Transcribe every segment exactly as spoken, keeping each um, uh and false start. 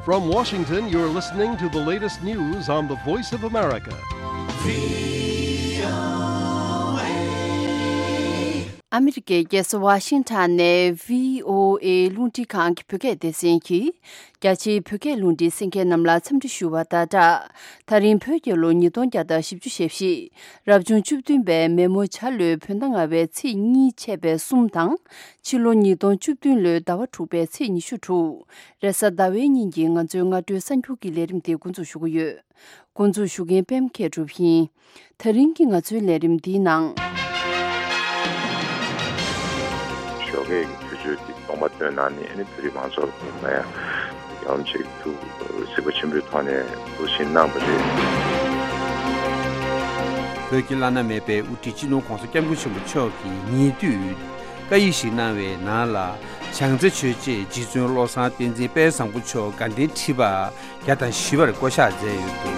From Washington, you're listening to the latest news on the Voice of America. ཨ་མི་རི་ཀའི་རྒྱལ་ས་ཝ་ཤིང་ཊོན་ནས་བྷི་ཨོ་ཨེ་རླུང་འཕྲིན་ཁང་གི་བོད་སྐད་སྡེ་ཚན་གྱིས། རྒྱ་ཆེའི་བོད་སྐད་རླུང་འཕྲིན་གསན་མཁན་རྣམས་ལ་འཚམས་འདྲི་ཞུ་བ་དང་སྦྲགས། ད་རིང་བོད་རྒྱལ་ལོ་ཉིས་སྟོང་བརྒྱ་དང་བཞི་བཅུ་ཞེ་བཞི། རབ་བྱུང་བཅུ་བདུན་པའི་མེ་མོ་བྱ་ལོའི་བོད་ཟླ་ལྔ་པའི་ཚེས་གཉིས་ཆད་པའི་གསུམ་དང་། ཕྱི་ལོ་ཉིས་སྟོང་བཅུ་བདུན་ལོའི་ཟླ་བ་དྲུག་པའི་ཚེས་ཉི་ཤུ་དྲུག་རེས་གཟའ་ཟླ་བའི་ཉིན་གྱི་ང་ཚོའི་སྔ་དྲོའི་གསར་འགྱུར་གྱི་ལས་རིམ་དེ་འགོ་འཛུགས་ཞུ་གི་ཡོད། འགོ་འཛུགས་ཞུ་མཁན་པད་མ་མཁས་གྲུབ་ཡིན། ད་རིང་གི་ང་ཚོའི་ལས་རིམ་འདིའི་ནང་། ཞོགས་ཀས་ཀྱི་དུས་ཚོད་འདི་གདོང་པ་སྟོན་གནང་ནས་ཨ་ནི་བོད་རིགས་མང་ཚོགས་ལ་ཕན་པ་ཡང་ཡག་ལམ་ཞིག་ཐུགས་གཟིགས་པ་ཆེན་པོའི་ཐོག་ནས་ཐུགས་ཞིབ་གནང་བ་རེད། བོད་ཀྱི་བླ་ན་མེད་པའི་དབུ་ཁྲིད་སྤྱི་ནོར་༸གོང་ས་༸སྐྱབས་མགོན་ཆེན་པོ་མཆོག་གིས་ཉེ་དུས་བཀའ་ཡིག་ཞིག་གནང་བའི་ནང་ལ། བྱང་རྩེ་ཆོས་རྗེ་རྗེ་བཙུན་བློ་བཟང་བསྟན་འཛིན་དཔལ་བཟང་པོ་མཆོག་དགའ་ལྡན་ཁྲི་པ་བརྒྱ་དང་བཞི་པར་བསྐོ་གཞག་མཛད་ཡོད་འདུག་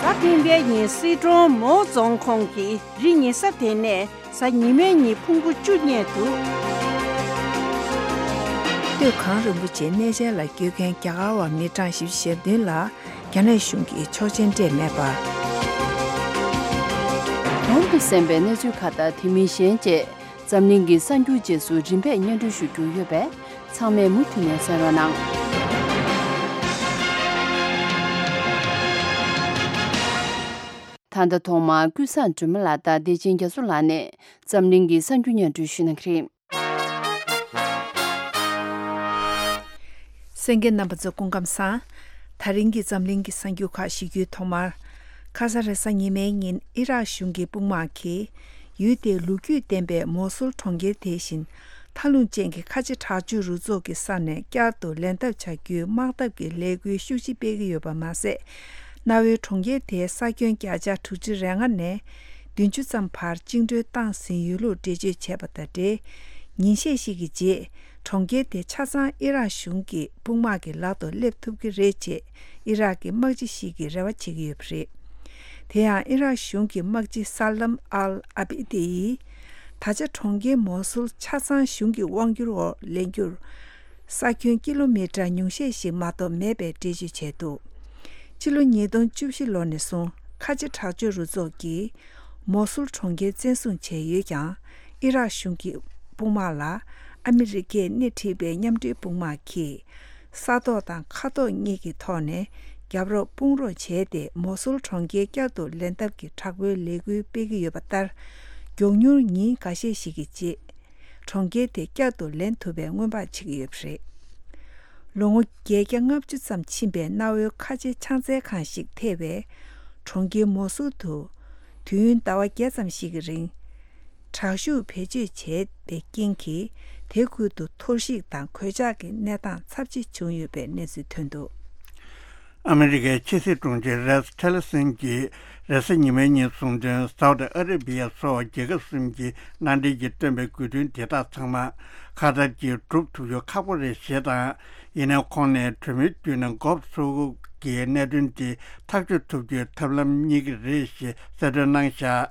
གཟའ་སྤེན་པའི་ཉིན་སི་ཁྲོན་མའོ་རྫོང་ཁོངས་ཀྱི་རི་ཉེ་ས་དེ་ནས་གཟའ་ཉི་མའི་ཉིན་ཕུང་པོ་བཅུ་རྙེད་འདུག་སྟོད་གངས་རིན་པོ་ཆེའི་གནས་མཇལ་ལ་སྐྱོད་མཁན་རྒྱ་གར་བ་མི་གྲངས་བཞི་བཅུ་ཞེ་བདུན་ལ་རྒྱ་ནག་གཞུང་གིས་ཆོག་མཆན་སྤྲད་མེད་པ། གོང་དུ་གསན་པའི་གནས་ཚུལ་ཁག་དང་དེ་མིན་གཞན་བཅས། འཛམ་གླིང་གི་གསར་འགྱུར་རྗེས་སུ་རིམ་པས་སྙན་སྒྲོན་ཞུ་རྒྱུ་ཡོད་པས། ཚང་མས་མུ་མཐུད་ནས་གསན་རོགས་གནང་། ད་ལྟ་ཐོག་མར་ཀུན་བཟང་སྒྲོལ་མ་ལགས་དང་བདེ་ཆེན་རྒྱ་མཚོ་ལགས་ནས་འཛམ་གླིང་གི་གསར་འགྱུར་སྙན་སྒྲོན་ཞུ་གནང་གི་རེད། གསན་མཁན་རྣམ་པ་ཚོ་སྐུ་ཁམས་བཟང་། ད་རིང་གི་འཛམ་གླིང་གི་གསར་འགྱུར་ཁག་ཞུ་རྒྱུའི་ཐོག་མར། ཁ་སང་རེས་གཟའ་ཉི་མའི་ཉིན་ཨི་རག་གཞུང་གི་དཔུང་དམག་གིས། ཡུལ་དེའི་ལོ་རྒྱུས་ལྡན་པའི་མོ་སུལ་གྲོང་ཁྱེར་དེ་བཞིན་མཐའ་ལྷུང་ཅན་གྱི་ཁ་ཆེ་དྲག་སྤྱོད་རུ་ཚོགས་ཀྱི་ས་ནས་བསྐྱར་དུ་ལེན་ཐབས་བྱ་རྒྱུའི་དམག་འཐབ་ཀྱི་ལས་འགུལ་ཤུགས་ཆེ་སྤེལ་གྱི་ཡོད་པ་མ་ཟད། གནའ་བོའི་གྲོང་ཁྱེར་དེའི་ས་ཁྱོན་བརྒྱ་ཆ་དྲུག་ཅུ་རེ་ལྔ་ནས་བདུན་ཅུ་ཙམ་བར་བཅིངས་འགྲོལ་བཏང་ཟིན་ཡོད་ལུགས་འགྲེལ་བརྗོད་བྱས་པ་དང་འབྲེལ། ཉིན་ཤས་ཤིག་གི་རྗེས། གྲོང་ཁྱེར་དེ་ཆ་ཚང་ཨི་རག་གཞུང་གི་དཔུང་དམག་གི་ལག་ཏུ་སླེབས་ཐུབ་ཀྱི་རེད་ཅེས་ཨི་རག་གི་དམག་སྤྱི་ཞིག་གིས་རེ་བ་བྱེད་ཀྱི་ཡོད་པ་རེད། དེ་ཡང་ཨི་རག་གཞུང་གི་དམག་སྤྱི་ས་ལམ་ཨལ་ཨ་བི་དི་ཡིས། ད་ཆ་གྲོང་ཁྱེར་མོ་སུལ་ཆ་ཚང་གཞུང་གི་དབང་སྒྱུར་འོག་ལེན་རྒྱུར། ས་ཁྱོན་ཀི་ལོ་མི་ཊར་ཉུང་ཤས་ཤིག་མ་གཏོགས་མེད་པའི་འགྲེལ་བརྗོད་བྱས་འདུག་སྤྱི་ལོ་ཉིས་སྟོང་བཅུ་བཞི་ལོ་ནས་བཟུང་ཁ་ཆེ་དྲག་སྤྱོད་རུ་ཚོགས་ཀྱིས། མོ་སུལ་གྲོང་ཁྱེར་བཙན་བཟུང་བྱས་ཡོད་ཀྱང་། ཨི་རག་གཞུང་གི་དཔུང་དམག་ལ་ཨ་མི་རི་ཀས་སྣེ་ཁྲིད་པའི་མཉམ་འབྲེལ་དཔུང་དམག་གིས། ས་ཐོག་དང་མཁའ་ཐོག་གཉིས་ཀྱི་ཐོག་ནས་རྒྱབ་རོགས་དཔུང་རོགས་བྱས་ཏེ། མོ་སུལ་གྲོང་ཁྱེར་བསྐྱར་དུ་ལེན་ཐབས་ཀྱི་དྲག་པོའི་ལས་འགུལ་སྤེལ་གྱི་ཡོད་པ་ལྟར། མགྱོགས་མྱུར་ཉིན་འགའ་ཤས་ཤིག་གི་རྗེས། གྲོང་ཁྱེར་དེ་བསྐྱར་དུ་ལེན་ཐུབ་པའི་སྔོན་དཔག་བྱེད་ཀྱི་ཡོད་པ་རེད། ལོ་ངོ་བརྒྱད་བརྒྱ་ལྔ་བཅུ་ཙམ་ཕྱིན་པའི་གནའ་བོའི་ཁ་ཆེ་ཕྱག་འཚལ་ཁང་ཞིག་ཐེ་བའི་གྲོང་ཁྱེར་མོ་སུལ་དུ། དུས་ཡུན་ཟླ་བ་བརྒྱད་ཙམ་ཞིག་གི་རིང་། དྲག་ཤུགས་བེད་སྤྱོད་བྱས་པའི་རྐྱེན་གྱིས། དེ་ཁུལ་དུ་གཏོར་བཤིག་དང་གོད་ཆག་གི་གནས་སྟངས་ཚབས་ཆེ་བྱུང་ཡོད་པའི་གནས་ཚུལ་ཐོན་འདུག་ཨ་མི་རི་ཀའི་ཕྱི་སྲིད་དྲུང་ཆེ་རེགས་ཊེ་ལར་སན་གྱིས་རེས་གཟའ་ཉི་མའི་ཉིན་གསུངས་དོན། སའུ་ཏི་ཨ་རེ་བི་ཡ་སོགས་རྒྱལ་ཁབ་གསུམ་གྱིས་མནའ་འབྲེལ་གྱིས་བཏོན་པའི་དགོས་འདུན་དེ་དག་ཚང་མ་ཁ་ཐར་གྱིས་སྒྲུབ་ཐུབ་རྒྱུ་ཁག་པོ་རེད་ཞེས་དང་། ཡིན་ནའང་ཁོང་ནས་གྲོས་མོལ་བརྒྱུད་ནས་འགོ་ཚུགས་ཀྱི་གནད་དོན་དེ་ཐག་གཅོད་ཐུབ་རྒྱུའི་ཐབས་ལམ་རྙེད་ཀྱི་རེད་ཞེས་གསལ་སྟོན་གནང་བཞག་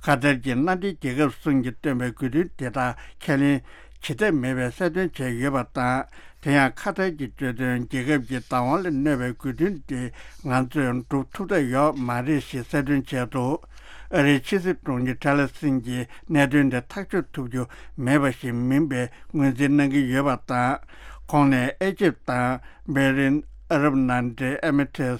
ཁ་ཐར་གྱི་མནའ་འབྲེལ་རྒྱལ་ཁབ་གསུམ་གྱིས་བཏོན་པའི་དགོས་འདུན་དེ་དག་ཁས་ལེན་བྱེད་ཐབས་མེད་པའི་གསལ་སྟོན་བྱས་ཡོད་པ་དང་། དེ་ཡང་ཁ་ཐར་གྱིས་བརྗོད་དོན། རྒྱལ་ཁབ་ཀྱི་བདག་དབང་ལ་གནོད་པའི་དགོས་འདུན་དེ་ང་ཚོས་སྒྲུབ་ཐུབ་ཐབས་ཡོད་མ་རེད་ཞེས་གསལ་སྟོན་བྱས་འདུག་ཨ་རིའི་ཕྱི་སྲིད་དྲུང་ཆེ་ཊེ་ལར་སན་གྱིས་གནད་དོན་དེ་ཐག་གཅོད་ཐུབ་རྒྱུ་མེད་པ་ཞིག་མིན་པའི་ངོས་འཛིན་གནང་གི་ཡོད་པ་དང་། ཁོང་ནས་ཨེ་ཇིབ་དང་བྷེ་རིན། ཨ་རབ་མནའ་འབྲེལ་ཨེ་མི་རེ་ཊི།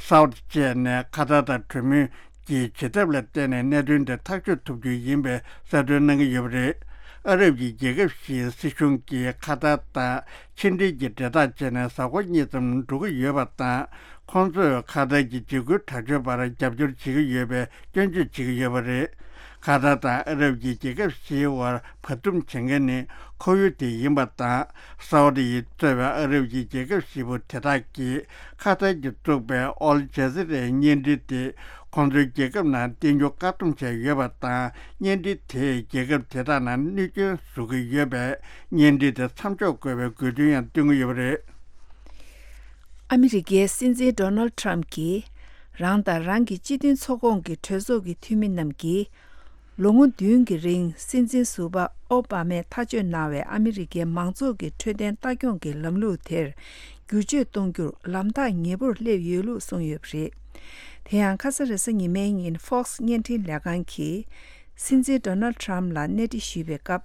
སའུ་ཏི་བཅས་ནས་ཁ་ཐར་དང་གྲོས་མོལ་གྱི་བྱེད་ཐབས་ལ་བརྟེན་ནས་གནད་དོན་དེ་ཐག་གཅོད་ཐུབ་རྒྱུ་ཡིན་པའི་གསལ་སྟོན་གནང་གི་ཡོད་པ་རེད། ཨ་རབ་ཀྱི་རྒྱལ་ཁབ་བཞིའི་སྲིད་གཞུང་གིས་ཁ་ཐར་དང་ཕྱི་འབྲེལ་གྱི་འབྲེལ་ཐག་བཅད་ནས་གཟའ་འཁོར་གཉིས་ཙམ་འགྲོ་གི་ཡོད་པ་དང་། ཁོང་ཚོས་ཁ་ཐར་གྱི་འཇིགས་སྐུལ་དྲག་སྤྱོད་པར་རྒྱབ་སྐྱོར་བྱེད་ཀྱི་ཡོད་པའི་སྐྱོན་བརྗོད་བྱེད་ཀྱི་ཡོད་པ་རེད། ཁ་ཐར་དང་ཨ་རབ་ཀྱི་རྒྱལ་ཁབ་བཞིའི་དབར་བར་འདུམ་བྱེད་མཁན་ནི་ཁོར་ཡུག་དེ་ཡིན་པ་དང་། སའུ་ཏི་ཡིས་གཙོས་པའི་ཨ་རབ་ཀྱི་རྒྱལ་ཁབ་བཞི་པོ་དེ་དག་གིས་ཁ་ཐར་གྱིས་བཙུགས་པའི་ཨལ་ཇ་ཟི་རའི་བརྙན་འཕྲིན་དེ་ཁོང་ཚོའི་རྒྱལ་ཁབ་ནང་བསྟན་རྒྱུ་བཀག་སྡོམ་བྱས་ཡོད་པ་དང་། བརྙན་འཕྲིན་དེས་རྒྱལ་ཁབ་དེ་དག་ནང་གནོད་སྐྱོན་བཟོ་གི་ཡོད་པས། བརྙན་འཕྲིན་དེ་མཚམས་འཇོག་དགོས་པའི་དགོས་འདུན་ཡང་བཏོན་གྱི་ཡོད་པ་རེད། ཨ་མི་རི་ཀའི་སྲིད་འཛིན་ཌོ་ནལ་ཌི་ཊརམ་གྱིས་རང་དང་རང་གི་སྤྱི་མཐུན་ཚོགས་ཁོངས་ཀྱི་གྲོས་ཚོགས་ཀྱི་འཐུས་མི་རྣམས་ཀྱིས། ལོ་ངོ་བདུན་གྱི་རིང་སྲིད་འཛིན་ཟུར་པ་ཨོ་བྷ་མས་ཐག་གཅོད་གནང་བའི་ཨ་མི་རི་ཀའི་མང་ཚོགས་ཀྱི་འཕྲོད་བསྟེན་ལྟ་སྐྱོང་གི་ལམ་ལུགས་དེར་བསྒྱུར་བཅོས་གཏོང་རྒྱུར་ལམ་ཐག་ཉེ་པོར་སླེབས་ཡོད་ལུགས་གསུངས་ཡོད་པ་རེད། དེ་ཡང་ཁ་ས་རེས་གཟའ་ཉི་མའི་ཉིན་Fox་བརྙན་འཕྲིན་ལས་ཁང་གིས་སྲིད་འཛིན་Donald Trump་ལ་གནས་འདྲི་ཞུས་པའི་སྐབས།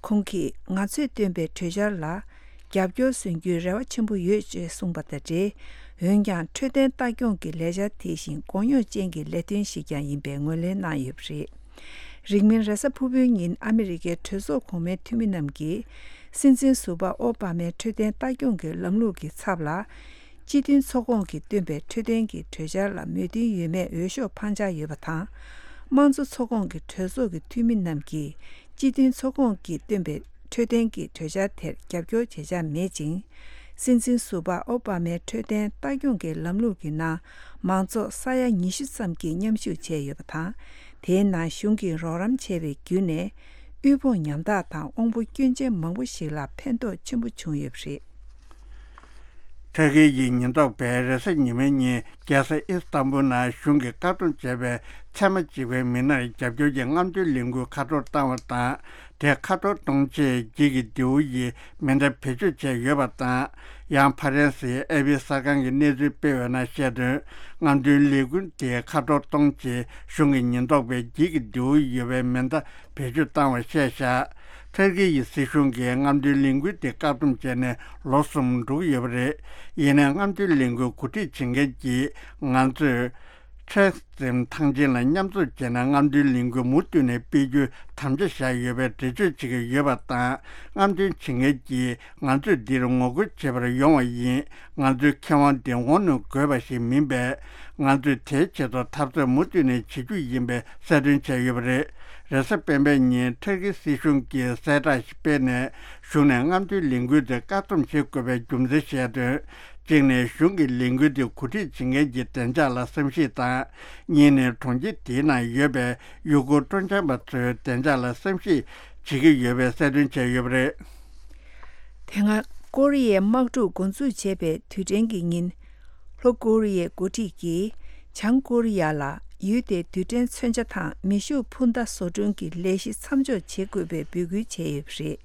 ཁོང་གིས་ང་ཚོས་བཏོན་པའི་གྲོས་འཆར་ལ་རྒྱབ་སྐྱོར་སོན་རྒྱུའི་རེ་བ་ཆེན་པོ་ཡོད་ཅེས་གསུངས་པ་དང་འབྲེལ། འོན་ཀྱང་འཕྲོད་བསྟེན་ལྟ་སྐྱོང་གི་ལས་འཆར་དེ་བཞིན་གོ་རྙོག་ཅན་གྱི་ལས་དོན་ཞིག་ཀྱང་ཡིན་པའི་ངོས་ལེན་གནང་ཡོད་པ་རེད། རིང་མིན་རེས་གཟའ་ཕུར་བུའི་ཉིན་ཨ་མི་རི་ཀའི་གྲོས་ཚོགས་གོང་མའི་འཐུས་མི་རྣམས་ཀྱིས་སྲིད་འཛིན་ཟུར་པ་ཨོ་བྷ་མའི་འཕྲོད་བསྟེན་ལྟ་སྐྱོང་གི་ལམ་ལུགས་ཀྱི་ཚབ་ལ། སྤྱི་མཐུན་ཚོགས་ཁོངས་ཀྱིས་བཏོན་པའི་འཕྲོད་བསྟེན་གྱི་གྲོས་འཆར་ལ་མོས་མཐུན་ཡོད་མེད་འོས་ཤོག་འཕང་འཆར་ཡོད་པ་དང་། དམངས་གཙོ་ཚོགས་ཁོངས་ཀྱི་གྲོས་ཚོགས་ཀྱི་འཐུས་མི་རྣམས་ཀྱིས་སྤྱི་མཐུན་ཚོགས་ཁོངས་ཀྱིས་བཏོན་པའི་འཕྲོད་བསྟེན་གྱི་གྲོས་འཆར་དེར་རྒྱབ་སྐྱོར་བྱེད་འཆར་མེད་ཅིང་། སྲིད་འཛིན་ཟུར་པ་ཨོ་བྷ་མའི་འཕྲོད་བསྟེན་ལྟ་སྐྱོང་གི་ལམ་ལུགས་ཀྱི་ནང་མང་ཚོགས་ས་ཡ་ཉི་ཤུ་ཙམ་གྱིས་མཉམ་ཞུགས་བྱས་ཡོད་པ་དང་། དེའི་ནང་གཞུང་གིས་རོགས་རམ་བྱས་པའི་བརྒྱུད་ནས་དབུལ་ཕོངས་ཉམ་ཐག་དང་དབང་པོ་སྐྱོན་ཅན་མང་པོ་ཞིག་ལ་ཕན་ཐོགས་ཆེན་པོ་བྱུང་ཡོད་པ་རེད། ཐ་གིར་གྱི་ཉེན་རྟོག་པས་རེས་གཟའ་ཉི་མའི་ཉིན་རྒྱལ་ས་ཨི་སི་ཏམ་བུལ་ནང་གཞུང་གིས་བཀག་སྡོམ་བྱས་པའི་ཚད་མ་གཅིག་པའི་མི་སྣར་རྒྱབ་སྐྱོར་གྱི་རྔམ་སྟོན་ལས་འགུལ་ཁ་འཕྲོར་བཏང་བ་དང་། དེ་ཁ་འཕྲོར་གཏོང་ཆེད་འགྱིག་གི་མདེའུ་ཡིས་མེ་མདའ་བེད་སྤྱོད་བྱས་ཡོད་པ་དང་། ཡང་ཕ་རན་སིའི་ཨེ་པི་གསར་ཁང་གིས་གནས་ཚུལ་སྤེལ་བའི་ནང་བཤད་དོན། རྔམ་སྟོན་ལས་འགུལ་དེ་ཁ་འཕྲོར་གཏོང་ཆེད་གཞུང་གི་ཉེན་རྟོག་པས་འགྱིག་གི་མདེའུ་ཡོད་པའི་མེ་མདའ་བེད་སྤྱོད་བཏང་བ་བཤད་བཞག་ཐ་གིར་གྱི་སྲིད་གཞུང་གིས་རྔམ་སྟོན་ལས་འགུལ་དེ་བཀག་སྡོམ་བྱས་ནས་ལོ་གསུམ་འགྲོ་གི་ཡོད་པ་རེད། ཡིན་ནའི་རྔམ་སྟོན་ལས་འགུལ་གོ་སྒྲིག་བྱེད་མཁན་གྱིས་ང་ཚོས་ཁྲེག་ཙིན་ཐང་ཆེན་ལ་མཉམ་འཛོམས་བྱས་ནས་རྔམ་སྟོན་ལས་འགུལ་མུ་མཐུད་ནས་སྤེལ་རྒྱུའི་དམ་བཅའ་བཞག་ཡོད་པའི་འགྲེལ་བརྗོད་བྱེད་ཀྱི་ཡོད་པ་དང་། རྔམ་སྟོན་བྱེད་མཁན་གྱིས་ང་ཚོས་འདིར་ངོ་རྒོལ་བྱེད་པར་ཡོང་བ་ཡིན། ང་ཚོའི་ཁེ་དབང་འདི་ངོ་གནོང་དགོས་པ་ཞིག་མིན་པས། ང་ཚོས་དེའི་ཆེད་དུ་འཐབ་རྩོད་མུ་མཐུད་ནས་བྱེད་རྒྱུ་ཡིན་པའི་གསལ་སྟོན་བྱས་ཡོད་པ་རེད། རེས་གཟའ་སྤེན་པའི་ཉིན་ཐ་གི་སྲིད་གཞུང་གིས་གསལ་བསྒྲགས་ཤིག་སྤེལ་ནས། གཞུང་ནས་རྔམ་སྟོན་ལས་འགུལ་དེ་བཀག་སྡོམ་བྱེད་དགོས་པའི་རྒྱུ་མཚན་བཤད་དོན། གཅིག་ནས་གཞུང་གིས་ལས་འགུལ་དེ་གོ་སྒྲིག་བྱེད་མཁན་གྱི་བདེ་འཇགས་ལ་བསམ་གཞིག་དང་། གཉིས་ནས་གྲོང་ཁྱེར་དེའི་ནང་ཡོད་པའི་ཡུ་གུར་སྤྲོ་འཆམ་པ་ཚོའི་བདེ་འཇགས་ལ་བསམ་གཞིག་བྱེད་ཀྱི་ཡོད་པའི་གསལ་སྟོན་བྱས་ཡོད་པ་རེད། དེ་སྔ་ཀོ་རི་ཡའི་དམག་འཁྲུག་འགོ་འཛུགས་བྱས་པའི་དུས་དྲན་གྱི་ཉིན། ལྷོ་ཀོ་རི་ཡའི་འགོ་ཁྲིད་ཀྱིས་བྱང་ཀོ་རི་ཡ་ལ་ཡུལ་དེའི་རྡུལ་ཕྲན་མཚོན་ཆ་དང་མེ་ཤུགས་འཕུར་མདའ་བཟོ་སྐྲུན་གྱི་ལས་གཞི་མཚམས་འཇོག་བྱེད་དགོས་པའི་འབོད་སྐུལ་བྱས་ཡོད་པ་རེད།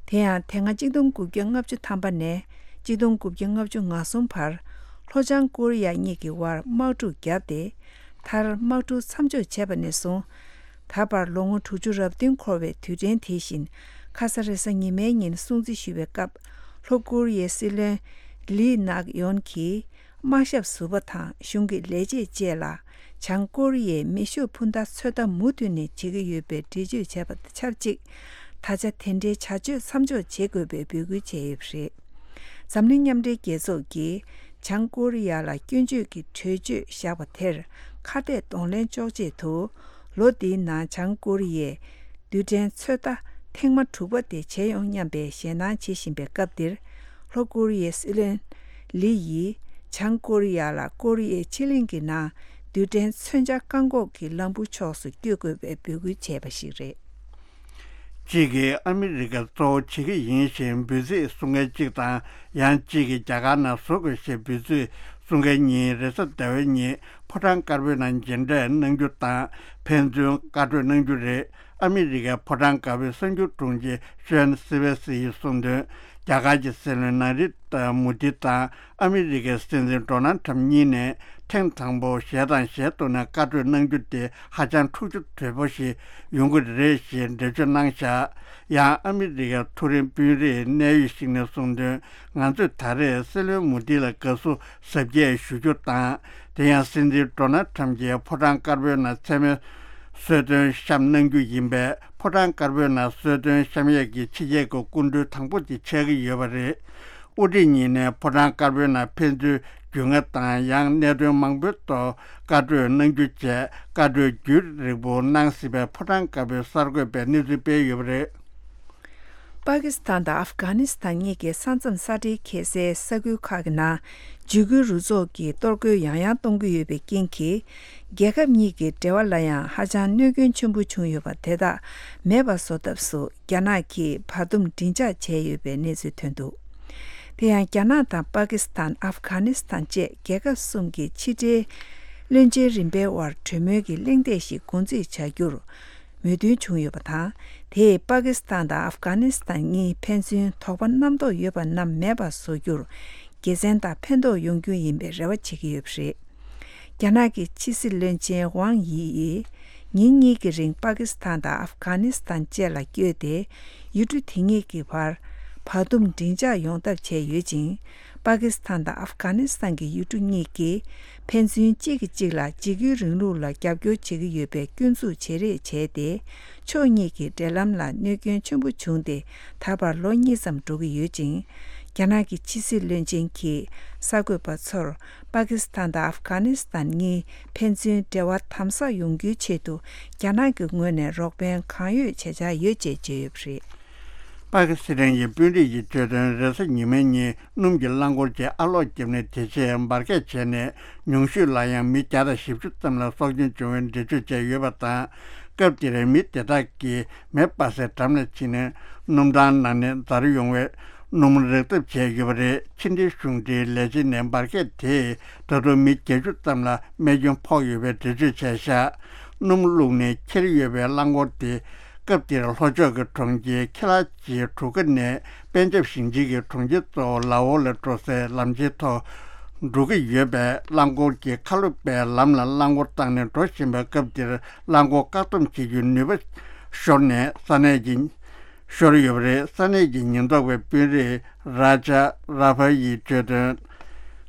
དེ་ཡང་དེ་སྔ་གཅིག་སྟོང་དགུ་བརྒྱ་ལྔ་བཅུ་ཐམ་པ་ནས་གཅིག་སྟོང་དགུ་བརྒྱ་ལྔ་བཅུ་ང་གསུམ་བར་ལྷོ་བྱང་ཀོ་རི་ཡ་གཉིས་ཀྱི་དབར་དམག་འཁྲུག་བརྒྱབ་སྟེ། མཐར་དམག་འཁྲུག་མཚམས་འཇོག་བྱས་པ་ནས་བཟུང་། ད་བར་ལོ་ངོ་དྲུག་ཅུ་རེ་བདུན་འཁོར་བའི་དུས་དྲན་དེ་བཞིན་ཁ་ས་རེས་གཟའ་ཉི་མའི་ཉིན་སྲུང་བརྩི་ཞུ་བའི་སྐབས། ལྷོ་ཀོ་རི་ཡའི་སྲིད་བློན་ལི་ནག་ཡོན་གྱིས་དམག་ཞབས་ཟུར་པ་དང་གཞུང་གི་ལས་བྱེད་བཅས་ལ་བྱང་ཀོ་རི་ཡའི་མེ་ཤུགས་འཕུར་མདའ་ཚོད་ལྟ་མུ་མཐུད་ནས་བྱེད་ཀྱི་ཡོད་པའི་འགྲེལ་བརྗོད་བྱས་པ་དང་ཆབས་ཅིག་ད་ཆ་དེ་འདྲའི་བྱ་སྤྱོད་མཚམས་འཇོག་བྱེད་དགོས་པའི་འབོད་སྐུལ་བྱས་ཡོད་པ་རེད། འཛམ་གླིང་མཉམ་འབྲེལ་རྒྱལ་ཚོགས་ཀྱིས་བྱང་ཀོ་རི་ཡ་ལ་སྐྱོན་བརྗོད་ཀྱི་གྲོས་ཆོད་བཞག་པ་དེར་ཁ་གཏད་གདོང་ལེན་གཅོག་ཆེད་དུ། ལོ་འདིའི་ནང་བྱང་ཀོ་རི་ཡས་རྡུལ་ཕྲན་ཚོད་ལྟ་ཐེངས་མ་དྲུག་པ་དེ་བྱས་ཡོང་སྙམ་པའི་ཞེད་སྣང་བྱེད་བཞིན་པའི་སྐབས་འདིར། ལྷོ་ཀོ་རི་ཡའི་སྲིད་བློན་ལི་ཡིས་བྱང་ཀོ་རི་ཡ་ལ་ཀོ་རི་ཡའི་ཕྱེད་གླིང་གི་ནང་རྡུལ་ཕྲན་མཚོན་ཆ་བཀག་འགོག་གི་ལམ་བུ་ཕྱོགས་སུ་བསྐྱོད་དགོས་པའི་འབོད་སྐུལ་བྱས་པ་ཞིག་རེད། གཅིག་གིས་ཨ་མི་རི་ཀ་གཙོ་བོ་བྱེད་ཀྱི་ཡིན་ཞེས་འབོད་ཚིག་གསུང་མཁན་གཅིག་དང་། ཡང་གཅིག་གིས་རྒྱ་གར་ནང་བཟོ་དགོས་ཞེས་འབོད་ཚིག་གསུང་མཁན་གཉིས་རེས་གཟའ་ཟླ་བའི་ཉིན་ཕོ་བྲང་དཀར་པོའི་ནང་མཇལ་འཕྲད་གནང་རྒྱུ་དང་། ཕན་ཚུན་བཀའ་གྲོས་གནང་རྒྱུ་རེད། ཨ་མི་རི་ཀའི་ཕོ་བྲང་དཀར་པོའི་གསར་འགྱུར་དྲུང་ཆེ་ཤོན་སི་ཝེ་སི་ཡིས་གསུངས་དོན། རྒྱ་གར་གྱི་སྲིད་བློན་ན་རི་ཏྲ་མུ་དི་དང་ཨ་མི་རི་ཀའི་སྲིད་འཛིན་ཌོ་ནལ་ཁྲམ་གཉིས་ནས་ཐེངས་དང་པོ་ཞལ་དང་ཞལ་ཐུག་ནས་བཀའ་གྲོས་གནང་རྒྱུ་དེ་ཧ་ཅང་འཁྲུག་ཆ་དོད་པོ་ཞིག་ཡོང་གི་རེད་ཞེས་འགྲེལ་བརྗོད་གནང་བཞག་ཡང་ཨ་མི་རི་ཀའི་མཐོ་རིམ་དཔོན་རིགས་གནད་ཡོད་ཞིག་ནས་གསུངས་དོན། ང་ཚོས་ད་རེས་སྲིད་བློན་མུ་དི་ལ་དགའ་བསུ་གཟབ་རྒྱས་ཞུ་རྒྱུ་དང་། དེ་ཡང་སྲིད་འཛིན་ཌོ་ནལ་ཁྲམ་གྱིས་ཕོ་བྲང་དཀར་པོའི་ནང་མཚན་མོའི་གསོལ་སྟོན་བཤམས་གནང་རྒྱུ་ཡིན་པས། ཕོ་བྲང་དཀར་པོའི་ནང་གསོལ་སྟོན་བཤམས་ཡས་ཀྱི་ཕྱི་རྒྱལ་གྱི་སྐུ་མགྲོན་དང་པོ་དེ་ཆགས་ཀྱི་ཡོད་པ་རེད། དབུ་ཁྲིད་གཉིས་ནས་ཕོ་བྲང་དཀར་པོའི་ནང་ཕན་ཚུན་རྒྱུས་མངའ་དང་ཡང་གནད་དོན་མང་པོའི་ཐོག་བཀའ་གྲོས་གནང་རྒྱུ་བཅས་བཀའ་གྲོས་རྒྱུན་རིང་པོ་གནང་སྲིད་པའི་ཕོ་བྲང་དཀར་པོའི་གསར་འགོད་པས་གནས་ཚུལ་སྤེལ་ཡོད་པ་རེད། པ་ཀི་སི་ཐན་དང་ཨབ་གྷ་ནི་སི་ཐན་གཉིས་ཀྱི་ས་མཚམས་ས་འབྲེལ་ཁེལ་སའི་ས་ཁུལ་ཁག་གི་ནང་འཇིགས་སྐུལ་རུ་ཚོགས་ཀྱིས་གཏོར་རྒོལ་ཡང་ཡང་གཏོང་གི་ཡོད་པའི་རྐྱེན་གྱིས། རྒྱལ་ཁབ་གཉིས་ཀྱི་འབྲེལ་བ་ལ་ཡང་ཧ་ཅང་གནོད་སྐྱོན་ཆེན་པོ་བྱུང་ཡོད་པ་དེ་དག་མེད་པ་བཟོ་ཐབས་སུ། རྒྱ་ནག་གིས་བར་འདུམ་མགྲིན་ཆགས་བྱས་ཡོད་པའི་གནས་ཚུལ་ཐོན་འདུག་དེ་ཡང་རྒྱ་ནག་དང་པ་ཀི་སི་ཐན། ཨབ་གྷ་ནི་སི་ཐན་བཅས་རྒྱལ་ཁབ་གསུམ་གྱི་ཕྱི་འབྲེལ་ བློན་ཆེན་རིམ་པའི་དབར་གྲོས་མོལ་གྱི་གླེང་སྟེགས་ཤིག་འགོ་འཛུགས་བྱ་རྒྱུར་མོས་མཐུན་བྱུང་ཡོད་པ་དང་། དེས་པ་ཀི་སི་ཐན་དང་ཨབ་གྷ་ནི་སི་ཐན་གཉིས་ཕན་ཚུན་དོགས་པ་རྣམ་རྟོག་ཡོད་པ་རྣམས་མེད་པར་བཟོ་རྒྱུར་དགེ་མཚན་དང་ཕན་ཐོགས་ཡོང་རྒྱུ་ཡིན་པའི་རེ་བ་བྱེད་ཀྱི་ཡོད་པ་རེད། རྒྱ་ནག་གི་ཕྱི་སྲིད་བློན་ཆེན་ཝང་དབྱི་ཡིས་ཉིན་གཉིས་ཀྱི་རིང་པ་ཀི་སི་ཐན་དང་ཨབ་གྷ་ནི་སི་ཐན་བཅས་ལ་བསྐྱོད་དེ། ཡུལ་གྲུ་དེ་གཉིས་ཀྱི་བར་བར་འདུམ་མགྲིན་ཆགས་ཡོང་ཐབས་བྱས་ཡོད་ཅིང་། པ་ཀི་སི་ཐན་དང་ཨབ་གྷ་ནི་སི་ཐན་གྱི་ཡུལ་གྲུ་གཉིས་ཀྱིས་ཕན་ཚུན་གཅིག་གིས་གཅིག་ལ་འཇིགས་སྐུལ་རིང་ལུགས་ལ་རྒྱབ་སྐྱོར་བྱེད་ཀྱི་ཡོད་པའི་སྐྱོན་འཛུགས་བྱེད་རེས་བྱས་ཏེ། ཕྱོགས་གཉིས་ཀྱི་འབྲེལ་ལམ་ལ་གནོད་སྐྱོན་ཆེན་པོ་བྱུང་སྟེ། ད་བར་ལོ་གཉིས་ཙམ་འགྲོ་གི་ཡོད་ཅིང་། རྒྱ་ནག་གི་ཕྱི་སྲིད་བློན་ཆེན་གྱིས་གསར་འགོད་པ་ཚོར། པ་ཀི་སི་ཐན་དང་ཨབ་གྷ་ནི་སི་ཐན་གཉིས་ཕན་ཚུན་འབྲེལ་བ་དམ་ཟབ་ཡོང་རྒྱུའི་ཆེད་དུ། རྒྱ་ནག་གི་ངོས་ནས་རོགས་ཕན་གང་ཡོད་བྱེད་འཆར་ཡོད་ཅེས་བརྗོད་ཡོད་པ་རེད། པ་ཀི་སི་ཐན་གྱི་དཔོན་རིགས་ཀྱིས་བརྗོད་དོན། རེས་གཟའ་ཉི་མའི་ཉིན་སྣུམ་གྱི་རླངས་འཁོར་གྱིས་ཨ་སློག་བརྒྱབ་ནས། དེ་རྗེས་འབར་གས་བྱས་ནས། ཉུང་ཤོས་ལ་ཡང་མི་བརྒྱ་དང་བཞི་བཅུ་ཙམ་ལ་སྲོག་སྐྱོན་བྱུང་བའི་འགྲེལ་བརྗོད་བྱས་ཡོད་པ་དང་། སྐབས་དེར་མི་དེ་དག་གིས་མེ་སྤར་སའི་འགྲམ་ལ་ཕྱིན་ནས། སྣུམ་ཊང་ནང་ནས་འཛར་ཡོང་བའི་སྣུམ་རེག་ཐབས་བྱས་ཡོད་པ་རེད། ཕྱི་འབྲེལ་གཞུང་འབྲེལ་ལས་བྱེད་ནས་འབར་གས་དེས་ད་དུང་མི་བརྒྱད་ཅུ་ཙམ་ལ་རྨས་སྐྱོན་ཕོག་ཡོད་པའི་འགྲེལ་བརྗོད་བྱས་བཞག་སྣུམ་བླུགས་ནས་འཁྱེར་ཡོད་པའི་རླངས་འཁོར་དེ། སྐབས་དེར་ལྷོ་ཕྱོགས་ཀྱི་གྲོང་ཁྱེར་ཁེ་ལ་ཅིའི་གྲུ་ཁ་ནས་པན་ཇབ་ཞིང་ཆེན་གྱི་གྲོང་ཁྱེར་གཙོ་བོ་ལ་ཧོར་ལ་འགྲོ་སའི་ལམ་ཆེན་ཐོག་འགྲོ་གི་ཡོད་པས། རླངས་འཁོར་གྱི་ཁ་ལོ་པའི་ལམ་ལ་རླངས་འཁོར་བཏང་ནས་འགྲོ་བཞིན་པའི་སྐབས་དེར། རླངས་འཁོར་བཀག་སྡོམ་བྱེད་རྒྱུའི་ནུས་པ་ཤོར་ནས་ས་གནས་ཀྱི་ཤོར་ཡོད་པ་རེད། ས་གནས་ཀྱི་ཉེན་རྟོག་པའི་དཔོན་རིགས་རཱ་ཇཱ་རཱ་ཕ་ཡིས་བརྗོད་དོན།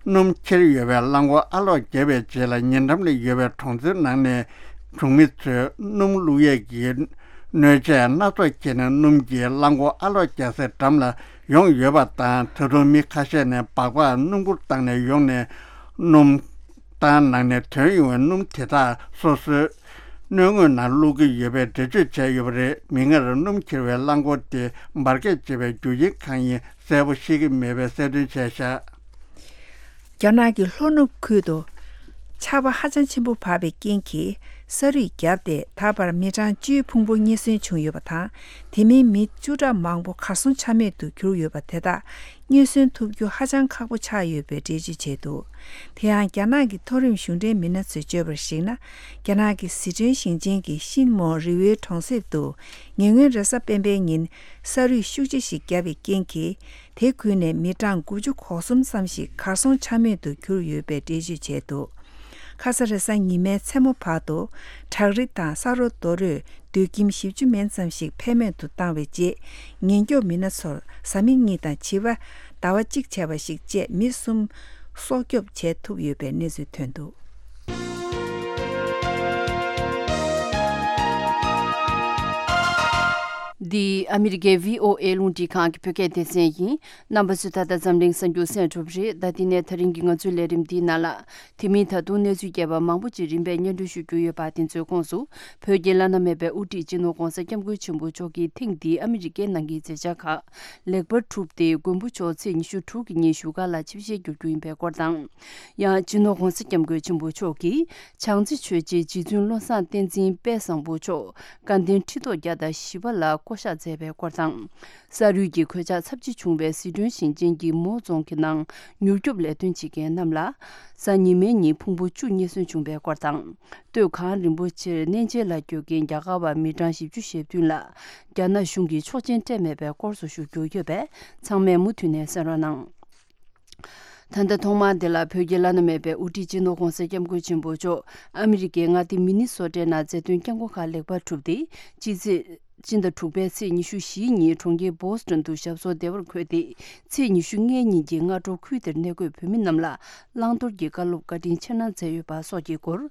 སྣུམ་འཁྱེར་ཡོད་པའི་རླངས་འཁོར་ཨ་སློག་བརྒྱབ་པའི་རྗེས་ལ། ཉེ་འགྲམ་ལ་ཡོད་པའི་གྲོང་ཚོའི་ནང་ནས་གྲོང་མི་ཚོས་སྣུམ་བླུག་ཡས་ཀྱི་སྣོད་ཆས་སྣ་ཚོགས་ཁྱེར་ནས། སྣུམ་གྱི་རླངས་འཁོར་ཨ་སློག་རྒྱག་སའི་འགྲམ་ལ་ཡོང་ཡོད་པ་དང་། ད་དུང་མི་ཁ་ཤས་ནས་སྦག་སྦག་སྣུམ་འཁོར་བཏང་ནས་ཡོང་ནས། སྣུམ་ཊང་ནང་ནས་ཐོན་ཡོང་བའི་སྣུམ་དེ་དག་སོ་སོའི་སྣོད་ངོས་ནང་བླུག་གི་ཡོད་པའི་འགྲེལ་བརྗོད་བྱས་ཡོད་པ་རེད། མིག་སྔར་སྣུམ་འཁྱེར་བའི་རླངས་འཁོར་དེ་འབར་གས་བྱས་པའི་རྒྱུ་རྐྱེན་གང་ཡིན་གསལ་པོ་ཤེས་ཀྱི་མེད་པའི་གསལ་སྟོན་བྱས་བཞག་རྒྱ་ནག་གི་ལྷོ་ནུབ་ཁུལ་དུ་ཆར་པ་ཧ་ཅང་ཆེན་པོ་བབས་པའི་རྐྱེན་གྱིས། ས་རུད་བརྒྱབ་སྟེ། ད་བར་མི་གྲངས་བཅུའི་ཕུང་པོ་རྙེད་སོན་བྱུང་ཡོད་པ་དང་། དེ་མིན་མི་བཅུ་ཕྲག་མང་པོ་གར་སོང་ཆ་མེད་དུ་གྱུར་ཡོད་པ་དེ་དག་རྙེད་སོན་ཐུབ་རྒྱུ་ཧ་ཅང་ཁག་པོ་ཆགས་ཡོད་པའི་འགྲེལ་བརྗོད་བྱས་འདུག་དེ་ཡང་རྒྱ་ནག་གི་མཐོ་རིམ་གཞུང་འབྲེལ་མི་སྣ་ཚོས་བརྗོད་པར་གཞིགས་ན། རྒྱ་ནག་གི་ཟི་ཁྲོན་ཞིང་ཆེན་གྱི་ཤིན་མོ་རི་བོའི་གྲོང་གསེབ་ཏུ་ཉེ་སྔོན་རེས་གཟའ་སྤེན་པའི་ཉིན་ས་རུད་ཤུགས་ཆེ་ཞིག་བརྒྱབ་པའི་རྐྱེན་གྱིས། དེ་ཁུལ་ནས་མི་གྲངས་དགུ་བཅུ་གོ་གསུམ་ཙམ་ཞིག་གར་སོང་ཆ་མེད་དུ་གྱུར་ཡོད་པའི་འགྲེལ་བརྗོད་བྱས་འདུག་ཁ་ས་རེས་གཟའ་ཉི་མའི་མཚན་མོ་བར་དུ་བྲག་རི་དང་ས་རོ་རྡོ་རོས་སྡོད་ཁྱིམ་བཞི་བཅུ་མན་ཙམ་ཞིག་ཕན་མེད་དུ་བཏང་བའི་རྗེས། ཉེན་སྐྱོབ་མི་སྣ་ཚོར་གཟའ་མིག་གཉིས་དང་བྱིས་པ་ཟླ་བ་གཅིག་བྱས་པ་ཞིག་བཅས་མི་གསུམ་སྲོག་སྐྱོབ་བྱེད་ཐུབ་ཡོད་པའི་གནས་ཚུལ་ཐོན་འདུག་འདི་ཨ་མི་རི་ཀའི་བྷི་ཨོ་ཨེ་རླུང་འཕྲིན་ཁང་གི་བོད་སྐད་སྡེ་ཚན་ཡིན། རྣམ་པ་ཚོས་ད་ལྟ་འཛམ་གླིང་གསར་འགྱུར་གསན་གྲུབ་རེད། ད་དེ་ནས་ད་རིང་གི་ང་ཚོའི་ལས་རིམ་འདིའི་ནང་ལ། དེ་མིན་ད་དུང་གནས་ཚུལ་རྒྱས་པ་མང་པོ་ཅིག་རིམ་པས་སྙན་སྒྲོན་ཞུ་རྒྱུ་ཡོད་པ་དེ་ཚོའི་ཁོངས་སུ། བོད་ཀྱི་བླ་ན་མེད་པའི་དབུ་ཁྲིད་སྤྱི་ནོར་༧གོང་ས་༧སྐྱབས་མགོན་ཆེན་པོ་མཆོག་གིས་ཐེངས་འདིའི་ཨ་མི་རི་ཀའི་ནང་གི་མཛད་འཆར་ཁག་ལེགས་པར་གྲུབ་སྟེ། མགོན་པོ་མཆོག་ཚེས་ཉི་ཤུ་དྲུག་གི་ཉིན་བཞུགས་སྒར་ལ་ཆིབས་ཞལ་བསྒྱུར་རྒྱུ་ཡིན་པའི་སྐོར་དང་། ཡང་སྤྱི་ནོར་༧གོང་ས་༧སྐྱབས་མགོན་ཆེན་པོ་མཆོག་གིས་བྱང་རྩེ་ཆོས་རྗེ་རྗེ་བཙུན་བློ་བཟང་བསྟན་འཛིན་དཔལ་བཟང་པོ་མཆོག་སྐལ་ལྡན་ཁྲི་ཐོག་བརྒྱ་དང་བཞི་པ་ལ་བསྐོ་གཞག་མཛད་པའི་སྐོར་དང་། ས་རུད་ཀྱི་གོད་ཆག་ཚབས་ཆེ་བྱུང་བའི་ཟི་ཁྲོན་ཞིང་ཆེན་གྱི་མོའོ་རྫོང་གི་ནང་མྱུར་སྐྱོབ་ལས་དོན་བྱེད་མཁན་རྣམས་ལ། གཟའ་ཉི་མའི་ཉིན་ཕུང་པོ་བཅུ་རྙེད་སོན་བྱུང་བའི་སྐོར་དང་། སྟོད་གངས་རིན་པོ་ཆེར་གནས་མཇལ་ལ་སྐྱོད་མཁན་རྒྱ་གར་བ་མི་གྲངས་བཞི་བཅུ་ཞེ་བདུན་ལ། རྒྱ་ནག་གཞུང་གིས་ཆོག་མཆན་སྤྲད་མེད་པའི་སྐོར་སོགས་ཞུ་རྒྱུ་ཡོད་པས། ཚང་མས་མུ་མཐུད་ནས་གསན་རོགས་གནང་། ད་ལྟ་ཐོག་མར་འདི་ལ་བོད་ཀྱི་བླ་ན་མེད་པའི་དབུ་ཁྲིད་སྤྱི་ནོར་༧གོང་ས་༧སྐྱབས་མགོན་ཆེན་པོ་མཆོག་ཨ་མི་རི་ཀའི་མངའ་སྡེ་མི་ནི་སོ་ཊའི་ནང་མཛད་དོན་བསྐྱངས་སྒོ་ཁག་ལེགས་པར་གྲུབ་སྟེ། སྤྱི་ཚེས་སྤྱི་ཟླ་དྲུག་པའི་ཚེས་ཉི་ཤུ་བཞིའི་ཉིན་གྲོང་ཁྱེར་བྷོ་སི་ཊོན་དུ་ཞབས་སོར་བདེ་བར་འཁོད་དེ། ཚེས་ཉི་ཤུ་ལྔའི་ཉིན་གྱི་སྔ་དྲོ་ཁུལ་དེར་གནས་འཁོད་བོད་མི་རྣམས་ལ་བླང་དོར་གྱི་བཀའ་སློབ་བཀའ་དྲིན་ཆེ་གནང་མཛད་ཡོད་པ་སོགས་ཀྱི་སྐོར།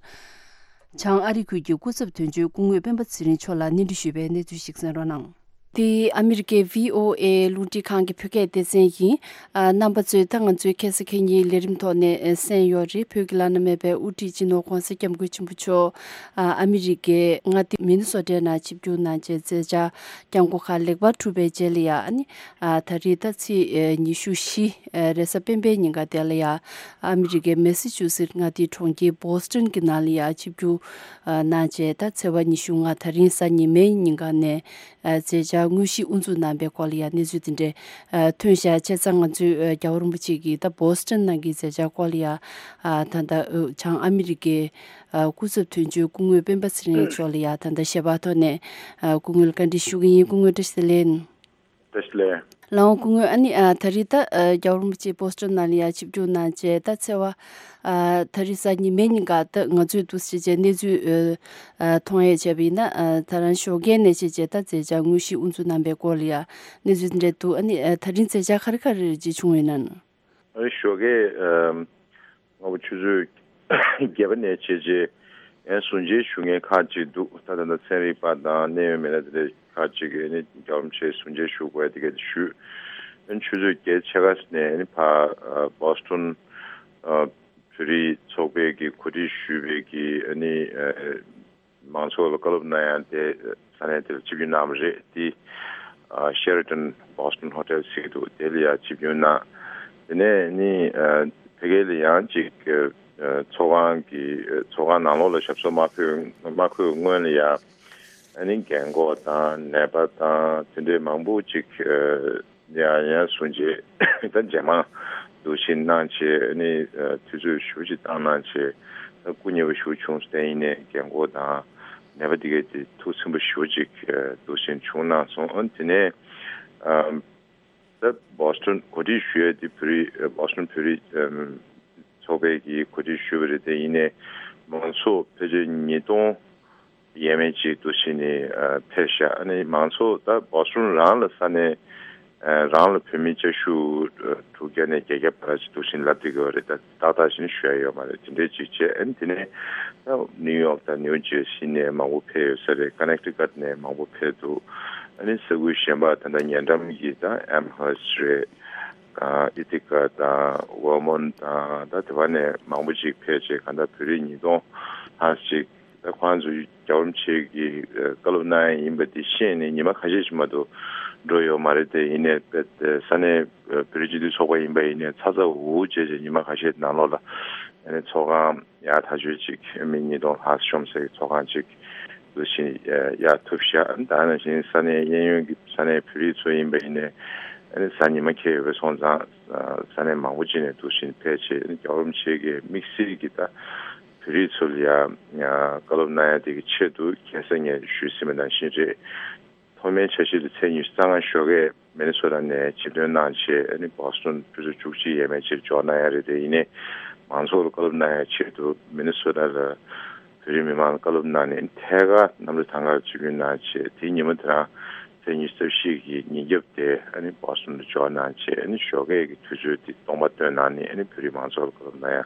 བྱང་ཨ་རི་ཁུལ་གྱི་སྐུ་ཚབ་དོན་གཅོད་སྐུ་ངོ་སྤེན་པ་ཚེ་རིང་མཆོག་ལ་གནས་འདྲི་ཞུས་པའི་གནས་ཚུལ་ཞིག་གསན་རོགས་གནང་། འདི་ཨ་མི་རི་ཀའི་བྷི་ཨོ་ཨེ་རླུང་འཕྲིན་ཁང་གི་བོད་སྐད་སྡེ་ཚན་ཡིན། ཨ། རྣམ་པ་ཚོས་ད་ང་ཚོའི་ཁ་སང་ཁ་ཉིན་ལས་རིམ་ཐོག་ནས་གསན་ཡོད་རེད། བོད་ཀྱི་བླ་ན་མེད་པའི་དབུ་ཁྲིད་སྤྱི་ནོར་༧གོང་ས་༧སྐྱབས་མགོན་ཆེན་པོ་མཆོག་ཨ། ཨ་མི་རི་ཀའི་མངའ་སྡེ་མི་ནི་སོ་ཊའི་ནང་ཆིབས་བསྒྱུར་གནང་རྗེས་མཛད་འཆར་བསྐྱངས་སྒོ་ཁག་ལེགས་པར་གྲུབ་པའི་རྗེས་ལ་ཡ། ཨ་ནི། ཨ། ད་རེས་ད་ཚེས་ཉི་ཤུ་བཞི་རེས་གཟའ་སྤེན་པའི་ཉིན་ཀ་དེ་ལ་ཡ། ཨ་མི་རི་ཀའི་མེ་སི་ཆུ་སི་མངའ་སྡེའི་གྲོང་ཁྱེར་བྷོ་སི་ཊོན་གྱི་ནང་ལ་ཡ་ཆིབས་བསྒྱུར་གནང་རྗེས། ད་ཚེས་པ་ཉི་ཤུ་ལྔ་ད་རིང་གཟའ་ཉི་མའི་ཉིན་ཀ་ནས། ཨ། མཛད་འཆར་ དངོས་གཞི་དབུ་འཛུགས་གནང་པའི་སྐོར་ལ་ཡང་གནས་ཚུལ་དེ་འདྲ་ཐོན་བཞག་བྱས་ཙང་ང་ཚོས་རྒྱལ་བ་རིན་པོ་ཆེ་གིས་ད་བོ་སི་ཊོན་ནང་གི་མཛད་འཆར་སྐོར་ལ་ཡང་ད་ལྟ་བྱང་ཨ་མི་རི་ཀའི་སྐུ་ཚབ་དོན་གཅོད་སྐུ་ངོ་སྤེན་པ་ཚེ་རིང་མཆོག་ལ་ཡང་ད་ལྟ་ཞལ་པར་ཐོག་ནས་སྐུ་ངོ་ལ་བཀའ་འདྲི་ཞུ་གི་ཡིན། སྐུ་ངོ་བཀྲ་ཤིས་བདེ་ལེགས། བཀྲ་ཤིས་བདེ་ལེགས། ལགས་འོང་སྐུ་ངོ། ཨ་ནི་ཨ་ད་རེས་ད་ཨ་རྒྱལ་བ་རིན་པོ་ཆེ་བོ་སི་ཊོན་ནང་ལ་ཡང་ཆིབས་བསྒྱུར་གནང་བྱས། ད་ཚེས་པ་ཨ་ད་རེས་གཟའ་ཉི་མའི་ཉིན་ཀ་ད་ང་ཚོས་འདུག་སེ་བྱས་གནས་ཚུལ་ཨ་མཐོང་ཡས་བྱས་པ་ཡིན་ན། ཨ་ད་རང་ཞོགས་ཀས་ནས་བྱས་བྱས་ད་མཛད་འཆར་དངོས་གཞི་དབུ་འཛུགས་གནང་པའི་སྐོར་ལ་ཡང་གནས་ཚུལ་དེ་འདྲ་འདུག་ཨ་ནི་ཨ་ད་རིང་མཛད་འཆར་ག་རེ་ག་རེ་ཅིག་བྱུང་ཡོད་ན། ཨ་ནི་ཞོགས་ཀས་ཨ་སྔ་པོ་ཆུ་ཚོད་བརྒྱད་པ་ནས་བྱས་རྗེས་ཨེ་གསུང་ཆོས་ཞུ་མཁན་ཁག་ཅིག་འདུག་ད་ད་ལྟ་ཚན་རིག་པ་དང་གནད་ཡོད་མི་སྣ་དེ་འདྲ་ཁག་ཅིག་གིས་ཨ་ནི་རྒྱལ་བ་རིན་པོ་ཆེའི་གསུང་ཆོས་ཞུ་དགོས་དེ་ག་དེ་ཞུས། ཨ་ནི་ཆུ་ཚོད་བརྒྱད་ཕྱེད་ཀ་ནས་ཨ་ནི་ཕར་ཨ་བོ་སི་ཊོན་ཨ་བོད་རིགས་ཚོགས་པའི་གི་གོ་སྒྲིག་ཞུས་པའི་གི་ཨ་ནི་ཨ་མང་ཚོགས་ལ་བཀའ་སློབ་གནང་ཡ་དེ་ས་གནས་དེར་ཆིབས་བསྒྱུར་གནང་བ་རེད། དེ་ཨ་ཤེ་ར་ཊོན་བོ་སི་ཊོན་ཧོ་ཊེལ་ཟེར་གྱི་འདུག་དེ་ལ་ཡང་ཆིབས་བསྒྱུར་གནང་། དེ་ནས་ནི་ཨ་ཕ་གི་ལ་ཡང་ཅིག་ཨ་ཚོགས་ཁང་གི་ཨ་ཚོགས་ཁང་ནང་ལོགས་ལ་ཞབས་སོར་མ་འཁོད་མ་འཁོད་སྔོན་ལ་ཡང་ཨ་ནི་རྒན་གོག་དང་ནད་པ་དང་དེ་འདྲའི་མང་པོ་ཅིག་ཨ་ཡང་ཡང་གསུང་ཆོས་ད་རྗེས་མ་འདུག་བཞིན་གནང་བྱས། ཨ་ནི་ཨ་དུས་ཚོད་ཞེ་པོ་ཅིག་བཏང་གནང་བྱས། ད་སྐུ་ཉེ་བོ་ཞེ་པོ་བྱུང་སོང་། དེ་ཡིན་ནའི་རྒན་གོག་དང་ནད་པ་དེ་གས་དེ་ཐུགས་ཚིམ་པོ་ཞེ་པོ་ཅིག་ཨ་འདུག་བཞིན་བྱུང་གནང་སོང་། ཨ་དེ་ནས་ཨ་ད་བོ་སི་ཊོན་གོ་སྒྲིག་ཞུ་ཡས་དེ་བོད་རིགས་ཨ་བོ་སི་ཊོན་བོད་རིགས་ཨམ་ཚོགས་པའི་གིས་གོ་སྒྲིག་ཞུས་པ་རེད། དེ་ཡིན་ནའི་མང་ཚོགས་ཕལ་ཆེར་ཉིས་སྟོང་ཡས་མས་ཅིག་འདུག་བཞིན་ནི་ཨ་ཕེབས་ཤག་ཨ་ནི་མང་ཚོགས་ད་བོ་སི་ཊོན་རང་ལ་ས་གནས་ཨ་རང་ལ་བོད་མི་བཅའ་བཞུགས་ཨ་དྲུག་བརྒྱ་ནས་བརྒྱད་བརྒྱ་བར་ཅིག་འདུག་བཞིན་ལབ་བསྡད་ཀྱི་ཡོད་རེད། ད་ཏག་ཏག་ཅིག་ཞུ་ཡ་ཡོད་མ་རེད། དེ་འདྲས་ཅིག་བྱས། ཨ་ནི་དེ་ནས་ད་ནིའུ་ཡོག་དང་ནིའུ་ཇར་སི་ནས་མང་པོ་ཕེབས་ཡོད་ས་རེད། ཀ་ནེག་ཊི་ཀཊ་ནས་མང་པོ་ཕེབས་འདུག་ཨ་ནི་ས་ཁུལ་གཞན་པ་ད་ལྟ་ཉེ་འགྲམ་གྱི་ད་ཨེམ་ཧར་སི་རེད། ཨ་ཨི་ཐི་ཀ་དང་ཝར་མོན་དང་ད་དེ་བ་ནས་མང་པོ་ཅིག་ཕེབས་བྱས། གང་ལྟར་བོད་རིགས་ཉིས་སྟོང་ལྷག་ཅིག་ད་ཁོང་ཚོ་རྒྱལ་བ་རིན་པོ་ཆེ་གིས་ཨ་བཀའ་སློབ་གནང་ཡ་ཡིན་པ་དེ་ཤེས་ནས་ཉི་མ་ཁ་ཤས་ཤིག་མ་གཏོགས་འགྲོ་ཡོད་མ་རེད། དེ་ཡིན་ནའི་དཔེ་ས་གནས་ཨ་བོད་རིགས་སྤྱི་མཐུན་ཚོགས་པ་ཡིན་པ་ཡིན་ནའི་ཚ་ཚ་འུར་འུར་བྱས་བྱས་ཉི་མ་ཁ་ཤས་ནང་ལོགས་ལ་ཨ་ནི་ཚོགས་ཁང་ཡག་ཐག་ཆོད་ཅིག་མི་ཉིས་སྟོང་ལྷག་ཤོང་སའི་ཚོགས་ཁང་ཅིག་འདུག་བཞིན་ཨ་གཡར་ཐུབ་ཤག་ད་ནང་བཞིན་ས་གནས་གཡས་གཡོན་གྱི་ས་གནས་བོད་རིགས་ཚོ་ཡིན་པ་ཡིན་ནའི་ཨ་ནི་གཟའ་ཉི་མ་ཁེལ་ཡོད་པ་སོང་ཙང་ཨ་ས་གནས་མང་པོ་ཅིག་ནས་འདུག་བཞིན་ཕེབས་བྱས། ཨ་ནི་རྒྱལ་བ་རིན་པོ་ཆེ་གིས་དམིགས་བསལ་གྱི་ད་བོད་རིགས་ཚོ་ལ་ཡང་ཨ་བཀའ་སློབ་གནང་ཡ་དེ་གི་ཆེད་དུ་ཁ་སང་ངས་ཞུས་ཟིན་པ་ནང་བཞིན་རེད། ཐོག་མའི་འཆར་གཞི་ལ་ཚེས་ཉི་ཤུ་རྩ་ལྔ་ཞོགས་ཀས་མི་ནི་སོ་ཊ་ནས་ཆེད་དོན་གནང་བྱས། ཨ་ནི་བོ་སི་ཊོན་ཆུ་ཚོད་བཅུ་གཅིག་ཡས་མས་ཅིག་འབྱོར་གནང་ཡ་རེད། དེ་ཡིན་ནའི་མང་ཚོགས་ལ་བཀའ་སློབ་གནང་ཡ་ཆེད་དུ་མི་ནི་སོ་ཊ་ལ་བོད་རིགས་མི་མང་ལ་བཀའ་སློབ་གནང་ནས་ཐད་ཀར་གནམ་གྲུ་ཐང་གར་ཆིབས་བསྒྱུར་གནང་བྱས། དེའི་ཉིན་མོ་དེ་རང་ཚེས་ཉི་ཤུ་རྩ་བཞི་གི་ཉིན་རྒྱབ་དེ་ཨ་ནི་བོ་སི་ཊོན་དུ་འབྱོར་གནང་བྱས། ཨ་ནི་ཞོགས་ཀས་ཀྱི་དུས་ཚོད་དེ་སྟོང་པ་བཏོན་གནང་ནས་ཨ་ནི་བོད་རིགས་མང་ཚོགས་ལ་བཀའ་སློབ་གནང་ཡ་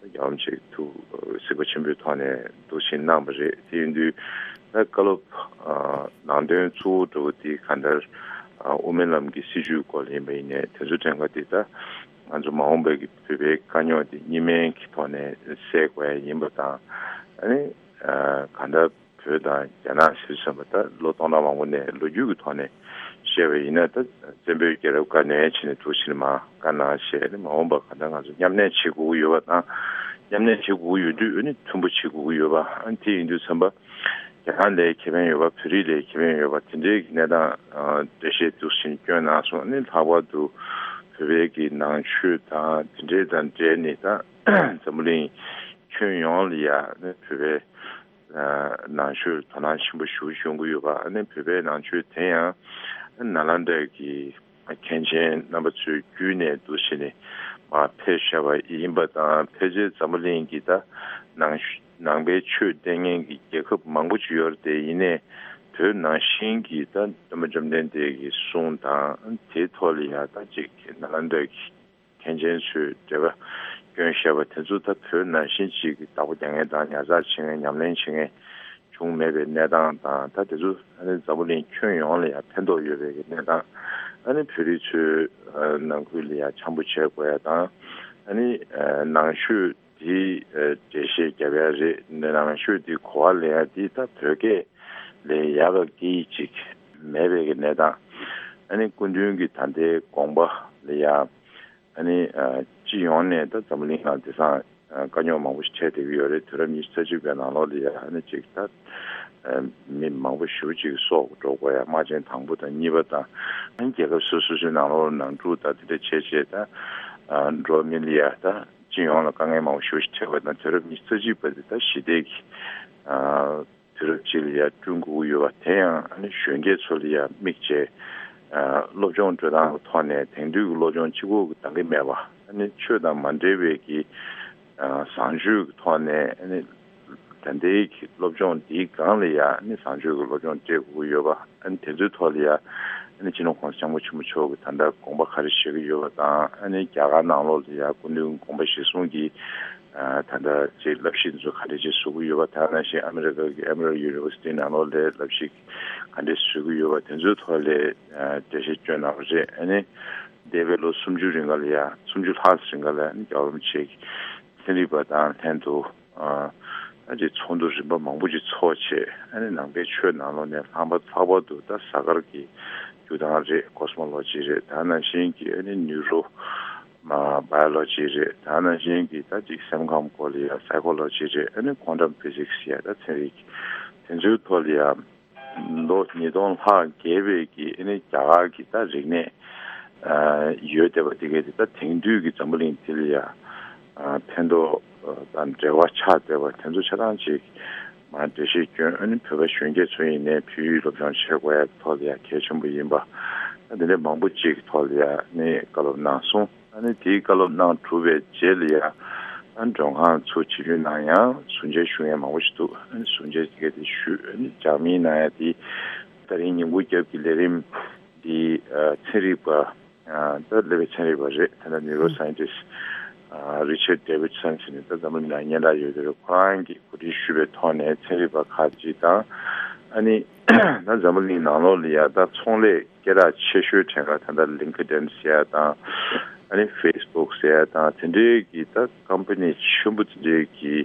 རྒྱལ་བ་རིན་པོ་ཆེ་གི་ཐུགས་གཟིགས་པ་ཆེན་པོའི་ཐོག་ནས་འདུག་བཞིན་གནང་བ་རེད། དེ་ཡིན་དུས་ད་བཀའ་སློབ་ཨ་ནང་དོན་གཙོ་བོ་འདྲ་བོ་དེ་གང་ལྟར་ཨ་དབུ་མའི་ལམ་གྱི་སྲིད་བྱུས་སྐོར་ལ་ཡིན་པ་ཡིན་ནའི་དེ་ཚོ་དྲན་ག་དེ་ད་ང་ཚོ་མ་འོངས་པའི་གི་བོད་པའི་དཀའ་རྙོག་དེ་གཉིས་སྨན་གྱི་ཐོག་ནས་སེལ་དགོས་ཡ་ཡིན་པ་དང་། ཨ་ནི་ཨ་གང་ལྟར་བོད་དང་རྒྱ་ནག་ཟེར་བསམ་པ་ད་ལོ་སྟོང་ཕྲག་མང་པོ་ནས་ལོ་རྒྱུས་ཀྱི་ཐོག་ནས་བཤད་པ་ཡིན་ན། ད་བཙན་པོའི་རྒྱལ་རབས་བཀའ་ནས་བྱས་ནས་འདུག་ཕྱིར་མ་བཀའ་གནང་བྱས་ནས་མ་འོངས་པ་གང་ལྟར་ང་ཚོ་མཉམ་གནས་བྱེད་དགོས་ཀྱི་ཡོད་པ་དང་། མཉམ་གནས་བྱེད་དགོས་ཀྱི་ཡོད་དུས་ཨ་ནི་མཐུན་པོ་བྱེད་དགོས་ཀྱི་ཡོད་པ། ཨ་ནི་དེ་ཡིན་དུས་ཙམ་པ་རྒྱ་ནག་ལའི་ཁེ་ཕན་ཡོད་པ། བོད་རིགས་ལའི་ཁེ་ཕན་ཡོད་པ། དེ་འདྲའི་གི་གནས་སྟངས་ཨ་འགྲེལ་བཤད་འདུག་ཕྱིར་བསྐྱོན་གནང་སོང་། ཨ་ནི་ལྷག་པར་དུ་བོད་པའི་གི་ནང་ཆོས་དང་དེ་འདྲའི་དང་འབྲེལ་ནས་ད་འཛམ་བུ་གླིང་ཁྱོན་ཡོངས་ལ་ཡ་ཨ་ནི་བོད་པའི་ནང་ཆོས་དོ་སྣང་ཆེན་པོ་ཞེ་པོ་ཡོང་གི་ཡོད་པ། ཨ་ནི་བོད་པའི་ནང་ཆོས་དེ་ཡང་ནཱ་ལནྡཱ་གི་མཁན་ཆེན་རྣམ་པ་ཚོའི་བརྒྱུད་ནས་འདུག་བྱས་ནས་མར་ཕེབས་བཞག་པ་ཡིན་པ་དང་། ཕལ་ཆེར་འཛམ་བུ་གླིང་གི་ད་ནང་ནང་པའི་ཆོས་སྟོན་མཁན་གྱི་རྒྱལ་ཁབ་མང་པོ་ཅིག་ཡོད་རེད། དེ་ཡིན་ནའི་བོད་ནང་བཞིན་གྱི་ད་སྟོན་པ་བཅོམ་ལྡན་འདས་ཀྱི་གསུང་དང་དེའི་ཐོག་ལ་ཡ་ད་ཅིག་ནཱ་ལནྡཱ་གི་མཁན་ཆེན་ཚོས་འགྲེལ་པ་བསྐྱོན་བཞག་པ་དེ་ཚོ་ད་བོད་ནང་བཞིན་ཅིག་གི་བདག་པོ་རྒྱག་མཁན་དང་ཉར་ཚགས་བྱེད་མཁན་ཉམས་ལེན་བྱེད་མཁན་བྱུང་མེད་པའི་གནས་སྟངས་དང་། ད་དེ་ཚོ་ཨ་ནི་འཛམ་བུ་གླིང་ཁྱོན་ཡོངས་ལ་ཡང་ཕན་ཐོགས་ཡོད་པའི་གི་གནས་སྟངས། ཨ་ནི་བོད་རིགས་ཚོའི་ཨ་ནང་ཁུལ་ལ་ཡང་འཆམ་པོ་བྱེད་དགོས་ཡ་དང་། ཨ་ནི་ཨ་ནང་ཆོས་དེ་ཨ་འགྲེལ་བཤད་རྒྱབ་ཡ་རེད། ནང་ཆོས་དེ་གོ་བ་ལེན་ཡ་དེ་ད་བོད་སྐད་ལས་ཡག་གི་སྐད་ཡིག་ཅིག་མེད་པའི་གི་གནས་སྟངས། ཨ་ནི་སྐུ་མདུན་གྱི་ད་ལྟའི་དགོངས་པ་ལ་ཡང་ཨ་ནི་ཨ་སྤྱི་ཡོངས་ནས་ད་འཛམ་བུ་གླིང་ནང་དེང་སང་ དཀའ་རྙོག་མང་པོ་ཞིག་འཕྲད་བསྡད་ཀྱི་ཡོད་རེད། དུས་རབས་ཉི་ཤུ་རྩ་གཅིག་པའི་ནང་ལོགས་ལ་ཡ་ཨ་ནི་ཅིག་ད་མི་མང་པོ་ཞེ་པོ་ཅིག་སྲོག་འགྲོ་དགོས་ཡ། དམག་ཆེན་དང་པོ་དང་གཉིས་པ་དང་རྒྱལ་ཁབ་སོ་སོ་སོའི་ནང་ལོགས་ནང་འཁྲུག་དང་དེ་འདྲ་བྱས་བྱས་ད་འགྲོ་བ་མི་ལ་ཡ་ད་སྤྱི་ཡོངས་ལ་དཀའ་ངལ་མང་པོ་ཞེ་པོ་ཞིག་འཕྲད་པ་དང་། དུས་རབས་ཉི་ཤུ་རྩ་གཅིག་པ་དེ་ད་ཞི་བདེ་གི་དུས་རབས་ཅིག་ལ་ཡ་བསྐྲུན་དགོས་ཀྱི་ཡོད་པ། དེ་ཡང་ཨ་ནི་གཞོན་སྐྱེས་ཚོ་ལ་ཡ་དམིགས་བྱས་སློབ་སྦྱོང་སྤྲོད་སྟངས་ཀྱི་ཐོག་ནས་དེང་དུས་ཀྱི་སློབ་སྦྱོང་གཅིག་པོ་གིས་འདང་གི་མེད་པ། ཨ་ནི་ཆོས་དང་མ་འབྲེལ་བའི་གི་བཟང་སྤྱོད་ཀྱི་ཐོག་ནས་ཨ་ནི་ད་ལྟའི་གི་སློབ་སྦྱོང་འདིའི་སྒང་ལ་ཡ་ཨ་ནི་བཟང་སྤྱོད་ཀྱི་སློབ་སྦྱོང་སྤྲད་དགོས་ཀྱི་ཡོད་པ། ཨ་ནི་དེ་ཚོའི་ཐོག་ལ་ཡ་ཨ་ནི་སྤྱི་ནོར་༸གོང་ས་༸སྐྱབས་མགོན་ཆེན་པོ་མཆོག་གིས་ད་ལྟ་དགོངས་པ་ག་རེ་བཞེས་ཀྱི་ཡོད་པ་དང་། ཨ་ནི་རྒྱ་གར་ནང་ལོགས་ལ་ཡ་སྐུ་མདུན་དགོངས་པ་བཞེས་གསུང་གི་ད་ལྟ་ཅིག་བསླབ་གཞི་འདི་ཚོ་ག་འདྲ་ཅིག་བཟོ་གི་ཡོད་པ། དེ་ནང་བཞིན་ཨ་མི་རི་ཀ་གི་Emory University་ནང་ལོགས་ལ་བསླབ་གཞི་ག་འདྲ་བཟོ་གི་ཡོད་པ། དེ་ཚོའི་ཐོག་ལ་འགྲེལ་བཤད་བསྐྱོན་གནང་བ་རེད། ཨ་ནི་འདས་པའི་ལོ་སུམ་ཅུ་རིང་ག་ལ་ཡ་སུམ་ཅུ་ལྷག་རིང་ག་ལ་ཡ་ཨ་ནི་རྒྱལ་བ་རིན་པོ་ཆེ་གིས་ཚན་རིག་པ་དང་ལྷན་དུ་ཨ་ཅིག་ཚོགས་འདུ་རིམ་པ་མང་པོ་ཅིག་ཚོགས་བྱས། ཨ་ནི་ནང་པའི་ཆོས་ནང་ལོགས་ནས་ལྷག་པ་ལྷག་པར་དུ་ད་གཟའ་སྐར་གྱི་རྒྱུ་སྟངས་རེད། Cosmology་རེད། དེ་ནང་བཞིན་གྱི་ཨ་ནི་Neuro་མ་Biology་རེད། དེ་ནང་བཞིན་གྱི་ད་ཅིག་སེམས་ཁམས་སྐོར་ལ་ཡ་Psychology་རེད། ཨ་ནི་Quantum Physics་ཡ་ད་ཚན་རིག་དེ་ཚོའི་ཐོག་ལ་ཡ་ལོ་ཉིས་སྟོང་ལྷག་བརྒལ་བའི་གི་ཨ་ནི་རྒྱ་གར་གྱི་ད་རིག་གནས་ཨ་ཡོད་བསྡད་པ་དེ་གས་དེ་ད་དེང་དུས་ཀྱི་འཛམ་བུ་གླིང་འདི་ལ་ཡ་ཨ་ཕན་ཐོགས་ཨ་དང་འབྲེལ་བ་ཆགས་བསྡད་པ་དེ་ཚོ་ཆ་ཚང་ཅིག་མར་འགྲེལ་བཤད་བསྐྱོན། ཨ་ནི་བོད་པ་གཞོན་སྐྱེས་ཚོ་ཡིན་ནའི་བོད་ཡིག་སློབ་སྦྱོང་བྱེད་དགོས་ཡ་ཐོག་ལ་ཡ་གལ་ཆེན་པོ་ཡིན་པ། ཨ་འདི་འདྲའི་མང་པོ་ཅིག་གི་ཐོག་ལ་ཡ་ཨ་ནི་བཀའ་སློབ་གནང་སོང་། ཨ་ནི་དེའི་བཀའ་སློབ་གནང་གྲུབ་པའི་རྗེས་ལ་ཡ་ཨ་མགྲོན་ཁང་ཚུར་ཕྱིར་བསྐྱོད་གནང་ཡ་ཟུར་མཇལ་ཞུ་མཁན་མང་པོ་ཞིག་འདུག་ཨ་ནི་ཟུར་མཇལ་དེ་ག་དེ་ཞུས། ཨ་ནི་ལྗགས་མིང་གནང་ཡ་དེ་ད་རིང་ཉིན་གུང་རྒྱབ་ཀྱི་ལས་རིམ་འདི་ཨ་ཚན་རིག་པ་ཨ་ད་སླེབས་པའི་ཚན་རིག་པ་རེད། ད་ལྟ་Neuroscientist་ཨ་Richard Davidson་ཟེར་ནས་ད་འཛམ་བུ་གླིང་ནང་སྙན་གྲགས་ཡོད་རེད། ཁོ་རང་གིས་གོ་སྒྲིག་ཞུས་པའི་ཐོག་ནས་ཚན་རིག་པ་ཁག་ཅིག་དང་། ཨ་ནི་ད་འཛམ་བུ་གླིང་ནང་ལོགས་ལ་ཡ་ད་ཚོང་ལས་སྐད་གྲགས་ཆེ་ཤོས་གྲས་འགའ་ད་ལྟ་LinkedIn་ཟེར་ཡ་དང་། ཨ་ནི་Facebook་ཟེར་ཡ་དང་། དེ་འདྲའི་གི་ད་ཀམ་པ་ནི་ཆེན་པོ་དེ་འདྲའི་གི་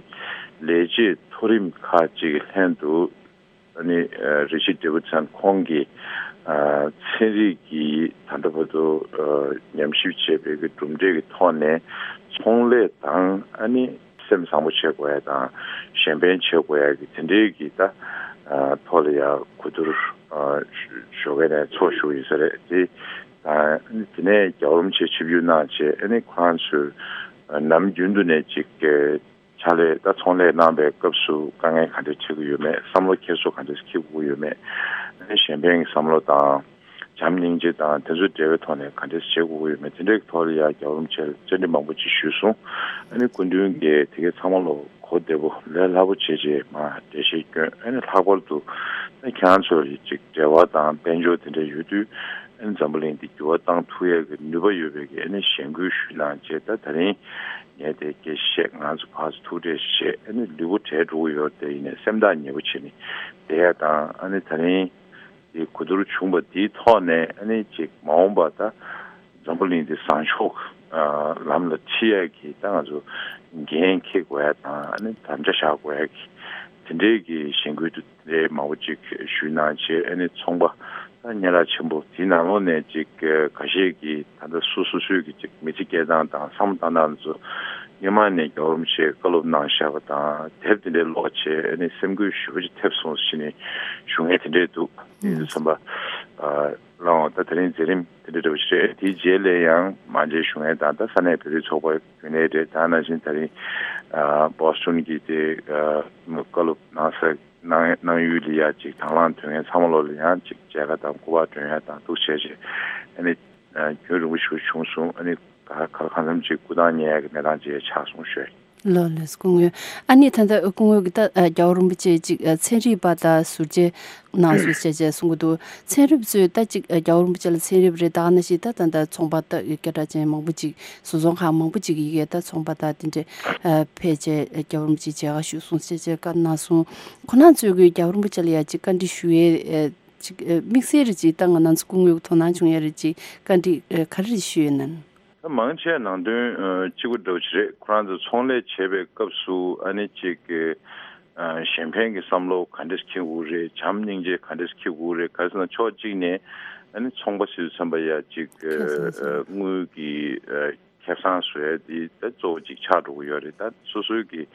ལས་བྱེད་མཐོ་རིམ་ཁག་ཅིག་གི་ལྷན་དུ། ཨ་ནི་ཨ་Richard Davidson་ཁོང་གིས་ཨ་ཚན་རིག་གི་ད་ལྟ་བར་དུ་ཨ་ཉམས་ཞིབ་བྱས་པའི་གི་གྲུབ་འབྲས་ཀྱི་ཐོག་ནས་ཚོང་ལས་དང་། ཨ་ནི་སེམས་བཟང་པོ་བྱེད་དགོས་ཡ་དང་གཞན་ཕན་བྱེད་དགོས་ཡ་གི་དེ་འདྲའི་གི་ད་ཨ་ཐོག་ལ་ཡ་གོ་བསྡུར་ཨ་ཞོགས་ཀས་ནས་ཚོགས་བཞུགས་ཡིན་ས་རེད། དེ་ཨ་ནི་དེ་ནས་རྒྱལ་བ་རིན་པོ་ཆེ་ཆིབས་བསྒྱུར་གནང་བྱས། ཨ་ནི་ཁོ་རང་ཚོས་ཨ་ནམ་རྒྱུན་དུ་ནས་ཅིག་ཕྱག་ལས་ད་ཚོང་ལས་གནང་པའི་སྐབས་སུ་དཀའ་ངལ་ག་འདྲས་འཕྲད་ཀྱི་ཡོད་མེད། བསམ་བློ་འཁྱེར་སོ་ག་འདྲས་འཁྱེར་དགོས་ཀྱི་ཡོད་མེད། ཨ་ནི་གཞན་ཕན་གྱི་བསམ་བློ་དང་བྱམས་སྙིང་རྗེ་དང་དེ་ཚོ་འབྲེལ་བའི་ཐོག་ནས་ག་འདྲས་བྱེད་དགོས་ཀྱི་ཡོད་མེད། དེ་འདྲའི་ཐོག་ལ་ཡ་རྒྱལ་བ་རིན་པོ་ཆེ་ལ་བཅར་འདྲི་མང་པོ་ཅིག་ཞུས་སོང་། ཨ་ནི་སྐུ་མདུན་གྱིས་དེ་གའི་ཚང་མ་ལ་གོ་བདེ་པོ་ལས་སླ་པོ་བྱས་རྗེས་མར་འགྲེལ་བཤད་བསྐྱོན། ཨ་ནི་ལྷག་པར་དུ་ཨ་ནི་ཁྱེད་རང་ཚོ་ལ་ཅིག་འབྲེལ་བ་དང་དཔལ་འབྱོར་དེ་འདྲ་ཡོད་དུས་ཨ་ནི་འཛམ་བུ་གླིང་འདི་འགྱུར་བ་བཏང་ཐུབ་ཡས་ཀྱི་ནུས་པ་ཡོད་པའི་གི་ཨ་ནི་ཞེན་སྐུལ་ཞུས་གནང་བྱས། ད་དེ་རིང་ངས་དེ་སྐད་བཤད། ང་ཚོ་ཕར་ཚུར་ཐུག་འཕྲད་བྱས། ཨ་ནི་ལུས་པོ་བྲེལ་འགྲོ་གི་ཡོད་རེད། དེ་ཡིན་ནའི་སེམས་ཐག་ཉེ་པོ་བྱས་ནས་བསྡད་ཡ་དང་། ཨ་ནི་དེ་རིང་དེ་གོ་བསྡུར་བྱུང་བ་དེའི་ཐོག་ནས་ཨ་ནི་ཅིག་མ་འོངས་པ་ད་འཛམ་བུ་གླིང་འདི་བཟང་ཕྱོགས་ཨ་ལམ་ལ་ཁྲིད་ཡ་གི་ད་ང་ཚོ་འགན་འཁྱེར་དགོས་ཡ་དང་། ཨ་ནི་དམ་བཅའ་བཞག་དགོས་ཡ་གི་དེ་འདྲའི་གི་ཞེན་སྐུལ་དུ་རེད། མང་པོ་ཅིག་ཞུས་གནང་བྱས། ཨ་ནི་ཚོང་པ་ད་སྙན་གྲགས་ཆེན་པོ་དེའི་ནང་ལོགས་ནས་ཅིག་ཁ་ཤས་ཀྱིས་ད་ལྟ་སོ་སོ་སོའི་གི་ཅིག་མི་ཚེ་སྐྱེལ་སྟངས་དང་བསམ་བློ་བཏང་སྟངས་ཚོ་སྔོན་མ་ནས་རྒྱལ་བ་རིན་པོ་ཆེས་བཀའ་སློབ་གནང་བཞག་པ་དང་དེབ་དེ་འདྲའི་ཀློག་བྱས། ཨ་ནི་སེམས་འགུལ་ཞེ་པོ་ཅིག་ཐེབས་སོང་ཟེར་ནས་ཞུ་མཁན་དེ་འདྲས་འདུག་དེ་དུས་ཙམ་པ་ཨ་ལའང་ད་དེ་རིང་མཛད་རིམ་དེ་འདྲ་འདྲ་པོ་ཞིག་རེད། དེའི་རྗེས་ལ་ཡང་མ་མཇལ་ཞུ་མཁན་དང་། ད་ས་གནས་བོད་རིགས་ཚོགས་པ་རྒྱུན་ལས་རེད། ད་ནང་བཞིན་དེ་རིང་ཨ་བོ་སི་ཊོན་གྱི་དེ་ཨ་བཀའ་སློབ་གནང་ས་གནང་གནང་ཡུལ་ལ་ཡ་ཅིག་དང་བླངས་ཐོན་མཁན་ཚང་མ་ལོ་ལ་ཡང་ཅིག་མཇལ་ཁ་དང་སྐུ་པར་སྒྲོན་ཡ་དང་འདུག་བྱས་བྱས། ཨ་ནི་ཨ་རྒྱུན་རིང་པོ་ཞིག་བྱུང་སོང་། ཨ་ནི་ག་ག་ལ་གང་འཚམ་ཅིག་སྐུ་ཐང་ཉེ་ཡ་གི་གནས་སྟངས་ཅིག་ཡང་ཆགས་སོང་ཞུ། ལགས་ལགས་སོ། སྐུ་ངོ། ཨ་ནི་ད་ལྟ་སྐུ་ངོ་གིས་ད་ཨ་རྒྱལ་བ་རིན་པོ་ཆེ་ཅིག་ཨ་ཚན་རིག་པ་དང་ཟུར་མཇལ་གནང་སོང་ཞེས་བྱས་གསུང་གི་འདུག་ཚན་རིག་པ་ཚོས་ད་ཅིག་ཨ་རྒྱལ་བ་རིན་པོ་ཆེ་ལ་ཚན་རིག་པ་རེད། ད་ག་ནང་བཞིན་ད་ད་ལྟ་ཚོང་པ་ད་སྐད་གྲགས་ཅན་མང་པོ་ཅིག་བཟོ་ཚོང་ཁང་མང་པོ་ཅིག་གི་ཡི་གེ་ད་ཚོང་པ་ད་དེ་འདྲས་ཨ་ཕལ་ཆེར་ཨ་རྒྱལ་བ་རིན་པོ་ཆེ་མཇལ་ཁ་ཞུས་སོང་ཞེས་བྱས་བཀའ་གནང་སོང་། ཁོང་རྣམ་ཚོས་ཀྱིས་རྒྱལ་བ་རིན་པོ་ཆེ་ལ་ཡ་ཅིག་བཀའ་འདྲི་ཞུ་ཡས་ཨ་ཅིག་ཨ་དམིགས་བསལ་རེ་ཅིག་ད་ང་རང་ཚོ་སྐུ་ངོ་གི་དོ་སྣང་བྱུང་ཡ་རེ་ཅིག་བཀའ་འདྲི་ཨ་ག་རེ་རེ་ཞུས་ཡོད་ན། ད་མང་ཆེ་ནང་དོན་ཨ་གཅིག་པ་འདྲ་པོ་ཅིག་རེད། ཁོ་རང་ཚོ་ཚོང་ལས་བྱེད་པའི་སྐབས་སུ་ཨ་ནི་ཅིག་ཨ་གཞན་ཕན་གྱི་བསམ་བློ་ག་འདྲས་འཁྱེར་དགོས་རེད། བྱམས་སྙིང་རྗེ་ག་འདྲས་འཁྱེར་དགོས་རེད། ག་རེ་ཟེར་ན་ཕྱོགས་གཅིག་ནས་ཨ་ནི་ཚོང་པ་ཟེར་དུས་ཙམ་པ་ཡ་ཅིག་ཁ་སང་ཨ་དངུལ་གྱི་ཨ་ ཁེ་བཟང་བཟོ་ཡ་དེ་ད་གཙོ་བོ་གཅིག་ཆགས་འགྲོ་གི་ཡོད་རེད། ད་སོ་སོའི་གི་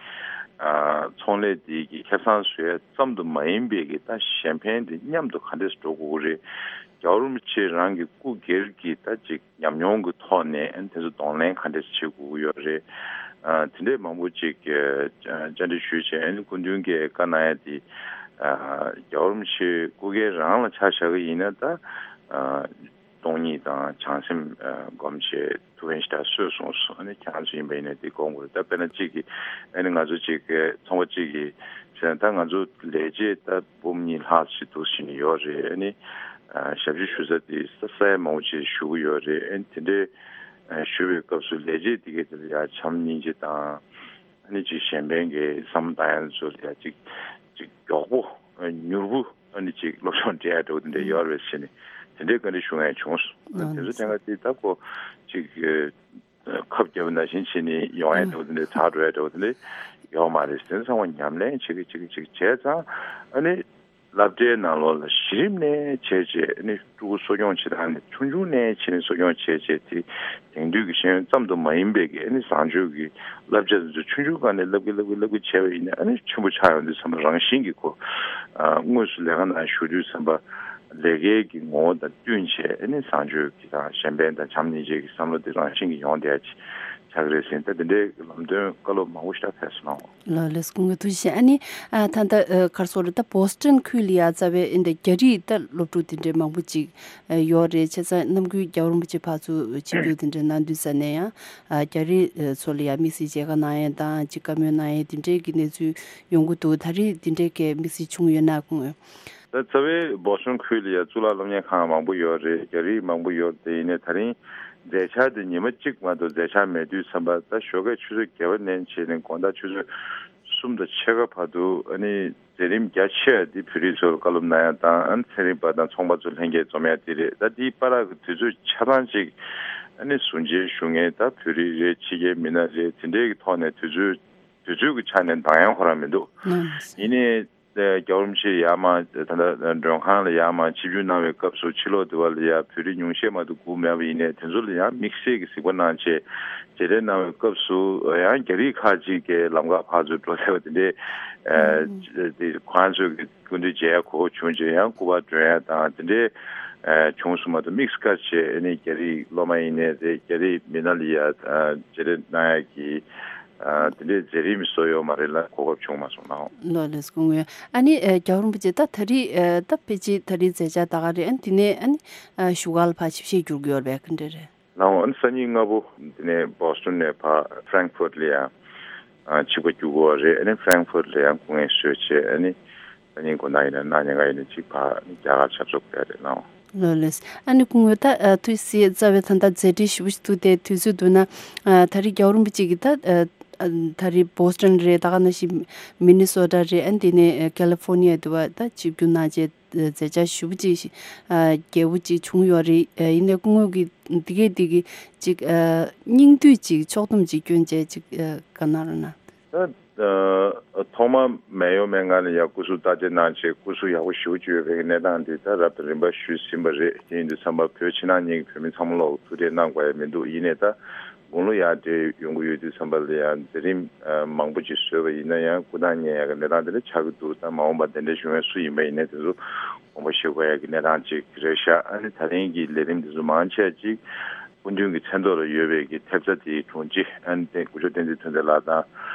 ཨ་ཚོང་ལས་དེ་གི་ཁེ་བཟང་བཟོ་ཡ་ཙམ་དུ་མ་ཡིན་པའི་གི་ད་གཞན་ཕན་དེ་མཉམ་དུ་ག་འདྲས་འགྲོ་དགོས་ཀྱི་རེད། རྒྱལ་བ་རིན་པོ་ཆེ་རང་གི་སྐུ་སྒེར་གྱི་ད་ཅིག་ཉམས་མྱོང་གི་ཐོག་ནས་ཨ་ནི་དེ་ཚོ་གདོང་ལེན་ག་འདྲས་བྱེད་དགོས་ཀྱི་ཡོད་རེད། ཨ་དེ་འདྲས་མང་པོ་ཅིག་ཨ་བཅར་འདྲི་ཞུས་བྱས། ཨ་ནི་སྐུ་མདུན་གྱིས་བཀའ་གནང་ཡ་དེ་ཨ་རྒྱལ་བ་རིན་པོ་ཆེ་སྐུ་སྒེར་རང་ལ་ཆ་བཞག་གི་ཡིན་ན་ད་ཨ་སྟོང་ཉིད་དང་བྱང་སེམས་ཨ་སྒོམ་བྱས། ཐུགས་རྗེ་ཆེ་ད་གསོས་སོང་ཟེར། ཨ་ནི་ཁྱེད་རང་ཚོ་ཡིན་པ་ཡིན་ན་དེ་དགོངས་དགོས་རེད། ད་དཔེར་ན་གཅིག་གིས་ཨ་ནི་ང་ཚོ་གཅིག་གི་ཚོང་པ་གཅིག་གིས་བྱས་ན་ད་ང་ཚོ་ལས་བྱེད་ད་འབུམ་གཉིས་ལྷག་ཞིག་འདུག་ཟེར་ནས་ཡོད་རེད། ཨ་ནི་ཨ་ཞབས་ཕྱི་ཞུ་ས་དེ་ས་ས་ཡ་མང་པོ་ཅིག་ཞུ་གི་ཡོད་རེད། ཨ་ནི་དེ་འདྲའི་ཨ་ཞུ་བའི་སྐབས་སུ་ལས་བྱེད་དེ་གས་དེ་ལ་ཡ་བྱམས་སྙིང་རྗེ་དང་། ཨ་ནི་ཅིག་གཞན་ཕན་གྱི་བསམ་བློ་བཏང་ཡ་ཚོ་ལ་ཡ་ཅིག་ཅིག་མགྱོགས་པོ་ཨ་མྱུར་པོ་ཨ་ནི་ཅིག་སློབ་སྦྱོང་སྤྲད་ཡ་འདྲ་བོ་དེ་འདྲ་ཡོད་རེད་ཟེར་ནས་དེ་འདྲའི་བཀའ་འདྲི་ཞུ་མཁན་བྱུང་སོང་། ཨ་ནི་དེ་ཚོ་དྲན་ག་དེ་ད་ཁོ་ཅིག་ཨ་ཁབ་བརྒྱབ་པ་ནང་བཞིན་བྱས་ནས་ཡོང་ཡ་འདྲ་བོ་དེ་འདྲ་དྲག་འགྲོ་ཡ་འདྲ་བོ་དེ་འདྲ་ཡོད་མ་རེད། དེ་ཚང་མ་ཉམས་ལེན་བྱེད་ཀྱི་བྱེད་ཀྱི་བྱེད་ཀྱི་བྱས་ཙང་ཨ་ནི་སློབ་གྲྭའི་ནང་ལོགས་ལ་གཞི་རིམ་ནས་བྱས་བྱས་ཨ་ནི་ཕྲུ་གུ་གསོ་སྐྱོང་བྱེད་སྟངས་ནི་ཆུང་ཆུང་ནས་བྱས་ནས་གསོ་སྐྱོང་བྱས་བྱས་དེ་དེང་དུས་ཀྱི་ཤེས་ཡོན་ཙམ་དུ་མ་ཡིན་པའི་གི་ཨ་ནི་བཟང་སྤྱོད་ཀྱི་བསླབ་བྱ་དེ་ཚོ་ཆུང་ཆུང་སྒང་ནས་བསླབ་ཀྱི་བསླབ་ཀྱི་བསླབ་ཀྱི་བྱས་པ་ཡིན་ན་ཨ་ནི་ཆེན་པོ་ཆགས་ཡོང་དུས་ཙམ་པ་རང་བཞིན་གྱིས་ཁོ་ཨ་དངོས་སུ་ལས་ཀ་ནང་ཞུགས་དུས་ཙམ་པ་ལས་ཀའི་གི་ངོ་བོ་དང་བསྟུན་བྱས་ཨ་ནི་བཟང་སྤྱོད་ཀྱི་དང་གཞན་ཕན་དང་བྱམས་སྙིང་རྗེ་གི་བསམ་བློ་དེ་རང་བཞིན་གྱིས་ཡོང་བསྡད་ཡ་ཅིག་ཆགས་ཀྱི་རེད་ཟེར། ད་དེ་འདྲའི་ལམ་སྟོན་བཀའ་སློབ་མང་པོ་ཞིག་ད་ཕེབས་སོང་། ལགས་ལགས་སོ། སྐུ་ངོ་ཐུགས་རྗེ་ཆེ། ཨ་ནི་ཨ་ད་ལྟ་ཨ་ག་རེ་ཟེར་དགོས་རེད། ད་བོ་སི་ཊོན་ཁུལ་ལ་ཡ་རྩ་བའི་ཨ་འདི་རྒྱ་རིགས་ད་སློབ་ཕྲུག་དེ་འདྲའི་མང་པོ་ཅིག་ཨ་ཡོད་རེད། བྱས་ཙང་ནམ་རྒྱུན་རྒྱལ་བ་རིན་པོ་ཆེ་ཕར་ཚུར་ཆིབས་བསྒྱུར་དེ་འདྲ་གནང་དུས་ཙ་ནས་ཡང་ཨ་རྒྱ་རིགས་ཨ་ཚོ་ལ་ཡ་དམིགས་བསལ་མཇལ་ཁ་གནང་ཡས་དང་ཅིག་བཀའ་མོལ་གནང་ཡས་དེ་འདྲའི་གི་གནས་ཚུལ་ཡོང་གི་འདུག་ད་རེས་དེ་འདྲའི་གི་དམིགས་བསལ་བྱུང་ཡོད་ན་སྐུ་ངོ། ད་རྩ་བའི་བོ་སི་ཊོན་ཁུལ་ལ་ཡ་གཙུག་ལག་སློབ་གཉེར་ཁང་མང་པོ་ཡོད་རེད། རྒྱ་རིགས་མང་པོ་ཡོད་རེད། དེ་ཡིན་ནའི་ད་རིང་མཛད་འཆར་དེ་ཉི་མ་གཅིག་མ་གཏོགས་མཛད་འཆར་མེད་དུས་ཙམ་པ་ད་ཞོགས་ཀས་ཆུ་ཚོད་བརྒྱད་པ་ནས་བྱས་ནས་དགོང་དག་ཆུ་ཚོད་གསུམ་དང་ཕྱེད་ཀ་བར་དུ་ཨ་ནི་མཛད་རིམ་རྒྱ་ཆེ་བ་འདི་བོད་རིགས་ཚོར་བཀའ་སློབ་གནང་ཡ་དང་ཨ་ནི་ཚན་རིག་པ་དང་ཚོང་པ་ཚོ་ལྷན་རྒྱས་འཛོམས་ཡ་དེ་རེད། ད་འདིའི་བར་གི་དུས་ཚོད་ཆ་ཚང་ཅིག་ཨ་ནི་ཟུར་མཇལ་ཞུ་མཁན་ད་བོད་རིགས་རེད། ཕྱི་རྒྱལ་མི་སྣ་རེད། དེ་འདྲའི་གི་ཐོག་ནས་དུས་ཚོད་དུས་ཚོད་ཀྱི་ཆ་ནས་འདང་ཡང་ཁོ་རང་མི་འདུག་ཨང་། ཡིན་ནའི་རྒྱལ་བ་རིན་པོ་ཆེ་ཡར་མར་ད་ལྟ་མགྲོན་ཁང་ལ་ཡར་མར་ཆིབས་བསྒྱུར་གནང་བའི་སྐབས་སུ་ཕྱི་ལོགས་དེ་བ་ལ་ཡ་བོད་རིགས་ཉུང་ཤས་མ་གཏོགས་སྒུག་མེད་པ་ཡིན་ནའི་དེ་ཚོ་ལ་ཡང་དམིགས་བསལ་གྱི་གཟིགས་པ་གནང་བྱས་མཇལ་འཕྲད་གནང་བའི་སྐབས་སུ་ཡང་རྒྱ་རིགས་ཁག་ཅིག་གིས་ལམ་ཁ་ཕར་ཚུར་འགྲོ་བསྡད་པ་དེ་འདྲའི་ཨ་དེ་ཁོ་རང་ཚོའི་གི་སྐུ་མདུན་མཇལ་ཡ་གོ་བྱུང་བྱས་ཡང་སྐུ་པར་སྒྲོན་ཡ་དང་དེ་འདྲའི་ཨ་བྱུང་སོང་མ་གཏོགས་དམིགས་བཀར་བྱས་ཨ་ནི་རྒྱ་རིགས་སློབ་མ་ཡིན་ནའི་རེད། རྒྱ་རིགས་མི་སྣ་ལ་ཡ་ཨ་མཇལ་འཕྲད་གནང་ཡ་གི་ཨ་དེ་འདྲའི་མཛད་རིམ་བཟོ་ཡོད་མ་རེད་ལ་གོ་སྐབས་བྱུང་མ་སོང་ལགས། ལགས་ལགས་སོ། སྐུ་ངོ་། ཨ་ནི་ཨ་རྒྱལ་བ་རིན་པོ་ཆེ་ད་ད་རེས་ཨ་ད་ཕལ་ཆེར་ད་རེས་མཛད་འཆར་ད་ག་རེད། ཨ་ནི་དེ་ནས་ཨ་ནི་ཨ་བཞུགས་སྒར་ལ་ཕར་ཆིབས་ཞལ་བསྒྱུར་གྱི་ཡོད་རེད་པས། ག་འདྲ་རེད། ལགས་འོང་། ཨ་ནི་སང་ཉིན་སྔ་པོ་དེ་ནས་བོ་སི་ཊོན་ནས་ཕར་ཧྥ་རན་ཁི་ཧྥུར་ཊི་ལ་ཡང་ཨ་ཆིབས་ཁ་བསྒྱུར་དགོས་པ་རེད། ཨ་ནི་ཧྥ་རན་ཁི་ཧྥུར་ཊི་ལ་ཡང་སྐུ་ངལ་གསོས་བྱས་ཨ་ནི་སང་ཉིན་དགོང་དག་ཡིན་ན་གནངས་ཉིན་ག་ཡིན་ན་ཅིག་ཕར་ཨ་ནི་རྒྱ་གར་ཆབ་གསང་ཕེབས་རེད་ལགས་འོང་། ལགས་ལགས། ཨ་ནི་སྐུ་ངོ་ད་ཨ་ཐུགས་སྲས་རྩ་བའི་ད་ལྟ་མཛད་འཕྲིན་ཞེ་པོ་ཞིག་འདུག་སྟེ་དུས་ཚོད་འདུག་ན་ཨ་ད་རེས་རྒྱལ་བ་རིན་པོ་ཆེ་གིས་ད་ཨ་ཨ་ད་རེས་བོ་སི་ཊོན་རེད། ད་ག་ནང་བཞིན་མི་ནི་སོ་ཊ་རེད། ཨ་ནི་དེ་ནས་ཨ་ཀ་ལི་ཧྥོར་ནི་ཡ་དུ་བ་ད་ཆིབས་བསྒྱུར་གནང་རྗེས་མཛད་འཆར་ཞེ་པོ་ཅིག་ཨ་རྒྱས་པོ་ཅིག་བྱུང་ཡོད་རེད། ཨ་ཡིན་ནའི་སྐུ་ངོ་གིས་འདི་གས་འདི་གི་ཅིག་ཨ་སྙིང་བསྡུས་ཅིག་ཕྱོགས་བསྡོམས་ཅིག་སྐྱོན་བྱས་ཅིག་ཨ་བཀའ་གནང་རོགས་གནང་། ད་ཨ་ཐོག་མ་མེད་ཡོད་མེད་ངང་ལ་ཡ་སྐུ་གཟུགས་བརྟག་དཔྱད་གནང་བྱས་སྐུ་གཟུགས་ཡག་པོ་ཞེ་པོ་ཅིག་ཡོད་པའི་གནས་སྟངས་འདི་ད་རབ་དང་རིམ་པ་ཞུས་ཟིན་པ་རེད། དེ་ཡིན་དུས་ཙམ་པ་བོད་ཕྱི་ནང་གཉིས་ཀྱི་བོད་མི་ཚང་མ་ལོག་ཐུག་འཕྲད་གནང་དགོས་ཡ་མི་འདུག་ཡིན་ནའི་ད་དགུང་ལོ་ཡར་འདྲེས་ཡོང་གི་ཡོད་དུས་ཙམ་པ་ལ་ཡང་མཛད་རིམ་ཨ་མང་པོ་ཅིག་བཟོས་པ་ཡིན་ན་ཡང་སྐུ་ཐང་རྙེད་ཡག་གི་གནས་སྟངས་དེ་འདྲ་ཆགས་ཀྱི་འདུག་ད་མ་འོངས་པ་གདན་འདྲེན་ཞུ་མཁན་སུ་ཡིན་པ་ཡིན་ནའི་དེ་ཚོ་དགོངས་པ་བཞེས་དགོས་ཡག་གི་གནས་སྟངས་ཅིག་རེད་ཤག་ཨ་ནི་ད་རིང་གི་ལས་རིམ་དེ་ཚོ་མང་ཆེ་ཅིག་སྐུ་མདུན་གྱི་མཚན་ཐོག་ལ་ཡོད་པའི་གི་ཐེབས་རྩ་དེའི་དྲུང་ཆེ་ཨ་ནི་དེ་སྐུ་ཞབས་བསྟན་འཛིན་ཐོན་རྫས་ལགས་དང་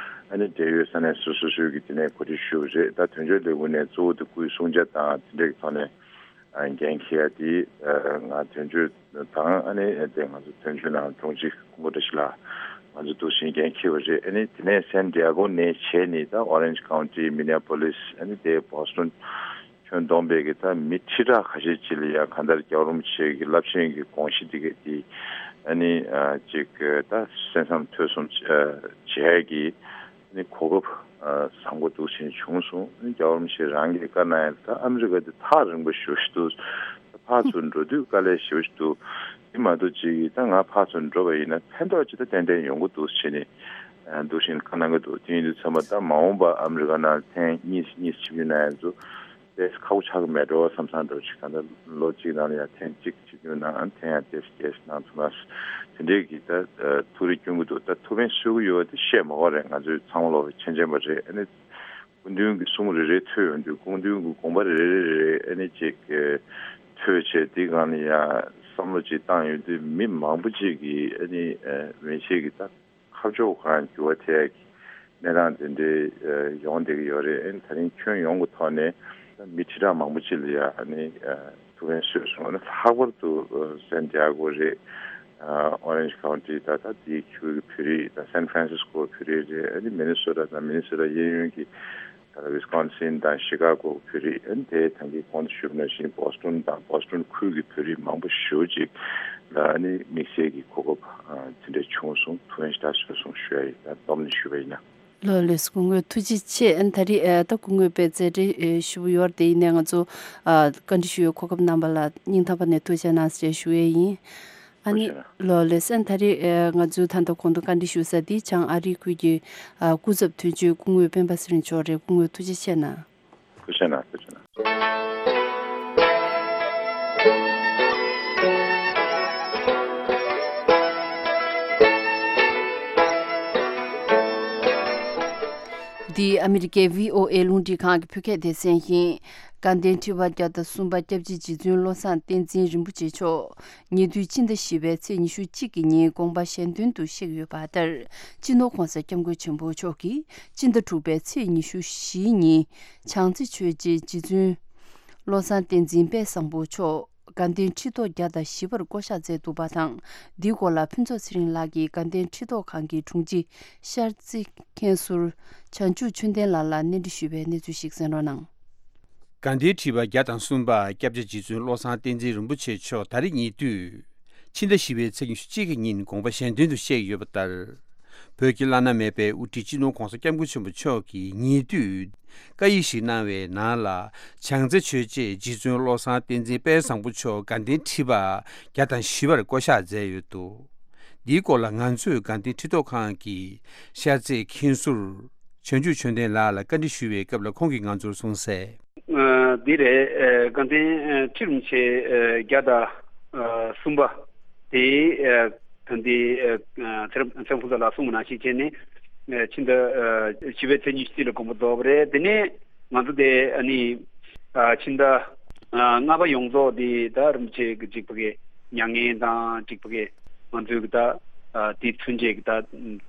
ཨ་ནི་འབྲེལ་ཡོད་ས་གནས་སོ་སོ་སོ་སོའི་གི་དེ་ནས་གོ་སྒྲིག་ཞུས་པ་རེད། ད་དོན་གཅོད་ལས་ཁུངས་ནས་གཙོ་བོ་དེ་སྐུའི་གསུང་བྱ་དང་དེ་འདྲའི་གི་ཐོག་ནས། ཨ་འགན་འཁྱེར་ཡ་དེ་ཨ་ང་དོན་གཅོད་དང་ཨ་ནི་དེ་ང་ཚོ་དོན་གཅོད་ནང་དྲུང་ཆེ་ཀུན་དགའ་བཀྲ་ཤིས་ལགས་ང་ཚོ་འདུག་སེ་འགན་འཁྱེར་བ་རེད། ཨ་ནི་དེ་ནས་སན་ཌི་ཡ་གོ་ནས་བྱས་ནས་ད་ཨོ་རེན་ཇི་ཀའུན་ཊི་མི་ནི་ཡ་པོ་ལིས་ཨ་ནི་དེ་བོ་སི་ཊོན་ཁྱོན་བསྡོམས་པའི་གི་ད་མི་ཁྲི་ཕྲག་ཁ་ཤས་ཅིག་ལ་ཡ་གང་ལྟར་རྒྱལ་བ་རིན་པོ་ཆེ་གི་རླབས་ཆེན་གྱི་དགོངས་གཞི་དེ་ག་དེ་ཨ་ནི་ཨ་ཅིག་ད་གསན་བསམ་ཐོས་བསམ་བྱ་ཡ་གི་ནི་གོ་སྐབས་ཨ་བཟང་པོ་འདུག་ཅིག་བྱུང་སོང་། ནི་རྒྱལ་བ་རིན་པོ་ཆེ་རང་གིས་བཀའ་གནང་ཡ་ད་ཨ་མི་རི་ཀ་དེ་ཐག་རིང་པོ་ཞེ་པོ་ཞིག་འདུག་ཕར་ཚུར་འགྲོ་དུས་དཀའ་ལས་ཞེ་པོ་ཞིག་འདུག་དེ་མ་གཏོགས་ཅིག་ད་ང་ཕར་ཚུར་འགྲོ་བ་ཡིན་ན་ཕན་ཐོགས་ཅིག་ད་ཏན་ཏན་ཡོང་གི་འདུག་ཅེས་ནི་ཨ་འདུག་བཞིན་བཀའ་གནང་གི་འདུག་དེ་ཡིན་དུས་ཚང་མ་ད་མ་འོངས་པ་ཨ་མི་རི་ཀ་ནང་ཐེངས་གཉིས་གཉིས་ཆིབས་བསྒྱུར་གནང་ཡ་ཚོ། ཏེ་ཁག་པོ་ཆགས་ཀྱི་མེད་འགྲོ་བསམ་བསམ་འདྲ་བོ་ཅིག་གང་ལྟར་ལོ་གཅིག་ནང་ལ་ཡང་ཐེངས་གཅིག་གཅིག་བརྒྱུད་ནང་ཐེངས་ཡང་བརྒྱད་ཅུ་བརྒྱད་ཅུ་གནང་ཐུབ་ན་དེ་འདྲའི་གི་ད་ཐུགས་རེ་སྐྱོན་གྱི་འདུག་ད་ཐུགས་ཕན་གསོས་ཀྱི་ཡོད་དེ་བཤད་མ་དགོས་རེད། ང་ཚོས་ཚང་མ་ལོག་པའི་མཁྱེན་མཁྱེན་པ་རེད། ཨ་ནི་སྐུ་མདུན་གྱི་གསུང་རེ་རེ་ཐོས་ཡོང་དུས་སྐུ་མདུན་གྱི་དགོངས་པ་རེ་རེ་རེ་རེ་ཨ་ནི་ཅིག་ཐོས་བྱས་དེ་སྒང་ལ་ཡང་བསམ་བློ་ཅིག་བཏང་ཡོང་དུས་མི་མང་པོ་ཅིག་གིས་ཨ་ནི་མི་ཤེས་ཀྱི་ད། ཁ་ཕྱོགས་གང་འགྱུར་བ་ཐེབས་ཀྱི་གནས་སྟངས་དེ་འདྲའི་ཡོང་བསྡད་ཀྱི་ཡོད་རེད། ཨ་ནི་ད་རིང་ཁྱོན་ཡོངས་ཀྱི་ཐོག་ནས་མི་ཁྲི་ཕྲག་མང་པོ་ཅིག་ལ་ཡ་ཨ་ནི་ཐུགས་ཕན་གསོས་སོང་། ཨ་ནི་ལྷག་པར་དུ་སན་ཏི་ཡ་གོ་རེད། ཨོ་རེན་ཇི་ཁའུན་ཊི་ད་ད་དེའི་ཁུལ་གྱི་བོད་རིགས་ད་སན་ཧྥ་རན་སིས་ཀོ་བོད་རིགས་རེད། ཨ་ནི་མི་ནི་སོ་ཊ་དང་མི་ནི་སོ་ཊ་གཡས་གཡོན་གྱི་ད་ལྟ་ཝི་སི་ཀོན་སིན་དང་ཤི་ཀ་གོ་བོད་རིགས། ཨ་ནི་དེ་ད་གིན་གོང་དུ་ཞུས་པ་ནང་བཞིན་བོ་སི་ཊོན་དང་བོ་སི་ཊོན་ཁུལ་གྱི་བོད་རིགས་མང་པོ་ཞེ་པོ་ཅིག་ལ་ཨ་ནི་དམིགས་བསལ་གྱི་གོ་སྐབས་དེ་འདྲ་བྱུང་སོང་། ཐུགས་ཕན་ཞེ་དྲག་གསོས་སོང་ཞུ་ཡ་ཡིན། ད་སྡོམ་ནས་ཞུ་བ་ཡིན་ན། ལགས་ལགས་སོ། སྐུ་ངོ་ཐུགས་རྗེ་ཆེ། ཨ་ནི་ད་རེས་ཨ་ད་སྐུ་ངོ་དཔེ་མཛད་རེས་ཞུ་བ་ཡོད་རེད་དེ། ཡིན་ནའི་ང་ཚོ་ཨ་བཀའ་འདྲི་ཞུ་བའི་གོ་སྐབས་གནང་བ་ལ་སྙིང་ཐག་པ་ནས་ཐུགས་རྗེ་གནང་ཞེས་ཞུ་ཡས་ཡིན། ཨ་ནི་ཐུགས་རྗེ་གནང་། ལགས་ལགས་སོ། ཨ་ནི་ད་རེས་ཨ་ང་ཚོའི་ད་ལྟ་གོང་དུ་བཀའ་འདྲི་ཞུ་ས་འདི་བྱང་ཨ་རིའི་ཁུལ་གྱི་ཨ་སྐུ་ཚབ་དོན་གཅོད་སྐུ་ངོ་སྤེན་པ་ཚེ་རིང་མཆོག་རེད། སྐུ་ངོ་ཐུགས་རྗེ་ཆེ་གནང་། ཐུགས་རྗེ་གནང་། ཐུགས་རྗེ་གནང་། འདི་ཨ་མི་རི་ཀའི་བྷི་ཨོ་ཨེ་རླུང་འཕྲིན་ཁང་གི་བོད་སྐད་སྡེ་ཚན་ཡིན། དགའ་ལྡན་ཁྲི་པ་བརྒྱ་དང་གསུམ་པ་སྐྱབས་རྗེ་རྗེ་བཙུན་བློ་བཟང་བསྟན་འཛིན་རིན་པོ་ཆེ་མཆོག་ཉེ་དུས་ཕྱི་ཟླ་བཞི་པའི་ཚེས་ཉི་ཤུ་གཅིག་གི་ཉིན་དགོངས་པ་གཞན་དོན་དུ་གཤེགས་ཡོད་པ་ལྟར། སྤྱི་ནོར་༧གོང་ས་༧སྐྱབས་མགོན་ཆེན་པོ་མཆོག་གིས་སྤྱི་ཟླ་དྲུག་པའི་ཚེས་ཉི་ཤུ་བཞིའི་ཉིན་བྱང་རྩེ་ཆོས་རྗེ་རྗེ་བཙུན་བློ་བཟང་བསྟན་འཛིན་དཔལ་བཟང་པོ་མཆོག་དགའ་ལྡན་ཁྲི་ཐོག་བརྒྱ་དང་བཞི་པར་བསྐོ་གཞག་མཛད་འདུག་པ་དང་། འདིའི་སྐོར་ལ་ཕུན་ཚོགས་ཚེ་རིང་ལགས་ཀྱིས་དགའ་ལྡན་ཁྲི་ཐོག་ཁང་གི་དྲུང་ཆེ་ཤར་རྩེ་མཁན་ཟུར་བྱང་ཆུབ་ཆོས་ལྡན་ལགས་ལ་གནས་འདྲི་ཞུས་པའི་གནས་ཚུལ་ཞིག་གསན་རོགས་གནང་། དགའ་ལྡན་ཁྲི་པ་བརྒྱ་དང་གསུམ་པ་སྐྱབས་རྗེ་རྗེ་བཙུན་བློ་བཟང་བསྟན་འཛིན་རིན་པོ་ཆེ་མཆོག་ད་རེས་ཉེ་དུས་ཕྱི་ཟླ་བཞི་པའི་ཚེས་ཉི་ཤུ་གཅིག་གི་ཉིན་དགོངས་པ་གཞན་དོན་དུ་གཤེགས་ཡོད་པ་ལྟར། བོད་ཀྱི་བླ་ན་མེད་པའི་དབུ་ཁྲིད་སྤྱི་ནོར་༧གོང་ས་༧སྐྱབས་མགོན་ཆེན་པོ་མཆོག་གིས་ཉེ་དུས་བཀའ་ཡིག་ཞིག་གནང་བའི་ནང་ལ། བྱང་རྩེ་ཆོས་རྗེ་རྗེ་བཙུན་བློ་བཟང་བསྟན་འཛིན་དཔལ་བཟང་པོ་མཆོག་དགའ་ལྡན་ཁྲི་པ་བརྒྱ་དང་བཞི་པར་བསྐོ་གཞག་མཛད་ཡོད་འདུག་འདིའི་སྐོར་ལ་ང་ཚོས་དགའ་ལྡན་ཁྲི་ཐོག་ཁང་གི་ཤར་རྩེའི་མཁན་ཟུར་བྱང་ཆུབ་ཆོས་ལྡན་ལགས་ལ་བཀའ་འདྲི་ཞུ་བའི་སྐབས་ལ་ཁོང་གིས་ང་ཚོར་གསུངས་གསལ། ཨ་འདི་རེད། ཨ་དགའ་ལྡན་ཨ་ཁྲི་རིན་པོ་ཆེ་ཨ་བརྒྱ་དང་ཨ་གསུམ་པ་དེ་ཨ་ད་འདི་ཨ་ཚེ་རབས་ཚེ་རབས་ཕུན་ཚོགས་ལགས་གསུངས་པ་ནང་བཞིན་བྱས་ནས་ཨ་ཕྱི་ཟླ་ཨ་བཞི་པའི་ཚེས་ཉི་ཤུ་རྩ་གཅིག་ལ་དགོངས་པ་རྫོགས་པ་རེད། དེ་ནས་ང་ཚོ་དེ་ཨ་ནི་ཨ་ཕྱི་ཟླ་ཨ་ལྔ་པ་ཡོངས་རྫོགས་དེ་ད་རིན་པོ་ཆེ་གི་ཅིག་ཕ་གི་མྱ་ངན་དང་ཅིག་ཕ་གི་ང་ཚོའི་གི་ད་ཨ་དེ་ཚུན་ཆད་ཀྱི་ད་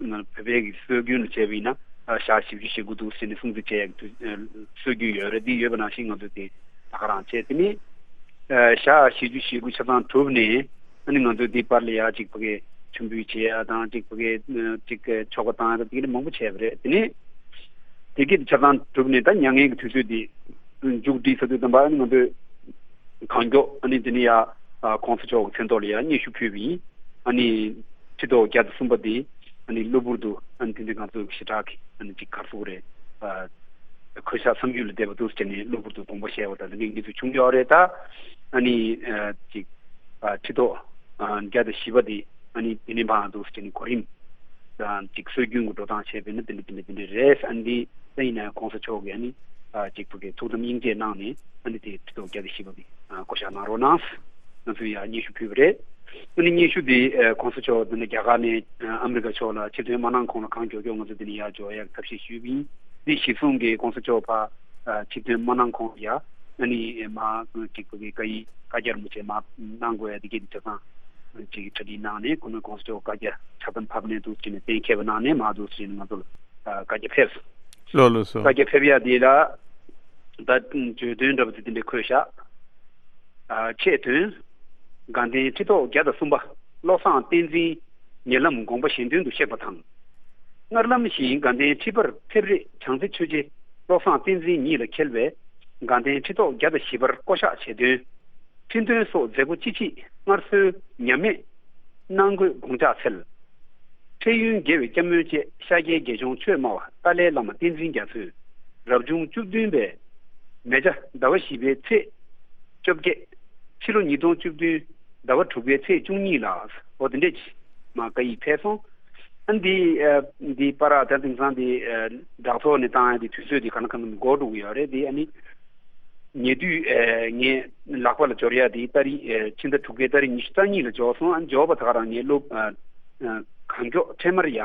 བོད་པའི་གི་སྲོལ་རྒྱུན་ལ་བྱས་པ་ཡིན་ན་ཨ་ཞག་བཞི་བཅུ་ཞེ་དགུ་འདུག་ཟེར་ནས་སྲུང་བརྩི་བྱས་ཡག་དུས་སྲོལ་རྒྱུན་ཡོད་རེད། འདི་ཡོད་པ་ནང་བཞིན་ང་ཚོ་དེ་ད་ག་རང་བྱས། དེ་ནས་ཨ་ཞག་བཞི་བཅུ་ཞེ་དགུ་ཆ་ཚང་གྲུབ་ནས་ཨ་ནི་ང་ཚོ་འདི་བར་ལ་ཡ་ཅིག་ཕ་གི་མཆོད་འབུལ་བྱས་ཡ་དང་ཅིག་ཕ་གི་ཅིག་ཆོ་ག་བཏང་ཡ་དང་དེ་གི་མང་པོ་བྱས་པ་རེད། དེ་ནས་དེ་གི་ཆ་ཚང་གྲུབ་ནས་ད་མྱ་ངན་གྱི་དུས་ཚོད་འདི་མཇུག་སྒྲིལ་ས་དུས་ཙམ་པ་ཨ་ནི་ང་ཚོས་གང་མགྱོགས་ཨ་ནི་དེ་ནས་ཡ་༧གོང་ས་མཆོག་གི་མཚན་ཐོག་ལ་ཡ་སྙན་ཞུ་ཕུལ་བ་ཡིན། ཨ་ནི་ཁྲི་ཐོག་བརྒྱ་དང་གསུམ་པ་འདི་ཨ་ནི་གློ་བུར་དུ་ཨ་ནི་དེ་འདྲའི་ང་ཚོ་ཞེ་དྲག་གི་ཨ་ནི་ཅིག་ག་རེ་ཟེར་དགོས་རེད། ཨ་གུས་ཞབས་བསམ་ཡུལ་ལས་འདས་པ་འདུག་ཟེར་ནས་གློ་བུར་དུ་དགོངས་པ་བཞེས་པ་དང་འདི་འདྲའི་གནས་ཚུལ་བྱུང་ཡོད་རེད། ད་ཨ་ནི་ཨ་ཅིག་ཨ་ཁྲི་ཐོག་ཨ་བརྒྱ་དང་བཞི་པ་འདི་ཨ་ནི་དེ་ནས་འབའ་འདུག་ཟེར་ནས་གོ་རིམ་དང་ཅིག་སྲོལ་རྒྱུན་གྱི་འགྲོ་སྟངས་བྱས་པས་ན་དེ་འདྲ་དེ་འདྲ་དེ་འདྲ་རེད། ཨ་ནི་འདི་ད་ཡིན་ན་༧གོང་ས་མཆོག་གིས་ཨ་ནི་ཨ་ཅིག་ཕ་གི་ཐུགས་དམ་སྙིང་རྗེ་གནང་ནས་ཨ་ནི་དེ་ཁྲི་ཐོག་བརྒྱ་དང་བཞི་པ་འདི་ཨ་བསྐོ་བཞག་གནང་རོགས་གནང་། ང་ཚོས་ཡང་སྙན་ཞུ་ཕུལ་བ་རེད། ཨ་ནི་སྙན་ཞུ་འདི་ཨ་༧གོང་ས་མཆོག་འདི་ནས་རྒྱ་གར་ནས་ཨ་ཨ་མི་རི་ཀ་ཕྱོགས་ལ་ཕྱིར་ཐོན་མ་གནང་གོང་ལ་གང་མགྱོགས་མགྱོགས་ང་ཚོ་འདི་ནས་ཡར་འབྱོར་ཡག་ཐབས་ཤེས་ཞུས་པ་ཡིན། འདི་གཞི་བཟུང་གིས་༧གོང་ས་མཆོག་ཕར་ཨ་ཕྱིར་ཐོན་མ་གནང་གོང་ལ་ཡ་ཨ་ནི་མར་ཅིག་ཕ་གི་བཀའ་ཡིག་བཀའ་རྒྱ་རིན་པོ་ཆེ་མར་གནང་དགོས་ཡ་འདི་གས་འདི་ཆ་ཚང་ཅིག་གྲ་སྒྲིག་གནང་ནས་ཁོ་ནས་༧གོང་ས་མཆོག་བཀའ་རྒྱ་ཕྱག་དམ་ཕབ་ནས་འདུག་ཅེས་ནས་གཏན་འཁེལ་བ་གནང་ནས་མར་འདུག་ཅེས་ནས་ང་ཚོ་ལ་ཨ་བཀའ་རྒྱ་ཕེབས་སོང་། ལགས་ལགས་སོ། བཀའ་རྒྱ་ཕེབས་ཡ་འདི་ལ་ད་བརྗོད་དོན་འདྲ་པོ་དེ་འདི་འདྲ་འཁོད་བཞག་ཨ་ཆེད་དོན། དགའ་ལྡན་ཁྲི་ཐོག་བརྒྱ་དང་གསུམ་པ་བློ་བཟང་བསྟན་འཛིན་ཉེ་ལམ་དགོངས་པ་གཞན་དོན་དུ་གཤེགས་པ་དང་། སྔར་ལམ་བཞིན་དགའ་ལྡན་ཁྲི་པར་ཕེབས་རེས་བྱང་རྩེ་ཆོས་རྗེ་བློ་བཟང་བསྟན་འཛིན་ཉིད་ལ་འཁེལ་བའི་དགའ་ལྡན་ཁྲི་ཐོག་བརྒྱ་དང་བཞི་པར་བསྐོ་གཞག་བྱེད་དོན། ཁྲི་འདོན་སོགས་མཛད་སྒོ་ཅི་མཆིས་སྔར་སྲོལ་ཉམས་མེད་གནང་དགོས་དགོངས་འཇགས་འཚལ། འཕྲལ་ཡུན་དགེ་བའི་སྐྱབས་སྨོན་བཅས་ཤཱཀྱའི་དགེ་སྦྱོང་ཆོས་སྨྲ་བ་ཏཱ་ལའི་བླ་མ་བསྟན་འཛིན་རྒྱ་མཚོས་རབ་བྱུང་བཅུ་བདུན་པའི་མེ་བྱ་ཟླ་བ་བཞི་པའི་ཚེས་བཅོ་བརྒྱད། ཕྱི་ལོ་ཉིས་སྟོང་བཅུ་བདུན་ཟླ་བ་དྲུག་པའི་ཚེས་བཅུ་གཉིས་ལ་འོ་དེ་འདྲས་ཀྱི་མ་བཀའ་ཡིག་ཕེབས་སོང་། ཨ་འདི་ཨ་འདི་པར་ད་དེང་སང་འདི་ཨ་བསྒྲགས་ཚོགས་ནས་བཏང་ཡ་འདི་དུས་ཚོད་འདི་ག་ན་ག་ན་འགོར་འགྲོ་གི་ཡོད་རེད། འདི་ཨ་ནི་ ཉེ་དུས་ཨ་ངའི་ལག་པ་ལ་འབྱོར་ཡ་དེ་ཏ་རིག་ཨ་ཕྱི་ཟླ་དྲུག་པའི་ཏ་རིག་ཉི་ཤུ་རྩ་གཉིས་ལ་འབྱོར་སོང་། ཨ་འབྱོར་བ་ད་ག་རང་ངའི་སློབ་ཨ་ཨ་གང་མགྱོགས་འཕྲལ་མར་ཡ་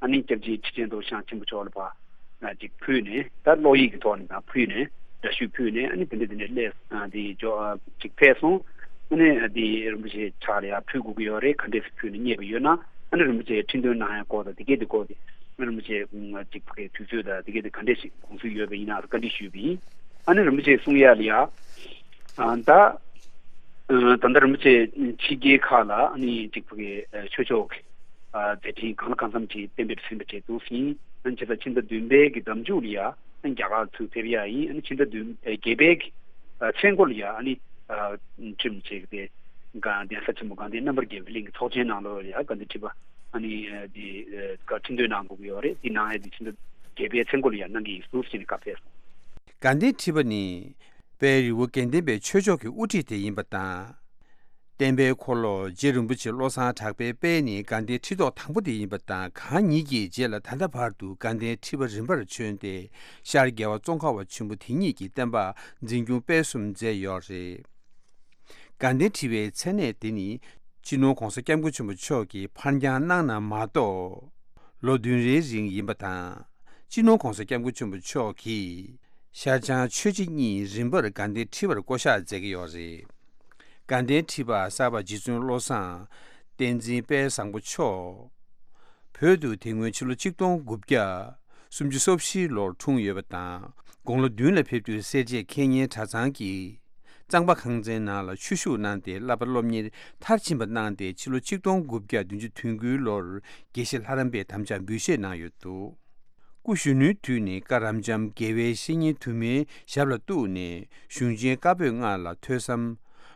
ཨ་ནི་སྐྱབས་རྗེ་ཁྲི་ཆེན་རྡོ་རྗེ་འཆང་ཆེན་པོ་མཆོག་ལ་ཕར་ཨ་ཅིག་ཕུལ་ནས། ད་བློ་ཡིག་གི་ཐོག་ནས་ད་ཕུལ་ནས་འདྲ་བཤུས་ཕུལ་ནས། ཨ་ནི་དེ་འདྲ་དེ་འདྲ་སླེབས་ཨ་དེ་འབྱོར་ཨ་ཅིག་ཕེབས་སོང་། ཨ་ནི་དེ་རིན་པོ་ཆེ་ཕྱག་ལ་ཡ་ཕུལ་དགོས་ཀྱི་ཡོད་རེད། ག་འདྲས་སེ་ཕུལ་ནས་རྙེད་པ་ཡོད་ན། ཨ་ནི་རིན་པོ་ཆེ་ཁྲི་འདོན་གནང་ཡ་སྐོར་དང་དེ་གས་དེ་སྐོར་དེ་ཨ་རིན་པོ་ཆེ་ཨ་ཅིག་ཕ་གིའི་དུས་ཚོད་དང་དེ་གས་དེ་ག་འདྲས་ཤིག་དགོངས་ཚུལ་ཡོད་པ་ཡིན་ན་བཀའ་འདྲི་ཞུས་པ་ཡིན། ཨ་ནི་རིན་པོ་ཆེ་གསུང་ཡ་ལ་ཡ། ཨ་ད་ཨ་ད་ལྟ་རིན་པོ་ཆེ་ཕྱི་རྒྱལ་ཁག་ལ་ཨ་ནི་ཅིག་ཕ་གི་ཨ་ཆོས་ཕྱོགས་ཀྱི་ཨ་མཛད་འཕྲིན་གང་ལ་གང་འཚམ་ཅིག་གཏན་འབེབས་ཟིན་པ་བྱས་འདུག་ཟིན། ཨ་ནི་བྱས་ཙང་ཕྱི་ཟླ་བདུན་པའི་གི་ཟླ་མཇུག་ལ་ཡ་ཨ་ནི་རྒྱ་གར་ཚུར་ཕེབས་ཡ་ཡིན། ཨ་ནི་ཕྱི་ཟླ་བདུན་ཨ་བརྒྱད་པའི་གི་ཨ་མཚན་འཁོར་ལ་ཡ་ཨ་ནི་ཨ་ཁྲིམས་བྱས་ཀྱི་དེ་ག་གདན་ས་ཆེན་མོ་དགའ་ལྡན་རྣམ་པར་རྒྱལ་བའི་གླིང་གི་ཚོགས་ཆེན་ནང་ལོགས་ལ་ཡ་དགའ་ལྡན་ཁྲི་པ་ཨ་ནི་ཨ་དེ་ཨ་ག་ཁྲི་འདོན་གནང་དགོས་ཀྱི་ཡོད་རེད། དེ་གནང་ཡ་དེ་ཕྱི་ཟླ་བརྒྱད་པའི་མཚན་འཁོར་ལ་ཡ་གནང་གི་ཡིན་ཟུར་ཟིན་ནས་བཀའ་ཕེབས་སོང་། དགའ་ལྡན་ཁྲི་པ་ནི་དཔལ་རི་བོ་དགེ་ལྡན་པའི་ཆོས་ཕྱོགས་ཀྱི་དབུ་ཁྲིད་དེ་ཡིན་པ་དང་། བསྟན་པའི་འཁོར་ལོ་རྗེ་རིན་པོ་ཆེ་བློ་བཟང་གྲགས་པའི་དཔལ་ནི་དགའ་ལྡན་ཁྲི་ཐོག་དང་པོ་དེ་ཡིན་པ་དང་། གང་ཉིད་ཀྱི་རྗེས་ལ་ད་ལྟ་བར་དུ་དགའ་ལྡན་ཁྲི་པ་རིམ་པར་བྱོན་ཏེ་ཤར་རྒྱལ་བ་ཙོང་ཁ་པ་ཆེན་པོ་དེ་ཉིད་ཀྱི་བསྟན་པ་འཛིན་སྐྱོང་སྤེལ་གསུམ་མཛད་ཡོད་རེད། དགའ་ལྡན་ཁྲི་པའི་མཚན་གནས་དེ་ནི་སྤྱི་ནོར་༧གོང་ས་༧སྐྱབས་མགོན་ཆེན་པོ་མཆོག་གིས་ཕར་འགྱངས་གནང་ན་མ་གཏོགས། ལོ་བདུན་རེའི་རིང་ཡིན་པ་དང་། སྤྱི་ནོར་༧གོང་ས་༧སྐྱབས་མགོན་ཆེན་པོ་མཆོག་གིས་ཤར་བྱང་ཆོས་རྗེ་གཉིས་རིམ་པར་དགའ་ལྡན་ཁྲི་པར་བསྐོ་གཞག་མཛད་ཀྱི་ཡོད་རེད། དགའ་ལྡན་ཁྲི་པ་གསར་པ་རྗེ་བཙུན་བློ་བཟང་བསྟན་འཛིན་དཔལ་བཟང་པོ་མཆོག་བོད་དུ་དེ་སྔོན་ཕྱི་ལོ་ཆིག་སྟོང་དགུ་བརྒྱ་སུམ་ཅུ་སོ་བཞིའི་ལོར་འཁྲུངས་ཡོད་པ་དང་། དགུང་ལོ་བདུན་ལ་ཕེབས་དུས་སེར་བྱེས་མཁས་སྙན་གྲྭ་ཚང་གི་གཙང་པ་ཁང་ཚན་ནང་ལ་ཆོས་ཞུགས་གནང་སྟེ་བསླབ་པ་སློབ་གཉེར་མཐར་ཕྱིན་པ་གནང་སྟེ། ཕྱི་ལོ་ཆིག་སྟོང་དགུ་བརྒྱ་བདུན་ཅུ་དོན་དགུའི་ལོར་དགེ་བཤེས་ལྷ་རམས་པའི་དམ་བཅའ་འབུལ་བཞེས་གནང་ཡོད་འདུག་སྐུ་གཞོན་ནུའི་དུས་ནས་བཀའ་རབ་འབྱམས་དགེ་བའི་བཤེས་གཉེན་དུ་མའི་ཞབས་ལ་གཏུགས་ནས་གཞུང་ཆེན་བཀའ་པོད་ལྔ་ལ་ཐོས་བསམ་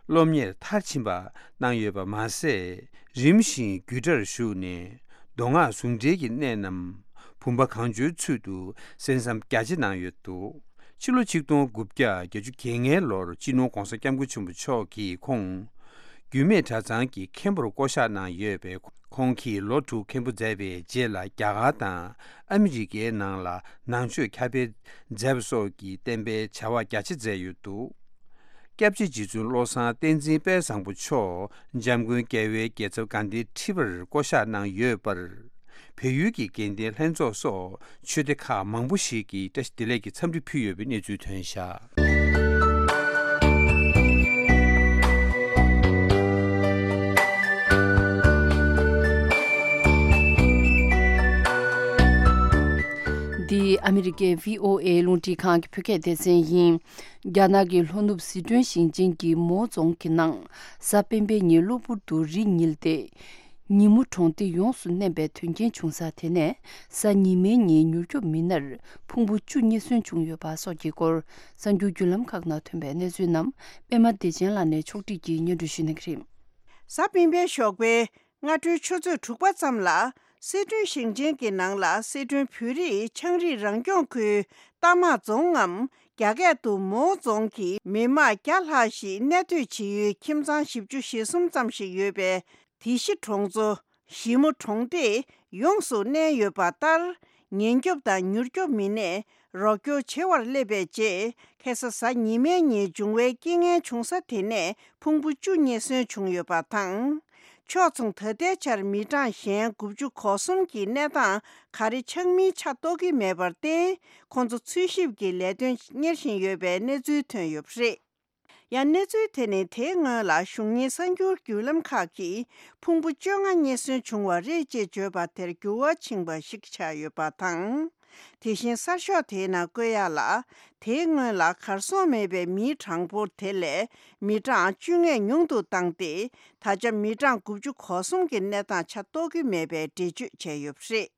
སློབ་གཉེར་མཐར་ཕྱིན་པ་གནང་ཡོད་པ་མ་ཟད། རིམ་བཞིན་རྒྱུད་གྲྭར་ཞུགས་ནས་མདོ་སྔགས་ཟུང་འབྲེལ་གྱི་གནད་རྣམས་བུམ་པ་གང་བྱོའི་ཚུལ་དུ་གསན་བསམ་རྒྱ་ཆེ་གནང་ཡོད་འདུག་ཕྱི་ལོ་ཆིག་སྟོང་དགུ་བརྒྱ་བརྒྱད་ཅུ་གྱ་ལྔའི་ལོར་སྤྱི་ནོར་༧གོང་ས་༧སྐྱབས་མགོན་ཆེན་པོ་མཆོག་གིས་ཁོང་རྒྱུད་སྨད་གྲྭ་ཚང་གི་མཁན་པོར་བསྐོ་གཞག་གནང་ཡོད་པས། ཁོང་གིས་ལོ་དྲུག་མཁན་པོ་མཛད་པའི་རྗེས་ལ་རྒྱ་གར་དང་ཨ་མི་རི་ཀའི་ནང་ལ་ནང་ཆོས་ཁྱབ་སྤེལ་མཛད་པ་སོགས་ཀྱི་བསྟན་པའི་བྱ་བ་རྒྱ་ཆེ་མཛད་ཡོད་འདུག་སྐྱབས་རྗེ་རྗེ་བཙུན་བློ་བཟང་བསྟན་འཛིན་དཔལ་བཟང་པོ་མཆོག་འཇམ་མགོན་རྒྱལ་བའི་རྒྱལ་ཚབ་དགའ་ལྡན་ཁྲི་པར་བསྐོ་གཞག་གནང་ཡོད་པར། བལ་ཡུལ་གྱི་དགེ་ལྡན་ལྷན་ཚོགས་སོགས་ཆོས་སྡེ་ཁག་མང་པོ་ཞིག་གིས་བཀྲ་ཤིས་བདེ་ལེགས་ཀྱི་འཚམས་འདྲི་ཕུལ་ཡོད་པའི་གནས་ཚུལ་ཐོན་བཞག་འདི་ཨ་མི་རི་ཀའི་བྷི་ཨོ་ཨེ་རླུང་འཕྲིན་ཁང་གི་བོད་སྐད་སྡེ་ཚན་ཡིན། རྒྱ་ནག་གི་ལྷོ་ནུབ་ཟི་ཁྲོན་ཞིང་ཆེན་གྱི་མའོ་རྫོང་གི་ནང་གཟའ་སྤེན་པའི་ཉིན་གློ་བུར་དུ་རི་ཉིལ་ཏེ། ཉིན་མོ་གྲོང་སྡེ་ཡོངས་སུ་མནན་པའི་དོན་རྐྱེན་བྱུང་ས་དེ་ནས་གཟའ་ཉི་མའི་ཉིན་མྱུར་སྐྱོབ་མི་སྣར་ཕུང་པོ་བཅུ་རྙེད་སོན་བྱུང་ཡོད་པ་སོགས་ཀྱི་སྐོར་གསར་འགྱུར་བརྒྱུད་ལམ་ཁག་ནང་ཐོན་པའི་གནས་ཚུལ་རྣམས་པད་མ་བདེ་ཆེན་ལགས་ནས་ཕྱོགས་སྒྲིག་གིས་སྙན་སྒྲོན་ཞུ་གནང་གི་རེད། གཟའ་སྤེན་པའི་ཞོགས་པའི་སྔ་དྲོའི་ཆུ་ཚོད་དྲུག་པ་ཙམ་ལ་སི་ཁྲོན་ཞིང་ཆེན་གྱི་ནང་ལ་སི་ཁྲོན་བོད་རིགས་ཆའང་རིགས་རང་སྐྱོང་ཁུལ་རྟ་དམག་རྫོང་ངམ་རྒྱ་སྐད་དུ་མའོ་རྫོང་གི་མི་དམངས་བརྒྱ་ལྷག་ཞིག་གནས་སྡོད་བྱེད་ཡུལ་ཁྱིམ་ཚང་བཞི་བཅུ་ཞེ་གསུམ་ཙམ་ཞིག་ཡོད་པའི་དེ་ཤི་གྲོང་ཚོ་ཞི་མོ་གྲོང་སྡེ་ཡོངས་སུ་མནན་ཡོད་པ་ལྟར། ཉེན་སྐྱོབ་དང་མྱུར་སྐྱོབ་མི་སྣས་རོགས་སྐྱོར་བྱེད་པར་སླེབས་པའི་རྗེས། ཁ་སང་གཟའ་ཉི་མའི་ཉིན་འབྱུང་བའི་རྐྱེན་ངན་བྱུང་ས་དེ་ནས་ཕུང་པོ་བཅུ་རྙེད་སོན་བྱུང་ཡོད་པ་དང་། ཕྱོགས་མཚུངས་ད་ལྟའི་ཆར་མི་གྲངས་གཞན་དགུ་བཅུ་གོ་གསུམ་གྱི་གནས་སྟངས་ག་རེ་ཆགས་མིན་ཆ་རྟོགས་ཀྱི་མེད་པར་བརྟེན། ཁོང་ཚོ་འཚོལ་ཞིབ་ཀྱི་ལས་དོན་གཉེར་བཞིན་ཡོད་པའི་གནས་ཚུལ་ཐོན་ཡོད་པ་རེད། ཡང་གནས་ཚུལ་དེ་ནི་དེའི་སྔོན་ལ་གཞུང་གཉེར་གསར་འགྱུར་བརྒྱུད་ལམ་ཁག་གིས་ཕུང་པོ་བཅོ་ལྔ་རྙེད་སོན་བྱུང་བ་རེད་ཅེས་བརྗོད་པ་དེར་འགྱུར་བ་ཕྱིན་པ་ཞིག་ཆགས་ཡོད་པ་དང་། དེ་བཞིན་གསར་ཤོག་དེའི་ནང་བཀོད་ཡག་ལ། དེའི་སྔོན་ལ་གར་སོང་མེད་པའི་མིའི་གྲངས་འབོར་དེ་ལས་མི་གྲངས་བཅོ་ལྔས་ཉུང་དུ་བཏང་སྟེ། ད་ཆ་མི་གྲངས་དགུ་བཅུ་གོ་གསུམ་གྱི་གནས་སྟངས་ཆ་རྟོགས་ཀྱི་མེད་པའི་འགྲེལ་བརྗོད་བྱས་ཡོད་པ་རེད།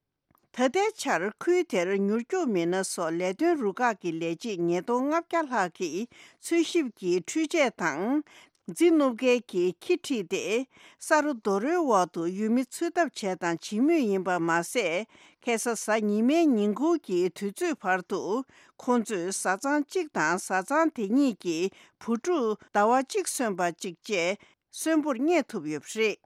ད་ལྟའི་ཆར་ཁུལ་དེར་མྱུར་སྐྱོབ་མི་སྣ་སོགས་ལས་དོན་རུ་ཁག་གི་ལས་བྱེད་ཉིས་སྟོང་ལྔ་བརྒྱ་ལྷག་གིས་འཚོལ་ཞིབ་ཀྱིས་འཕྲུལ་ཆས་དང་། རྫི་བསྣུབ་མཁན་གྱི་ཁྱི་ཁྲིད་དེ། ས་རོ་རྡོ་རོའི་འོག་ཏུ་ཡུལ་མི་འཚོལ་ཐབས་བྱས་དང་བྱེད་མུས་ཡིན་པ་མ་ཟད། ཁ་སང་གཟའ་ཉི་མའི་ཉིན་གུང་གི་དུས་ཚོད་བར་དུ། ཁོང་ཚོས་བཟའ་ཚང་གཅིག་དང་བཟའ་ཚང་དེ་གཉིས་ཀྱི་བུ་ཕྲུག་ཟླ་བ་གཅིག་སོན་པ་གཅིག་བཅས་གསོན་པོར་རྙེད་ཐུབ་ཡོད་པ་རེད།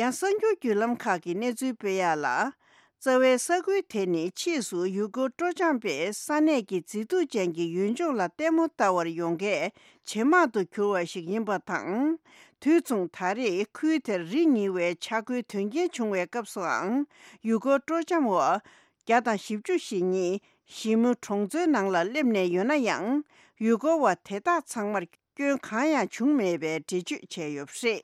ཡང་གསར་འགྱུར་བརྒྱུད་ལམ་ཁག་གིས་གནས་ཚུལ་སྤེལ་ཡག་ལ། རྩ་བའི་ས་ཁུལ་དེ་ནི་ཕྱིས་སུ་ཡུ་གུར་སྤྲོ་འཆམ་པས་ས་གནས་ཀྱི་མཛེས་སྡུག་ཅན་གྱི་ཡུལ་ལྗོངས་ལ་ལྟད་མོ་ལྟ་བར་ཡོང་མཁན་ཇེ་མང་དུ་གྱུར་བ་ཞིག་ཡིན་པ་དང་། དུས་མཚུངས་ད་རེས་ཁུལ་དེར་རི་ཉིལ་བའི་ཆག་སྒོའི་དོན་རྐྱེན་བྱུང་བའི་སྐབས་སུའང་ཡུ་གུར་སྤྲོ་འཆམ་བ་བརྒྱ་དང་བཞི་བཅུ་ཞེ་གཉིས་ཞི་མུ་གྲོང་ཚོའི་ནང་ལ་སླེབས་ནས་ཡོད་ན་ཡང་། ཡུ་གུར་བ་དེ་དག་ཚང་མར་སྐྱོན་གང་ཡང་བྱུང་མེད་པའི་འགྲེལ་བརྗོད་བྱས་ཡོད་པ་རེད།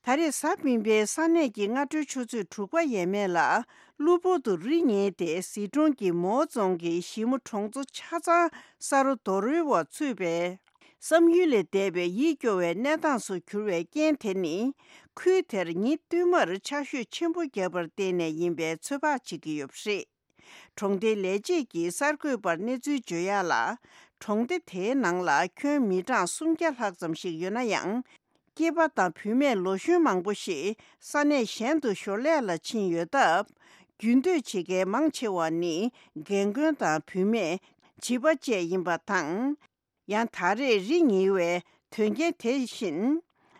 ད་རེས་གཟའ་སྤེན་པའི་ས་གནས་ཀྱི་སྔ་དྲོའི་ཆུ་ཚོད་དྲུག་པ་ཡས་མས་ལ་གློ་བུར་དུ་རི་ཉིལ་ཏེ་ཟི་ཀྲོང་གི་མའོ་རྫོང་གི་ཞི་མུ་གྲོང་ཚོ་ཆ་ཚང་ས་རུ་རྡོ་རོལ་བ་ཚུད་པས། བསམ་ཡུལ་ལས་འདས་པའི་ཡིད་སྐྱོ་བའི་གནས་སྟངས་སུ་གྱུར་བའི་རྐྱེན་དེ་ནི། ཁུལ་དེར་ཉིན་བསྟུད་མར་ཆར་ཞོད་ཆེན་པོ་བརྒྱབ་པར་བརྟེན་ནས་ཡིན་པའི་ཚོད་དཔག་བྱེད་ཀྱི་ཡོད་པ་རེད། གྲོང་སྡེའི་ལས་བྱེད་ཀྱིས་གསར་འགོད་པར་གནས་ཚུལ་བརྗོད་ཡག་ལ། གྲོང་སྡེ་དེའི་ནང་ལ་ཁྱོན་མི་གྲངས་སུམ་བརྒྱ་ལྷག་ཙམ་ཞིག་ཡོད་ན་ཡང་། སྐྱེས་པ་དང་བུད་མེད་ལོ་གཞོན་མང་པོ་ཞིག་ས་གནས་གཞན་དུ་ཞོར་ལས་ལ་ཕྱིན་ཡོད་སྟབས། རྒྱུན་སྡོད་བྱེད་མཁན་མང་ཆེ་བ་ནི་རྒན་རྒོན་དང་བུད་མེད། བྱིས་པ་བཅས་ཡིན་པ་དང་། ཡང་ད་རེས་རི་ཉིལ་བའི་དོན་རྐྱེན་དེ་བཞིན།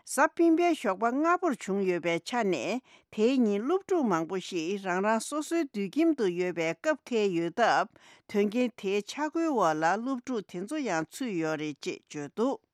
གཟའ་སྤེན་པའི་ཞོགས་པ་སྔ་པོར་བྱུང་ཡོད་པའི་ཆ་ནས། དེའི་ཉིན་སློབ་ཕྲུག་མང་པོ་ཞིག་རང་རང་སོ་སོའི་སྡོད་ཁྱིམ་དུ་ཡོད་པའི་སྐབས་འཁེལ་ཡོད་སྟབས། དོན་རྐྱེན་དེའི་ཆ་བགོས་འོག་ལ་སློབ་ཕྲུག་དེ་ཚོ་ཡང་ཚུད་ཡོད་རེད་ཅེས་བརྗོད་འདུག་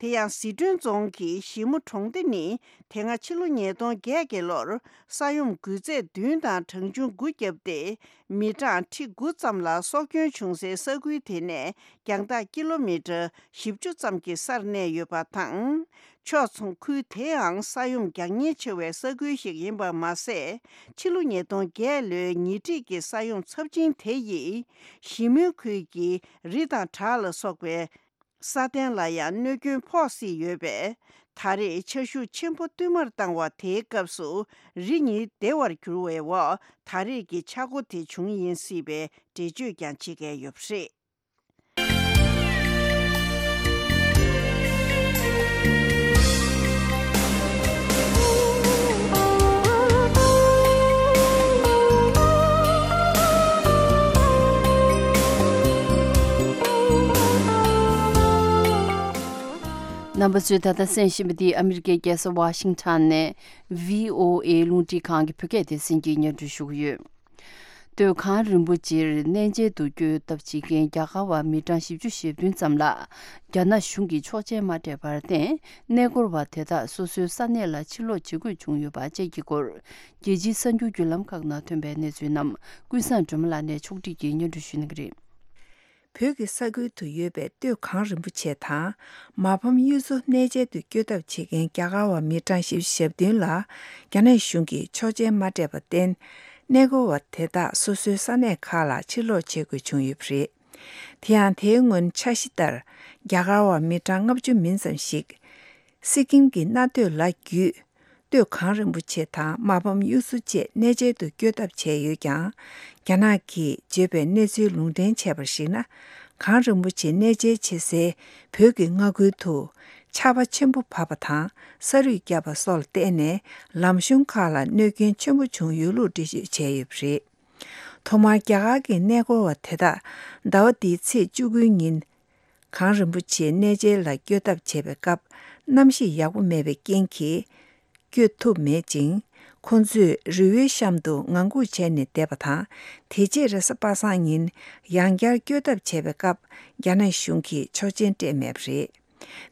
དེ་ཡང་ཟི་ཁྲོན་རྫོང་གི་ཞི་མུ་གྲོང་སྡེ་ནི། དེ་སྔ་ཕྱི་ལོ་ཉིས་སྟོང་བརྒྱད་ཀྱི་ལོར་ས་ཡོམ་འགུལ་ཚད་བདུན་དང་གྲངས་ཆུང་དགུ་བརྒྱབ་སྟེ། མི་གྲངས་ཁྲི་དགུ་ཙམ་ལ་སྲོག་སྐྱོན་བྱུང་སའི་ས་ཁུལ་དེ་ནས་རྒྱང་ཐག་ཀི་ལོ་མི་ཊར་བཞི་བཅུ་ཙམ་གྱི་སར་གནས་ཡོད་པ་དང་། ཕྱོགས་མཚུངས་ཁུལ་དེའང་ས་ཡོམ་རྒྱག་ཉེན་ཆེ་བའི་ས་ཁུལ་ཞིག་ཡིན་པ་མ་ཟད། ཕྱི་ལོ་ཉིས་སྟོང་བརྒྱད་ལོའི་ཉེ་འཁྲིས་ཀྱི་ས་ཡོམ་ཚབས་ཆེན་དེ་ཡིས་ཞི་མོལ་ཁུལ་གྱི་རི་དང་བྲག་ལ་སོགས་པའི་ས་སྟེང་ལ་ཡང་གནོད་སྐྱོན་ཕོག་སྲིད་ཡོད་པས། ད་རེས་ཆར་ཤུགས་ཆེན་པོ་བསྟུད་མར་བཏང་བ་དེའི་སྐབས་སུ་རི་ཉིལ་བདེ་བར་གྱུར་བའི་འོག་ད་རེས་ཀྱི་ཆག་སྒོ་དེ་བྱུང་ཡིན་སྲིད་པའི་འགྲེལ་བརྗོད་ཀྱང་བྱེད་མཁན་ཡོད་པ་རེད། རྣམ་པ་ཚོས་ད་ལྟ་གསན་བཞིན་པ་འདི་ཨ་མི་རི་ཀའི་རྒྱལ་ས་ཝ་ཤིང་ཊོན་ནས་བྷི་ཨོ་ཨེ་རླུང་འཕྲིན་ཁང་གི་བོད་སྐད་སྡེ་ཚན་གྱིས་སྙན་སྒྲོན་ཞུ་གི་ཡོད། སྟོད་གངས་རིན་པོ་ཆེར་གནས་མཇལ་དུ་བསྐྱོད་ཐབས་བྱེད་མཁན་རྒྱ་གར་བ་མི་གྲངས་བཞི་བཅུ་ཞེ་བདུན་ཙམ་ལ་རྒྱ་ནག་གཞུང་གིས་ཆོག་མཆན་མ་སྤྲད་པར་བརྟེན། གནས་སྐོར་བ་དེ་དག་སོ་སོའི་ས་གནས་ལ་ཕྱིར་ལོག་བྱེད་དགོས་བྱུང་ཡོད་པ་བཅས་ཀྱི་སྐོར། རྒྱལ་སྤྱིའི་གསར་འགྱུར་བརྒྱུད་ལམ་ཁག་ནང་ཐོན་པའི་གནས་ཚུལ་རྣམས་ཀུན་བཟང་སྒྲོལ་མ་ལགས་ནས་ཕྱོགས་སྒྲིག་གིས་སྙན་སྒྲོན་ཞུ་གནང་གི་རེད། བོད་ཀྱི་ས་ཁུལ་དུ་ཡོད་པའི་སྟོད་གངས་རིན་པོ་ཆེ་དང་། མ་ཕམ་གཡུ་མཚོ་གནས་མཇལ་དུ་བསྐྱོད་ཐབས་བྱེད་མཁན་རྒྱ་གར་བ་མི་གྲངས་བཞི་བཅུ་ཞེ་བདུན་ལ་རྒྱ་ནག་གཞུང་གིས་ཆོག་མཆན་མ་སྤྲད་པར་བརྟེན། གནས་སྐོར་བ་དེ་དག་སོ་སོའི་ས་གནས་ཁག་ལ་ཕྱིར་ལོག་བྱེད་དགོས་བྱུང་ཡོད་པ་རེད། དེ་ཡང་དེའི་སྔོན་འཆར་གཞི་ལྟར་རྒྱ་གར་བ་མི་གྲངས་ལྔ་བཅུ་མིན་ཙམ་ཞིག་སི་ཀིམ་གྱི་གནའ་སྟོད་ལ་བརྒྱུད། སྟོད་གངས་རིན་པོ་ཆེ་དང་མ་ཕམ་གཡུ་མཚོ་བཅས་གནས་མཇལ་དུ་བསྐྱོད་ཐབས་བྱས་ཡོད་ཀྱང་། རྒྱ་ནག་གིས་བརྗོད་པའི་གནས་ཚུལ་ལུང་འདྲེན་བྱས་པར་གཞིགས་ན། གངས་རིན་པོ་ཆེ་གནས་མཇལ་བྱེད་སའི་བོད་ཀྱི་མངའ་ཁུལ་དུ་ཆར་པ་ཆེན་པོ་བབས་པ་དང་ས་རུད་བརྒྱབ་པ་སོགས་ལ་བརྟེན་ནས་ལམ་གཞུང་ཁག་ལ་གནོད་སྐྱོན་ཆེན་པོ་བྱུང་ཡོད་ལུགས་འགྲེལ་བརྗོད་བྱས་ཡོད་པ་རེད། ཐོག་མར་རྒྱ་གར་གྱི་གནས་སྐོར་བ་དེ་དག་ཟླ་བ་འདིའི་ཚེས་བཅུ་དགུའི་ཉིན། གངས་རིན་པོ་ཆེའི་གནས་མཇལ་ལ་བསྐྱོད་ཐབས་བྱེད་པའི་སྐབས་གནམ་གཤིས་ཡག་པོ་མེད་པའི་རྐྱེན་གྱིས་བསྐྱོད་ཐུབ་མེད་ཅིང་། ཁོང་ཚོས་རི་བོའི་གཤམ་དུ་ངང་སྒུག་བྱས་ནས་བསྡད་པ་དང་། དེ་རྗེས་རེས་གཟའ་པ་སངས་ཉིན་ཡང་བསྐྱར་བསྐྱོད་ཐབས་བྱས་པའི་སྐབས་རྒྱ་ནག་གཞུང་གིས་ཆོག་མཆན་སྤྲད་མེད་པ་རེད།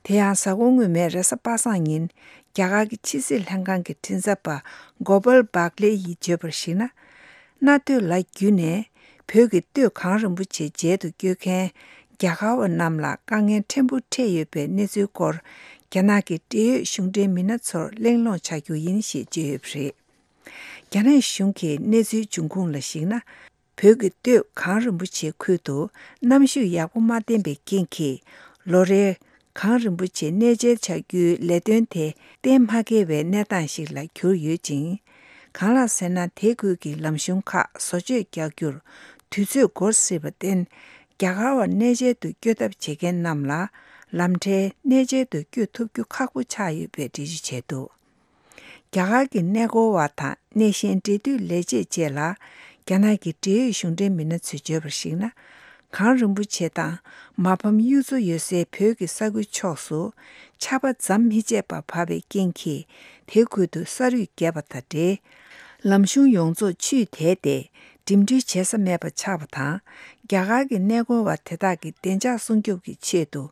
དེ་ཡང་གཟའ་འཁོར་སྔོན་མའི་རེས་གཟའ་པ་སངས་ཉིན་རྒྱ་གར་གྱི་ཕྱི་སྲིད་ལྷན་ཁང་གི་མགྲིན་ཚབ་པ་གོ་པལ་བྷག་ལེ་ཡིས་བརྗོད་པར་གཞིགས་ན། གནའ་སྟོད་ལ་བརྒྱུད་ནས་བོད་ཀྱི་སྟོད་གངས་རིན་པོ་ཆེ་མཇལ་དུ་བསྐྱོད་མཁན་རྒྱ་གར་བ་རྣམས་ལ་དཀའ་ངལ་ཕྲན་བུ་འཕྲད་ཡོད་པའི་གནས་ཚུལ་སྐོར་རྒྱ་ནག་གི་འབྲེལ་ཡོད་གཞུང་འབྲེལ་མི་སྣ་ཚོར་གླེང་སློང་བྱ་རྒྱུ་ཡིན་ཞེས་བརྗོད་ཡོད་པ་རེད། རྒྱ་ནག་གཞུང་གིས་གནས་ཚུལ་འབྱུང་ཁུངས་ལ་གཞིགས་ན། བོད་ཀྱི་སྟོད་གངས་རིན་པོ་ཆེ་ཁུལ་དུ་གནམ་གཤིས་ཡག་པོ་མ་བསྟན་པའི་རྐྱེན་གྱིས། ལོ་རེའི་གངས་རིན་པོ་ཆེ་གནས་མཇལ་བྱ་རྒྱུའི་ལས་དོན་དེ་གཏན་མ་འཁེལ་བའི་གནས་སྟངས་ཤིག་ལ་གྱུར་ཡོད་ཅིང་། གང་ལགས་ཟེར་ན། དེ་ཁུལ་གྱི་ལམ་གཞུང་ཁག་བཟོ་བཅོས་རྒྱག་རྒྱུར་དུས་ཚོད་འགོར་སྲིད་པར་བརྟེན། རྒྱ་གར་བ་གནས་མཇལ་དུ་བསྐྱོད་ཐབས་བྱེད་མཁན་རྣམས་ལ་ལམ་ཁྲལ་གནས་མཇལ་དུ་བསྐྱོད་ཐུབ་རྒྱུ་ཁག་པོ་ཆགས་ཡོད་པའི་འགྲེལ་བརྗོད་བྱས་འདུག་རྒྱ་གར་གྱི་གནས་སྐོར་བ་དང་གནས་གཞན་འབྲེལ་མཐུད་ལས་བྱེད་བཅས་ལ་རྒྱ་ནག་གི་འབྲེལ་ཡོད་གཞུང་འབྲེལ་མི་སྣ་ཚོས་བརྗོད་པར་གཞིགས་ན། གངས་རིན་པོ་ཆེ་དང་མ་ཕམ་གཡུ་མཚོ་ཡོད་སའི་བོད་ཀྱི་ས་ཁུལ་ཕྱོགས་སུ་ཆར་པ་ཟམ་མི་ཆད་པར་བབས་པའི་རྐྱེན་གྱིས། དེ་ཁུལ་དུ་ས་རུད་བརྒྱབ་པ་དང་འབྲེལ། ལམ་གཞུང་ཡོངས་རྫོགས་ཆུས་དེད་དེ་ འགྲིམ་འགྲུལ་བྱེད་ས་མེད་པ་ཆགས་པ་དང་། རྒྱ་གར་གྱི་གནས་སྐོར་བ་དེ་དག་གི་བདེ་འཇགས་སྲུང་སྐྱོབ་ཀྱི་ཆེད་དུ།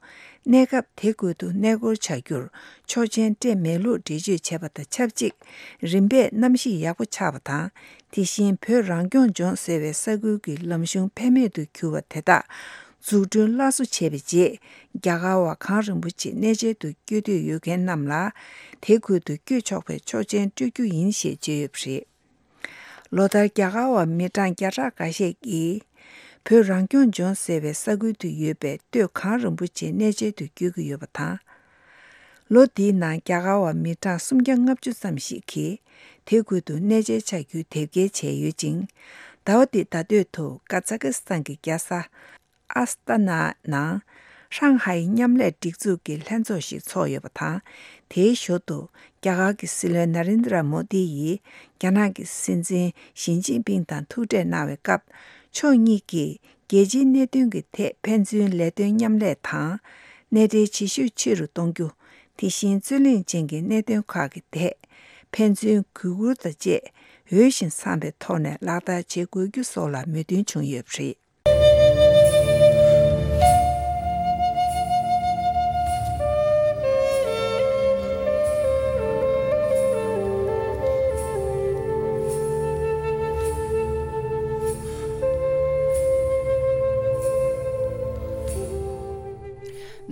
གནས་སྐབས་དེ་ཁུལ་དུ་གནས་སྐོར་བྱ་རྒྱུར་ཆོག་མཆན་སྤྲད་མེད་ལུགས་འགྲེལ་བརྗོད་བྱས་པ་དང་ཆབས་ཅིག་རིམ་པས་གནམ་གཤིས་ཡག་པོ་ཆགས་པ་དང་། དེ་བཞིན་བོད་རང་སྐྱོང་ལྗོངས་ཟེར་བའི་ས་ཁུལ་གྱི་ལམ་གཞུང་ཕན་མེད་དུ་གྱུར་བ་དེ་དག་འཛུགས་སྐྲུན་སླར་གསོ་བྱས་པའི་རྗེས། རྒྱ་གར་བ་གངས་རིན་པོ་ཆེ་གནས་མཇལ་དུ་བསྐྱོད་འདོད་ཡོད་མཁན་རྣམས་ལ། དེ་ཁུལ་དུ་བསྐྱོད་ཆོག་པའི་ཆོག་མཆན་སྤྲོད་རྒྱུ་ཡིན་ཞེས་བརྗོད་ཡོད་པ་རེད། ལོ་ལྟར་རྒྱ་གར་བ་མི་གྲངས་བརྒྱ་ཕྲག་འགའ་ཤས་ཀྱིས། བོད་རང་སྐྱོང་ལྗོངས་ཟེར་བའི་ས་ཁུལ་དུ་ཡོད་པའི་སྟོད་གངས་རིན་པོ་ཆེ་གནས་མཇལ་དུ་བསྐྱོད་ཀྱི་ཡོད་པ་དང་། ལོ་འདིའི་ནང་རྒྱ་གར་བ་མི་གྲངས་སུམ་བརྒྱ་ལྔ་བཅུ་ཙམ་ཞིག་གིས་དེ་ཁུལ་དུ་གནས་མཇལ་བྱ་རྒྱུའི་དེབ་སྐྱེལ་བྱས་ཡོད་ཅིང་། ཟླ་བ་འདིའི་ཟླ་སྟོད་དུ་ཀ་ཛ་ཀི་སི་ཐན་གྱི་རྒྱལ་ས་ཨ་སི་ཏ་ན་ནང་ཧྲང་ཧའེ་མཉམ་ལས་སྒྲིག་འཛུགས་ཀྱི་ལྷན་ཚོགས་ཤིག་ཚོགས་ཡོད་པ་དང་། དེའི་ཞོར་དུ་རྒྱ་གར་གྱི་སྲིད་བློན་ན་རེན་དྲ་མོ་དི་ཡིས་རྒྱ་ནག་གི་སྲིད་འཛིན་ཞི་ཅིན་ཕིང་དང་ཐུག་འཕྲད་གནང་བའི་སྐབས། ཕྱོགས་གཉིས་ཀྱིས་རྒྱལ་སྤྱིའི་གནད་དོན་གྱི་ཐད་ཕན་ཚུན་ལས་དོན་མཉམ་ལས་དང་། གནད་འབྲེལ་བྱེད་ཤུགས་ཆེ་རུ་གཏོང་རྒྱུ། དེ་བཞིན་རྩོད་གླེང་ཅན་གྱི་གནད་དོན་ཁག་གི་ཐད་ཕན་ཚུན་གུས་བཀུར་དང་བཅས་འོས་ཤིང་འཚམ་པའི་ཐོག་ནས་ལག་བསྟར་བྱེད་དགོས་རྒྱུ་སོགས་ལ་མོས་མཐུན་བྱུང་ཡོད་པ་རེད།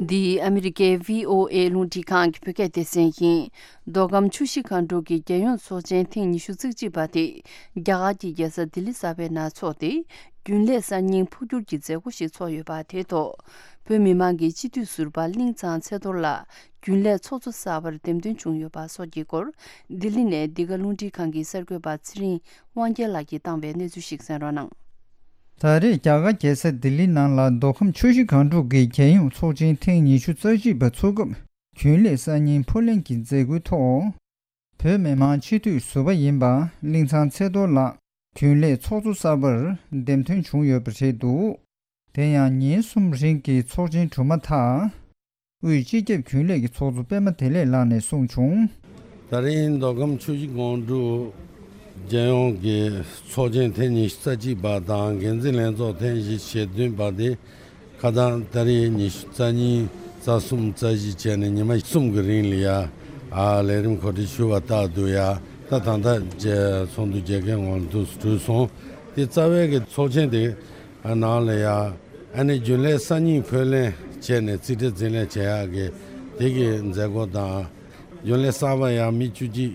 འདི་ཨ་མི་རི་ཀའི་བྷི་ཨོ་ཨེ་རླུང་འཕྲིན་ཁང་གི་བོད་སྐད་སྡེ་ཚན་ཡིན། མདོ་ཁམས་ཆུ་བཞི་སྒང་དྲུག་གི་རྒྱལ་ཡོངས་ཚོགས་ཆེན་ཐེངས་ཉི་ཤུ་རྩ་གཅིག་པ་དེ་རྒྱ་གར་གྱི་རྒྱལ་ས་ལྡི་ལི་གསར་པའི་ནང་འཚོགས་ཏེ། རྒྱུན་ལས་གསར་རྙིང་འཕོ་འགྱུར་གྱི་མཛད་སྒོ་ཞིག་ཚོགས་ཡོད་པ་དེའི་ཐོག་བོད་མི་མང་གི་སྤྱི་འཐུས་ཟུར་པ་གླིང་ཚང་ཚེ་རྡོར་ལགས་རྒྱུན་ལས་ཚོགས་གཙོ་གསར་པར་འདེམས་ཐོན་བྱུང་ཡོད་པ་སོགས་ཀྱི་སྐོར། ལྡི་ལི་ནས་འདི་ག་རླུང་འཕྲིན་ཁང་གི་གསར་འགོད་པ་ཚེ་རིང་དབང་རྒྱལ་ལགས་ཀྱིས་བཏང་བའི་གནས་ཚུལ་ཞིག་གསན་རོགས་གནང་། ད་རེས་རྒྱ་གར་རྒྱལ་ས་ལྡི་ལི་ནང་ལ་མདོ་ཁམས་ཆུ་བཞི་སྒང་དྲུག་གི་རྒྱལ་ཡོངས་ཚོགས་ཆེན་ཐེངས་ཉི་ཤུ་རྩ་གཅིག་པ་ཚོགས་སྐབས་རྒྱུན་ལས་གསར་རྙིང་འཕོ་ལེན་གྱི་མཛད་སྒོའི་ཐོག་བོད་མི་མང་སྤྱི་འཐུས་ཟུར་པ་ཡིན་པ་གླིང་ཚང་ཚེ་རྡོར་ལགས་རྒྱུན་ལས་ཚོགས་གཙོ་གསར་པར་འདེམས་ཐོན་བྱུང་ཡོད་པ་རེད་འདུག་དེ་ཡང་ཉིན་གསུམ་རིང་གི་ཚོགས་ཆེན་གྲུབ་མ་ཐག་དབུས་སྤྱི་ཁྱབ་རྒྱུན་ལས་ཀྱི་ཚོགས་གཙོ་པད་མ་བདེ་ལེགས་ལགས་ནས་གསུངས་བྱུང་། ད་རིང་མདོ་ཁམས་ཆུ་བཞི་སྒང་དྲུག་རྒྱལ་ཡོངས་ཀྱི་ཚོགས་ཆེན་ཐེངས་ཉི་ཤུ་རྩ་གཅིག་པ་དང་འགན་འཛིན་ལྷན་ཚོགས་ཐེངས་བཞི་ཞེ་བདུན་པ་དེ། ཁ་སང་ཏ་རིག་ཉི་ཤུ་རྩ་གཉིས་རྩ་གསུམ་རྩ་བཞི་བྱས་ནས་ཉི་མ་གསུམ་གྱི་རིང་ལ་ཡ། ཨ་ལས་རིམ་གོ་སྒྲིག་ཞུ་བ་ལྟར་དུ་ཡ། ད་ད་ལྟ་རྗེས་ཚོགས་འདུ་རྒྱལ་ཁའི་ངང་དུ་གྲོལ་སོང་། དེ་རྩ་བའི་གི་ཚོགས་ཆེན་དེ་ནང་ལ་ཡ། ཨ་ནི་རྒྱུན་ལས་གསར་རྙིང་འཕོ་ལེན་བྱས་ནས་རྩིས་ཁྲ་འཛིན་ལས་བྱེད་ཡག་གི་དེ་གི་མཛད་སྒོ་དང་། རྒྱུན་ལས་གསར་པ་ཡང་མི་བཅུ་གཅིག་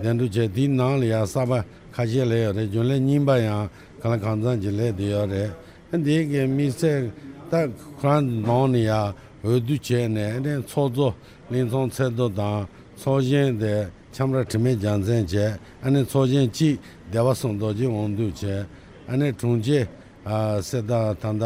གདན་འདྲེན་བྱས། དེའི་ནང་ལ་ཡང་གསར་པ་ཁ་ཤས་སླེབས་ཡོད་རེད། རྒྱུན་ལས་རྙིང་པ་ཡང་གང་ལ་གང་འཚམ་ཅིག་སླེབས་བསྡད་ཡོད་རེད། འདི་གི་དམིགས་བསལ་ད་ཁོ་རང་ནང་ནས་ཡང་འོས་བསྡུ་བྱས་ནས་ཨ་ནི་ཚོགས་གཙོ་གླིང་ཚང་ཚེ་རྡོ་དང་ཚོགས་གཞོན་དེ་ཁྱམས་ར་དྲི་མེད་རྒྱལ་མཚན་བྱས། ཨ་ནི་ཚོགས་གཞོན་གཅིག་སྡེ་པ་གསུམ་རྡོ་རྗེ་དབང་འདུས་བྱས། ཨ་ནི་དྲུང་ཆེ་ཨ་སེ་ད་ད་ད་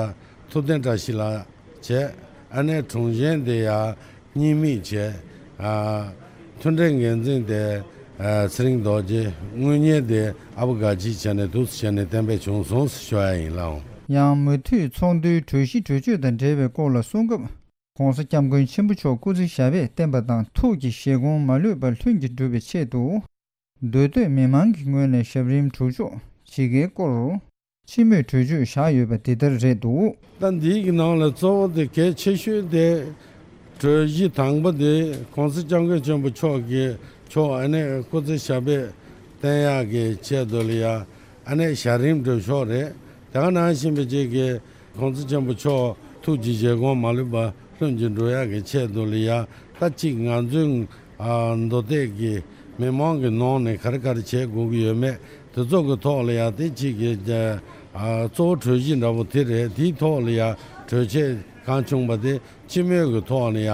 ཐུབ་བསྟན་བཀྲ་ཤིས་ལགས་བྱས། ཨ་ནི་དྲུང་གཞོན་དེ་ཡང་། གཉིས་མིག་བྱས། ཨ། མཐུན་སྒྲིལ་འགན་འཛིན་དེ། ཨ། ཚེ་རིང་རྡོ་རྗེ། དངུལ་གཉེར་དེ་ཨ་བུ་དགའ་སྐྱིད་བྱས་ནས་འདུག་སེ་བྱས་ནས་གཏན་འབེབས་བྱུང་སོང་ཞུ་ཡ་ཡིན་ལགས། ཡང་མུ་མཐུད་ཚོགས་འདུའི་གྲོས་གཞི་གྲོས་ཆོད་དང་འབྲེལ་བའི་སྐོར་ལ་གསུང་སྐབས། ༸གོང་ས་༸སྐྱབས་མགོན་ཆེན་པོ་མཆོག་སྐུ་ཚེ་ཞབས་པད་བརྟན་པ་དང་ཐུགས་ཀྱི་བཞེད་དགོངས་མ་ལུས་པ་ལྷུན་གྱིས་འགྲུབ་པའི་ཆེད་དུ། མདོ་སྟོད་མི་མང་གི་ངོས་ནས་ཞབས་རིམ་གྲུབ་ཆོག་ཇི་དགེའི་སྐོར། སྤྱི་མོས་གྲོས་ཆོད་བཞག་ཡོད་པ་འདི་ལྟར་རེད་འདུག་ད་འདིའི་གི་ནང་ལ་གཙོ་བོ་དེ་གལ་ཆེ་ཤོས་དེ། གྲོས་གཞི་དང་པོ་དེ་༸གོང་ས་༸སྐྱབས་མགོན་ཆེན་པོ་མཆོག་གི་མཆོག་ཨ་ནེ་སྐུ་ཚེ་ཞབས་པད་བརྟན་ཡག་གི་ཆེད་དུ་ལ་ཡ། ཨ་ནེ་ཞབས་རིམ་སྒྲུབ་ཆོག་རེད། དེ་ག་ནང་བཞིན་པའི་ཅིག་གི་༸གོང་ས་ཆེན་པོ་མཆོག་ཐུགས་ཀྱི་བཞེད་དགོངས་མ་ལུས་པ་ལྷུན་གྱིས་འགྲུབ་ཡག་གི་ཆེད་དུ་ལ་ཡ། ད་ཅིག་ང་ཚོའི་ཨ་མདོ་སྟོད་ཀྱི་མི་མང་གི་ནང་ནས་ག་རེ་ག་རེ་བྱེད་དགོས་ཀྱི་ཡོད་མེད་དེ་ཚོ་གི་ཐོག་ལ་ཡ། དེ་གཅིག་གི་ཨ་གཙོ་བོ་གྲོས་གཞི་འདྲ་པོ་དེ་རེད། དེའི་ཐོག་ལ་ཡ་གྲོས་ཆོད་གང་བྱུང་བ་དེ་སྤྱི་མོས་ཀྱི་ཐོག་ལ་ཡ།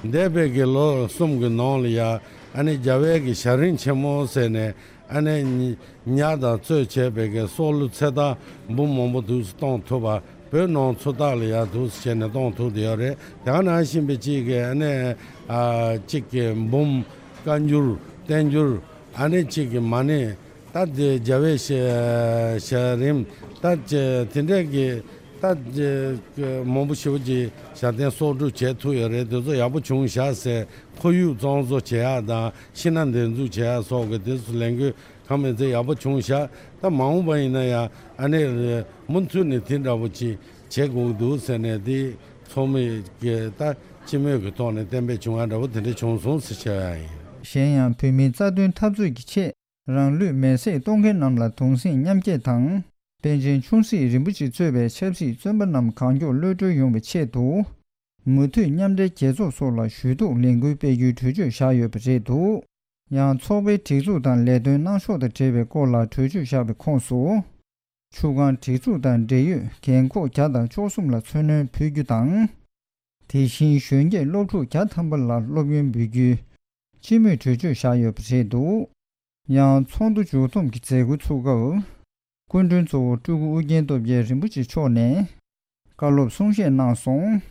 འདས་པའི་གི་ལོ་གསུམ་གྱི་ནང་ལ་ཡ། ཨ་ནི་རྒྱལ་བའི་གི་ཞབས་རིམ་ཆེན་མོ་ཟེར་ནས། ཨ་ནེ་ཉ་དང་གཙོས་བྱས་པའི་གི་སྲོག་བླུ་ཚེ་ཐར་འབུམ་མང་པོ་འདུག་སེ་གཏོང་ཐུབ་པ། བོད་ནང་ཚུར་རྟགས་ལ་ཡ་འདུག་སེ་བྱས་ནས་གཏོང་ཐུབ་བསྡད་ཡོད་རེད། དེ་ག་ནང་བཞིན་པའི་གཅིག་གི་ཨ་ནེ་ཨ་གཅིག་གི་འབུམ་བཀའ་འགྱུར་བསྟན་འགྱུར། ཨ་ནེ་གཅིག་གི་མ་ཎི། ད་དེ་རྒྱལ་བའི་ཞལ་ཞལ་རིམ། ད་དེ་འདྲས་ཀྱི་ད་དེ་མང་པོ་ཞེ་པོ་ཅིག་ཞལ་འདོན་གསོག་སྒྲུབ་བྱེད་ཐུབ་ཡོད་རེད། དེ་ཚོ་ཡག་པོ་བྱུང་བཞག་ཟེར་ཁོར་ཡུག་བཙོང་བཟོ་བྱེད་ཡག་དང་ཤིང་སྣ་འདེབས་འཛུགས་བྱེད་ཡག་སོགས་ཀྱི་དེ་ཚོ་ལས་འགུལ་ གང་མིན་ཚེ་ཡག་པོ་བྱུང་ཤག་ད་མ་འོངས་པ་ཡིན་ན་ཡང་ཨ་ནི་མུ་མཐུད་ནས་དེ་འདྲ་པོ་ཅིག་བྱེད་དགོས་འདུག་ཟེར་ནས་དེ་ཚོགས་མི་གི་ད་སྤྱི་མོས་ཀྱི་ཐོག་ནས་གཏན་འབེབས་བྱུང་བ་འདྲ་པོ་དེ་འདྲ་བྱུང་སོང་ཟེར་བཤད་ཡ་ཡིན། གཞན་ཡང་བོད་མིའི་རྩ་དོན་འཐབ་རྩོད་ཀྱི་ཆེད་རང་ལུས་མེར་སྲེག་གཏོང་མཁན་རྣམས་ལ་གདུང་སེམས་མཉམ་སྐྱེད་དང་། པཎ་ཆེན་ཆུང་སྲིད་རིན་པོ་ཆེ་གཙོས་པའི་ཆབ་སྲིད་བཙོན་པ་རྣམས་གང་མགྱོགས་གློད་གྲོལ་ཡོང་བའི་ཆེད་དུ། མུ་མཐུད་མཉམ་འབྲེལ་རྒྱལ་ཚོགས་སོགས་ལ་ཞུ་གཏུག་ལས་འགུལ་སྤེལ་རྒྱུའི་གྲོས་ཆོད་བཞག་ཡོད་པ་རེད་འདུག་ཡང་ཚོགས་པའི་སྒྲིག་འཛུགས་དང་ལས་དོན་གནང་ཕྱོགས་དང་འབྲེལ་བའི་སྐོར་ལ་གྲོས་ཆོད་བཞག་པའི་ཁོངས་སུ། ཆུ་སྒང་སྒྲིག་འཛུགས་དང་འབྲེལ་ཡོད་རྒན་འཁོགས་བརྒྱ་དང་བཅུ་གསུམ་ལ་འཚོ་སྣོན་ཕུལ་རྒྱུ་དང་། དེ་བཞིན་གཞོན་སྐྱེས་སློབ་ཕྲུག་བརྒྱ་ཐམ་པ་ལ་སློབ་ཡོན་འབུལ་རྒྱུའི་སྤྱི་མོས་གྲོས་ཆོད་བཞག་ཡོད་པ་རེད་འདུག་ཡང་ཚོགས་འདུ་མཇུག་བསྡོམས་ཀྱི་མཛད་སྒོ་ཚུགས་སྐབས། སྐུ་མགྲོན་གཙོ་བོ་སྤྲུལ་སྐུ་ཨུ་རྒྱན་སྟོབས་རྒྱལ་རིན་པོ་ཆེ་མཆོག་ནས་བཀའ་སློབ་གསུང་བཤད་གནང་སོང་།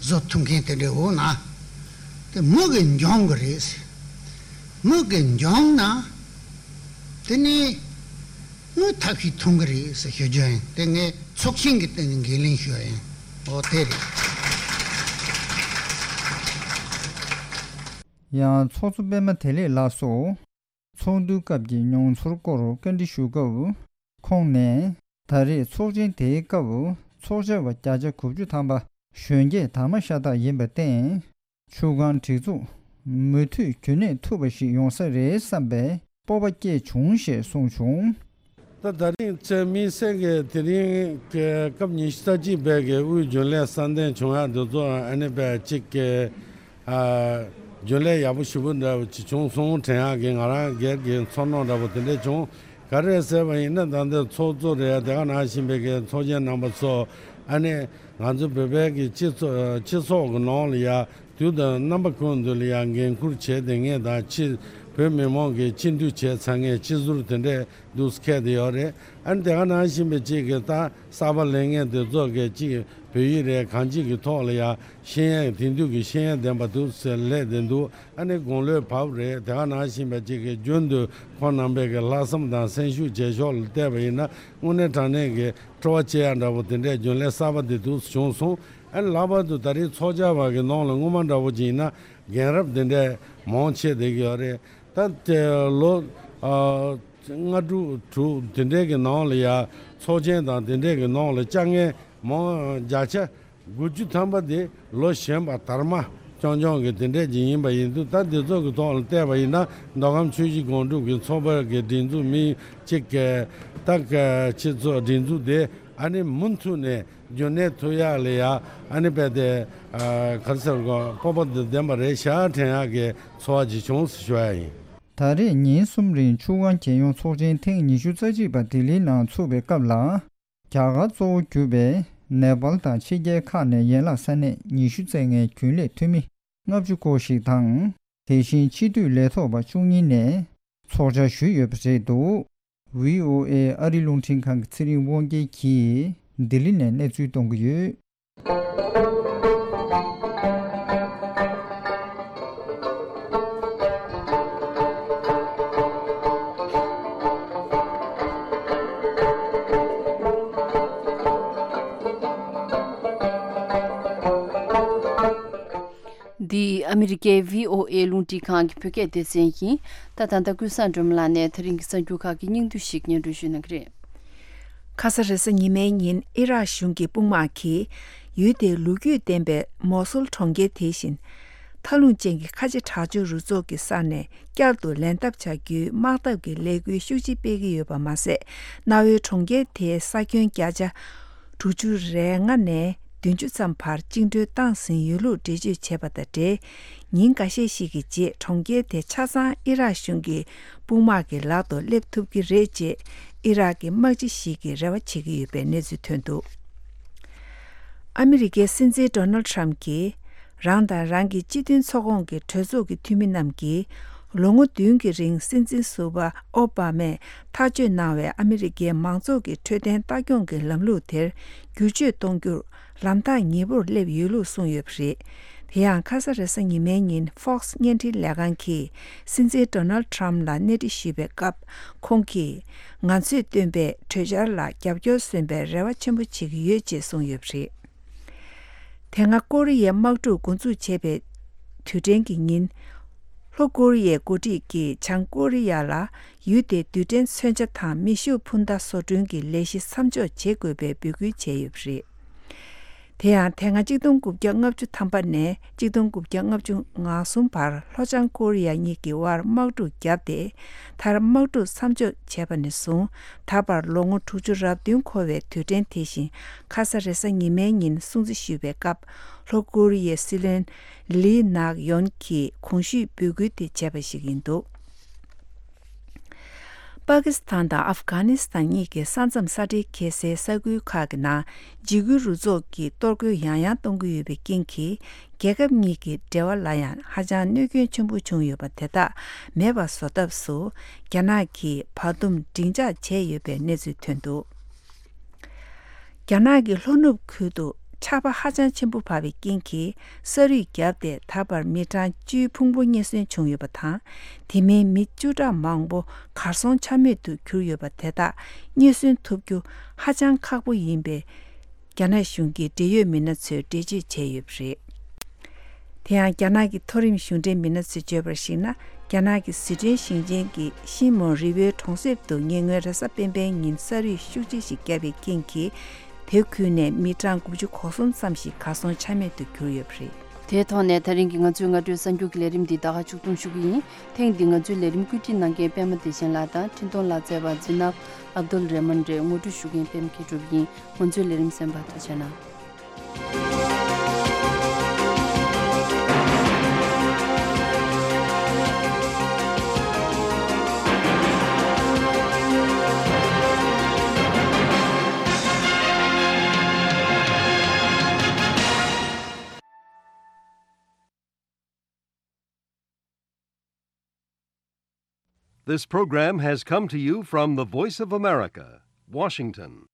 བཟོ་ཐུབ་མཁན་དེ་འདྲའི་འོ་ན། དེ་མུ་གེ་འབྱུང་གི་རེད། མུ་གེ་འབྱུང་ན། དེ་ནི་དངུལ་ཐབས་ཤེས་ཐོན་གི་རེད་ཟེར་ཞུ་རྒྱུ་ཡིན། དེ་ངས་ཚོགས་ཆེན་གྱི་སྟེང་ནས་འགན་ལེན་ཞུ་ཡ་ཡིན། འོ་དེ་རེད། ཡང་ཚོགས་གཙོ་པད་མ་བདེ་ལེགས་ལགས་སུ། ཚོགས་འདུའི་སྐབས་ཀྱི་མྱོང་ཚོར་སྐོར་བཀའ་འདྲི་ཞུ་སྐབས། ཁོང་ནས། ད་རེས་ཚོགས་ཆེན་དེའི་སྐབས། ཚོགས་བཅར་བ་བརྒྱ་ཆ་དགུ་བཅུ་ཐམ་པ་གཞོན་སྐྱེས་དར་མ་ཤ་སྟག་ཡིན་པར་བརྟེན། ཆུ་སྒང་སྒྲིག་འཛུགས་མུ་མཐུད་རྒྱུན་གནས་ཐུབ་པ་ཞིག་ཡོང་ས་རེད་བསམ་པའི་སྤོབས་པ་སྐྱེས་བྱུང་ཞེས་གསུངས་བྱུང་། ད་ད་རིང་ཚེ་དམིགས་བསལ་གྱི་དེ་རིང་གི་སྐབས་ཉི་ཤུ་རྩ་གཅིག་པའི་གི་དབུས་རྒྱུན་ལས་གསལ་འདེབས་བྱུང་ཡ་འདི་ཚོ་ཨ་ནི་པའི་གཅིག་གི་ཨ་རྒྱུན་ལས་ཡག་པོ་ཞེ་པོ་འདྲ་བོ་ཅིག་བྱུང་སོང་དྲན་ཡག་གི་ང་རང་སྒེར་གྱི་ཚོར་སྣང་འདྲ་བོ་དེ་འདྲ་བྱུང་ ག་རེ་ཟེར་བ་ཡིན་ན། ད་ལྟ་ཚོགས་གཙོ་རེད། དེ་ག་ནང་བཞིན་པའི་གི་ཚོགས་ཆེན་རྣམ་པ་ཚོ། ཨ་ནི་ང་ཚོ་བོད་པའི་གི་སྤྱི་ཚོགས་སྤྱི་ཚོགས་ཀྱི་ནང་ལ་ཡ་དུས་དང་རྣམ་པ་ཀུན་ཏུ་ལ་ཡ་འགན་འཁུར་བྱས་བསྡད་མཁན་དང་། སྤྱི་བོད་མི་མང་གི་སྤྱི་འཐུས་བྱས་ཚར་མཁན་སྤྱི་ཟུར་དེ་འདྲས་འདུག་སེ་འཁེལ་བསྡད་ཡོད་རེད། ཨ་ནི་དེ་ག་ནང་བཞིན་པའི་གཅིག་གི་ད་གསར་པ་སླེབས་མཁན་དེ་ཚོ་གི་གཅིག་བོད་ཡིག་རེད། གང་ཅིག་གི་ཐོག་ལ་ཡ་ཤེས་ཡོན་དེང་དུས་ཀྱི་ཤེས་ཡོན་ལྡན་པ་འདུག་ཟེར་སླེབས་བསྡད་འདུག་ཨ་ནི་དགུང་ལོ་བབས་རེད། དེ་ག་ནང་བཞིན་པ་ཅིག་གི་རྒྱུན་དུ་ཁོང་རྣམ་པས་ཀྱི་ལྷག་བསམ་དང་སེམས་ཤུགས་བྱེད་ཕྱོགས་ལ་བལྟས་པ་ཡིན་ན། དངོས་གནས་དྲང་གནས་ཀྱི་སྤྲོ་བ་སྐྱེ་ཡ་འདྲ་པོ་དེ་འདྲའི་རྒྱུན་ལས་གསར་པ་དེ་འདུག་བྱུང་སོང་། ཨ་ནི་ལྷག་པར་དུ་ད་རེས་ཚོགས་བཅར་བ་གི་ནང་ལ་སྔོན་མ་འདྲ་པོ་ཅིག་ཡིན་ན་རྒན་རབས་དེ་འདྲའི་མང་ཆེ་བསྡད་ཀྱི་ཡོད་རེད། ད་དེ་ལོ་ཨ་ལྔ་དྲུག་དྲུག་དེ་འདྲའི་གི་ནང་ལ་ཡ་ཚོགས་ཆེན་དང་དེ་འདྲའི་གི་ནང་ལ་བཅར་མཁན་མང་བརྒྱ་ཆ་དགུ་བཅུ་ཐམ་པ་དེ་ལོ་གཞོན་པ་དར་མ་རྐྱང་རྐྱང་གི་དེ་འདྲས་ཅིག་ཡིན་པ་ཡིན་དུས། ད་འདི་ཚོ་གི་ཐོག་ལ་བལྟས་པ་ཡིན་ན། མདོ་ཁམས་ཆུ་བཞི་སྒང་དྲུག་གི་ཚོགས་པ་གི་སྒྲིག་འཛུགས་མི་གཅིག་གི་ད་གི་སྤྱི་ཚོགས་སྒྲིག་འཛུགས་དེ་ཨ་ནི་མུ་མཐུད་ནས་རྒྱུན་གནས་ཐུབ་ཡག་ལ་ཡ། ཨ་ནི་རྦད་དེ་ཨ་ག་རེ་ཟེར་དགོས། སྤོབས་པ་དང་ལྡན་པ་རེད་ཤག་དྲན་ཡག་གི་ཚོར་བ་ཅིག་བྱུང་ཟེར་ཞུ་ཡ་ཡིན། ད་རེས་ཉིན་གསུམ་རིང་ཆུ་སྒང་རྒྱལ་ཡོངས་ཚོགས་ཆེན་ཐེངས་ཉི་ཤུ་རྩ་གཅིག་པ་ལྡི་ལིའི་ནང་ཚུགས་པའི་སྐབས་ལ། རྒྱ་གར་གཙོ་བོ་གྱུར་པའི་ནེ་པཱལ་དང་ཕྱི་རྒྱལ་ཁག་ནས་ཡན་ལག་ས་གནས་ཉི་ཤུ་བཙལ་མཁན་རྒྱུན་ལས་འཐུས་མི་ལྔ་བཅུ་སྐོར་ཞིག་དང་། དེ་བཞིན་སྤྱི་འཐུས་ལས་ཐོག་པ་བཅུ་གཉིས་ནས་ཚོགས་བཅར་ཞུས་ཡོད་པ་རེད་འདུག་ཝི་ཨོ་ཨེ་ཨ་རི་རླུང་འཕྲིན་ཁང་གི་ཚེ་རིང་དབང་རྒྱལ་གྱིས་ལྡི་ལི་ནས་གནས་ཚུལ་གཏོང་གི་ཡོད། འདི་ཨ་མི་རི་ཀའི་ཝི་ཨོ་ཨེ་རླུང་འཕྲིན་ཁང་གི་བོད་སྐད་སྡེ་ཚན་ཡིན། ད་ད་ལྟ་ཀུན་བཟང་སྒྲོལ་མ་ལགས་ནས་ད་རིང་གི་གསར་འགྱུར་ཁག་གི་སྙིང་བསྡུས་ཤིག་སྙན་སྒྲོན་ཞུ་གནང་གི་རེད། ཁ་ས་རེས་གཟའ་ཉི་མའི་ཉིན་ཨི་རག་གཞུང་གི་དཔུང་དམག་གིས་ཡུལ་དེའི་ལོ་རྒྱུས་ལྡན་པའི་མོ་སུལ་གྲོང་ཁྱེར་དེ་བཞིན་མཐའ་ལྷུང་ཅན་གྱི་ཁ་ཆེ་དྲག་སྤྱོད་རུ་ཚོགས་ཀྱི་ས་ནས་བསྐྱར་དུ་ལེན་ཐབས་བྱ་རྒྱུའི་དམག་འཐབ་ཀྱི་ལས་འགུལ་ཤུགས་ཆེ་སྤེལ་གྱི་ཡོད་པ་མ་ཟད། གནའ་བོའི་གྲོང་ཁྱེར་དེའི་ས་ཁྱོན་བརྒྱ་ཆ་དྲུག་ཅུ་རེ་ལྔ་ནས་བདུན་ཅུ་ཙམ་བར་བཅིངས་འགྲོལ་བཏང་ཟིན་ཡོད་ལུགས་འགྲེལ་བརྗོད་བྱས་པ་དང་འབྲེལ། ཉིན་འགའ་ཤས་ཤིག་གི་རྗེས་གྲོང་ཁྱེར་དེ་ཆ་ཚང་ཨི་རག་གཞུང་གི་དཔུང་དམག་གི་ལག་ཏུ་སླེབས་ཐུབ་ཀྱི་རེད་ཅེས་ཨི་རག་གི་དམག་སྤྱི་ཞིག་གིས་རེ་བ་བྱེད་ཀྱི་ཡོད་པའི་གནས་ཚུལ་ཐོན་འདུག་ཨ་མི་རི་ཀའི་སྲིད་འཛིན་ཌོ་ནལ་ཁྲམ་གྱིས་རང་དང་རང་གི་སྤྱི་མཐུན་ཚོགས་ཁོངས་ཀྱི་གྲོས་ཚོགས་ཀྱི་འཐུས་མི་རྣམས་ཀྱིས་ལོ་ངོ་བདུན་གྱི་རིང་སྲིད་འཛིན་ཟུར་པ་ཨོ་བྷ་མས་ཐག་གཅོད་གནང་བའི་ཨ་མི་རི་ཀའི་མང་ཚོགས་ཀྱི་འཕྲོད་བསྟེན་ལྟ་སྐྱོང་གི་ལམ་ལུགས་དེར་བསྒྱུར་བཅོས་གཏོང་རྒྱུར་ལམ་ཐག་ཉེ་པོར་སླེབས་ཡོད་ལུགས་གསུངས་ཡོད་པ་རེད། དེ་ཡང་ཁ་ས་རེས་གཟའ་ཉི་མའི་ཉིན་ཧྥོག་སི་བརྙན་འཕྲིན་ལས་ཁང་གིས་སྲིད་འཛིན་ཌོ་ནལ་ཁྲམ་ལ་གནས་འདྲི་ཞུས་པའི་སྐབས། ཁོང་གིས་ང་ཚོས་བཏོན་པའི་གྲོས་འཆར་ལ་རྒྱབ་སྐྱོར་སོན་པའི་རེ་བ་ཆེན་པོ་བྱེད་ཀྱི་ཡོད་ཅེས་གསུངས་ཡོད་པ་རེད། དེ་སྔ་ཀོ་རི་ཡའི་དམག་འཁྲུག་འགོ་འཛུགས་བྱས་པའི་དུས་དྲན་གྱི་ཉིན། ལྷོ་ཀོ་རི་ཡའི་འགོ་ཁྲིད་ཀྱིས་བྱང་ཀོ་རི་ཡ་ལ་ཡུལ་དེའི་རྡུལ་ཕྲན་མཚོན་ཆ་དང་མེ་ཤུགས་འཕུར་མདའ་བཟོ་སྐྲུན་གྱི་ལས་གཞི་མཚམས་འཇོག་བྱེད་དགོས་པའི་འབོད་སྐུལ་བྱས་ཡོད་པ་རེད། དེ་ཡང་དེ་སྔ་གཅིག་སྟོང་དགུ་བརྒྱ་ལྔ་བཅུ་ཐམ་པ་ནས་གཅིག་སྟོང་དགུ་བརྒྱ་ལྔ་བཅུ་ང་གསུམ་བར་ལྷོ་བྱང་ཀོ་རི་ཡ་གཉིས་ཀྱི་དབར་དམག་འཁྲུག་བརྒྱབ་སྟེ། མཐར་དམག་འཁྲུག་མཚམས་འཇོག་བྱས་པ་ནས་བཟུང་ད་བར་ལོ་ངོ་དྲུག་ཅུ་རབ་བདུན་འཁོར་བའི་དུས་དྲན་དེ་བཞིན་ཁ་ས་རེས་གཟའ་ཉི་མའི་ཉིན་སྲུང་བརྩི་ཞུས་པའི་སྐབས། ལྷོ་ཀོ་རི་ཡའི་སྲིད་བློན་ལི་ནག་ཡོན་གྱིས་གོང་ཞུས་འབོད་སྐུལ་དེ་བྱས་པ་ཞིག་ཡིན་འདུག་པ་ཀི་སི་ཐན་དང་ཨབ་གྷ་ནི་སི་ཐན་གཉིས་ཀྱི་ས་མཚམས་ས་འབྲེལ་འཁེལ་སའི་ས་ཁུལ་ཁག་གི་ནང་འཇིགས་སྐུལ་རུ་ཚོགས་ཀྱིས་གཏོར་རྒོལ་ཡང་ཡང་གཏོང་གི་ཡོད་པའི་རྐྱེན་གྱིས། རྒྱལ་ཁབ་གཉིས་ཀྱི་འབྲེལ་བ་ལ་ཡང་ཧ་ཅང་གནོད་སྐྱོན་ཆེན་པོ་བྱུང་ཡོད་པ་དེ་དག་མེད་པ་བཟོ་ཐབས་སུ། རྒྱ་ནག་གིས་བར་འདུམ་འབྲིང་ཆགས་བྱས་ཡོད་པའི་གནས་ཚུལ་ཐོན་འདུག་རྒྱ་ནག་གི་ལྷོ་ནུབ་ཁུལ་དུ་ཆར་པ་ཧ་ཅང་ཆེན་པོ་བབས་པའི་རྐྱེན་གྱིས་ས་རུད་བརྒྱབ་སྟེ། ད་བར་མི་གྲངས་བཅུའི་ཕུང་པོ་རྙེད་སོན་བྱུང་ཡོད་པ་དང་། དེ་མིན་མི་བཅུ་ཕྲག་མང་པོ་གར་སོང་ཆ་མེད་དུ་གྱུར་ཡོད་པ་དེ་དག་རྙེད་སོན་ཐུབ་རྒྱུ་ཧ་ཅང་ཁག་པོ་ཡིན་པའི་རྒྱ་ནག་གཞུང་གི་འབྲེལ་ཡོད་མི་སྣ་ཚོས་འགྲེལ་བརྗོད་བྱས་ཡོད་པ་རེད། དེ་ཡང་རྒྱ་ནག་གི་མཐོ་རིམ་གཞུང་འབྲེལ་མི་སྣ་ཚོས་བརྗོད་པར་གཞིགས་ན། རྒྱ་ནག་གི་ཟི་ཁྲོན་ཞིང་ཆེན་གྱི་ཤིན་མོ་རི་བོའི་གྲོང་གསེབ་ཏུ་ཉེ་སྔོན་རེས་གཟའ་སྤེན་པའི་ཉིན་ས་རུད་ཤུགས་ཆེ་ཞིག་བརྒྱབ་པའི་རྐྱེན་གྱིས། དེ་ཁུལ་ནས་མི་གྲངས་དགུ་བཅུ་གོ་གསུམ་ཙམ་ཞིག་གར་སོང་ཆ་མེད་དུ་གྱུར་ཡོད་པ་རེད། དེའི་ཐོག་ནས་ད་རིང་གི་ང་ཚོའི་སྔ་དྲོའི་གསར་འགྱུར་གྱི་ལས་རིམ་འདི་ད་ག་མཇུག་སྡོམ་ཞུ་གི་ཡིན། ཐེངས་འདི་ང་ཚོའི་ལས་རིམ་བཀོད་སྒྲིག་གནང་མཁན་པད་མ་བདེ་ཆེན་ལགས་དང་འཕྲིན་གཏོང་ལག་རྩལ་བ་ཛི་ནབ་ཨབ་དུལ་རེ་མན་རེད། ངོ་སྤྲོད་ཞུ་མཁན་པད་མ་མཁས་གྲུབ་ཡིན། ང་ཚོའི་ལས་རིམ་གསན་པར་ཐུགས་རྗེ་གནང་། This program has come to you from the Voice of America, Washington.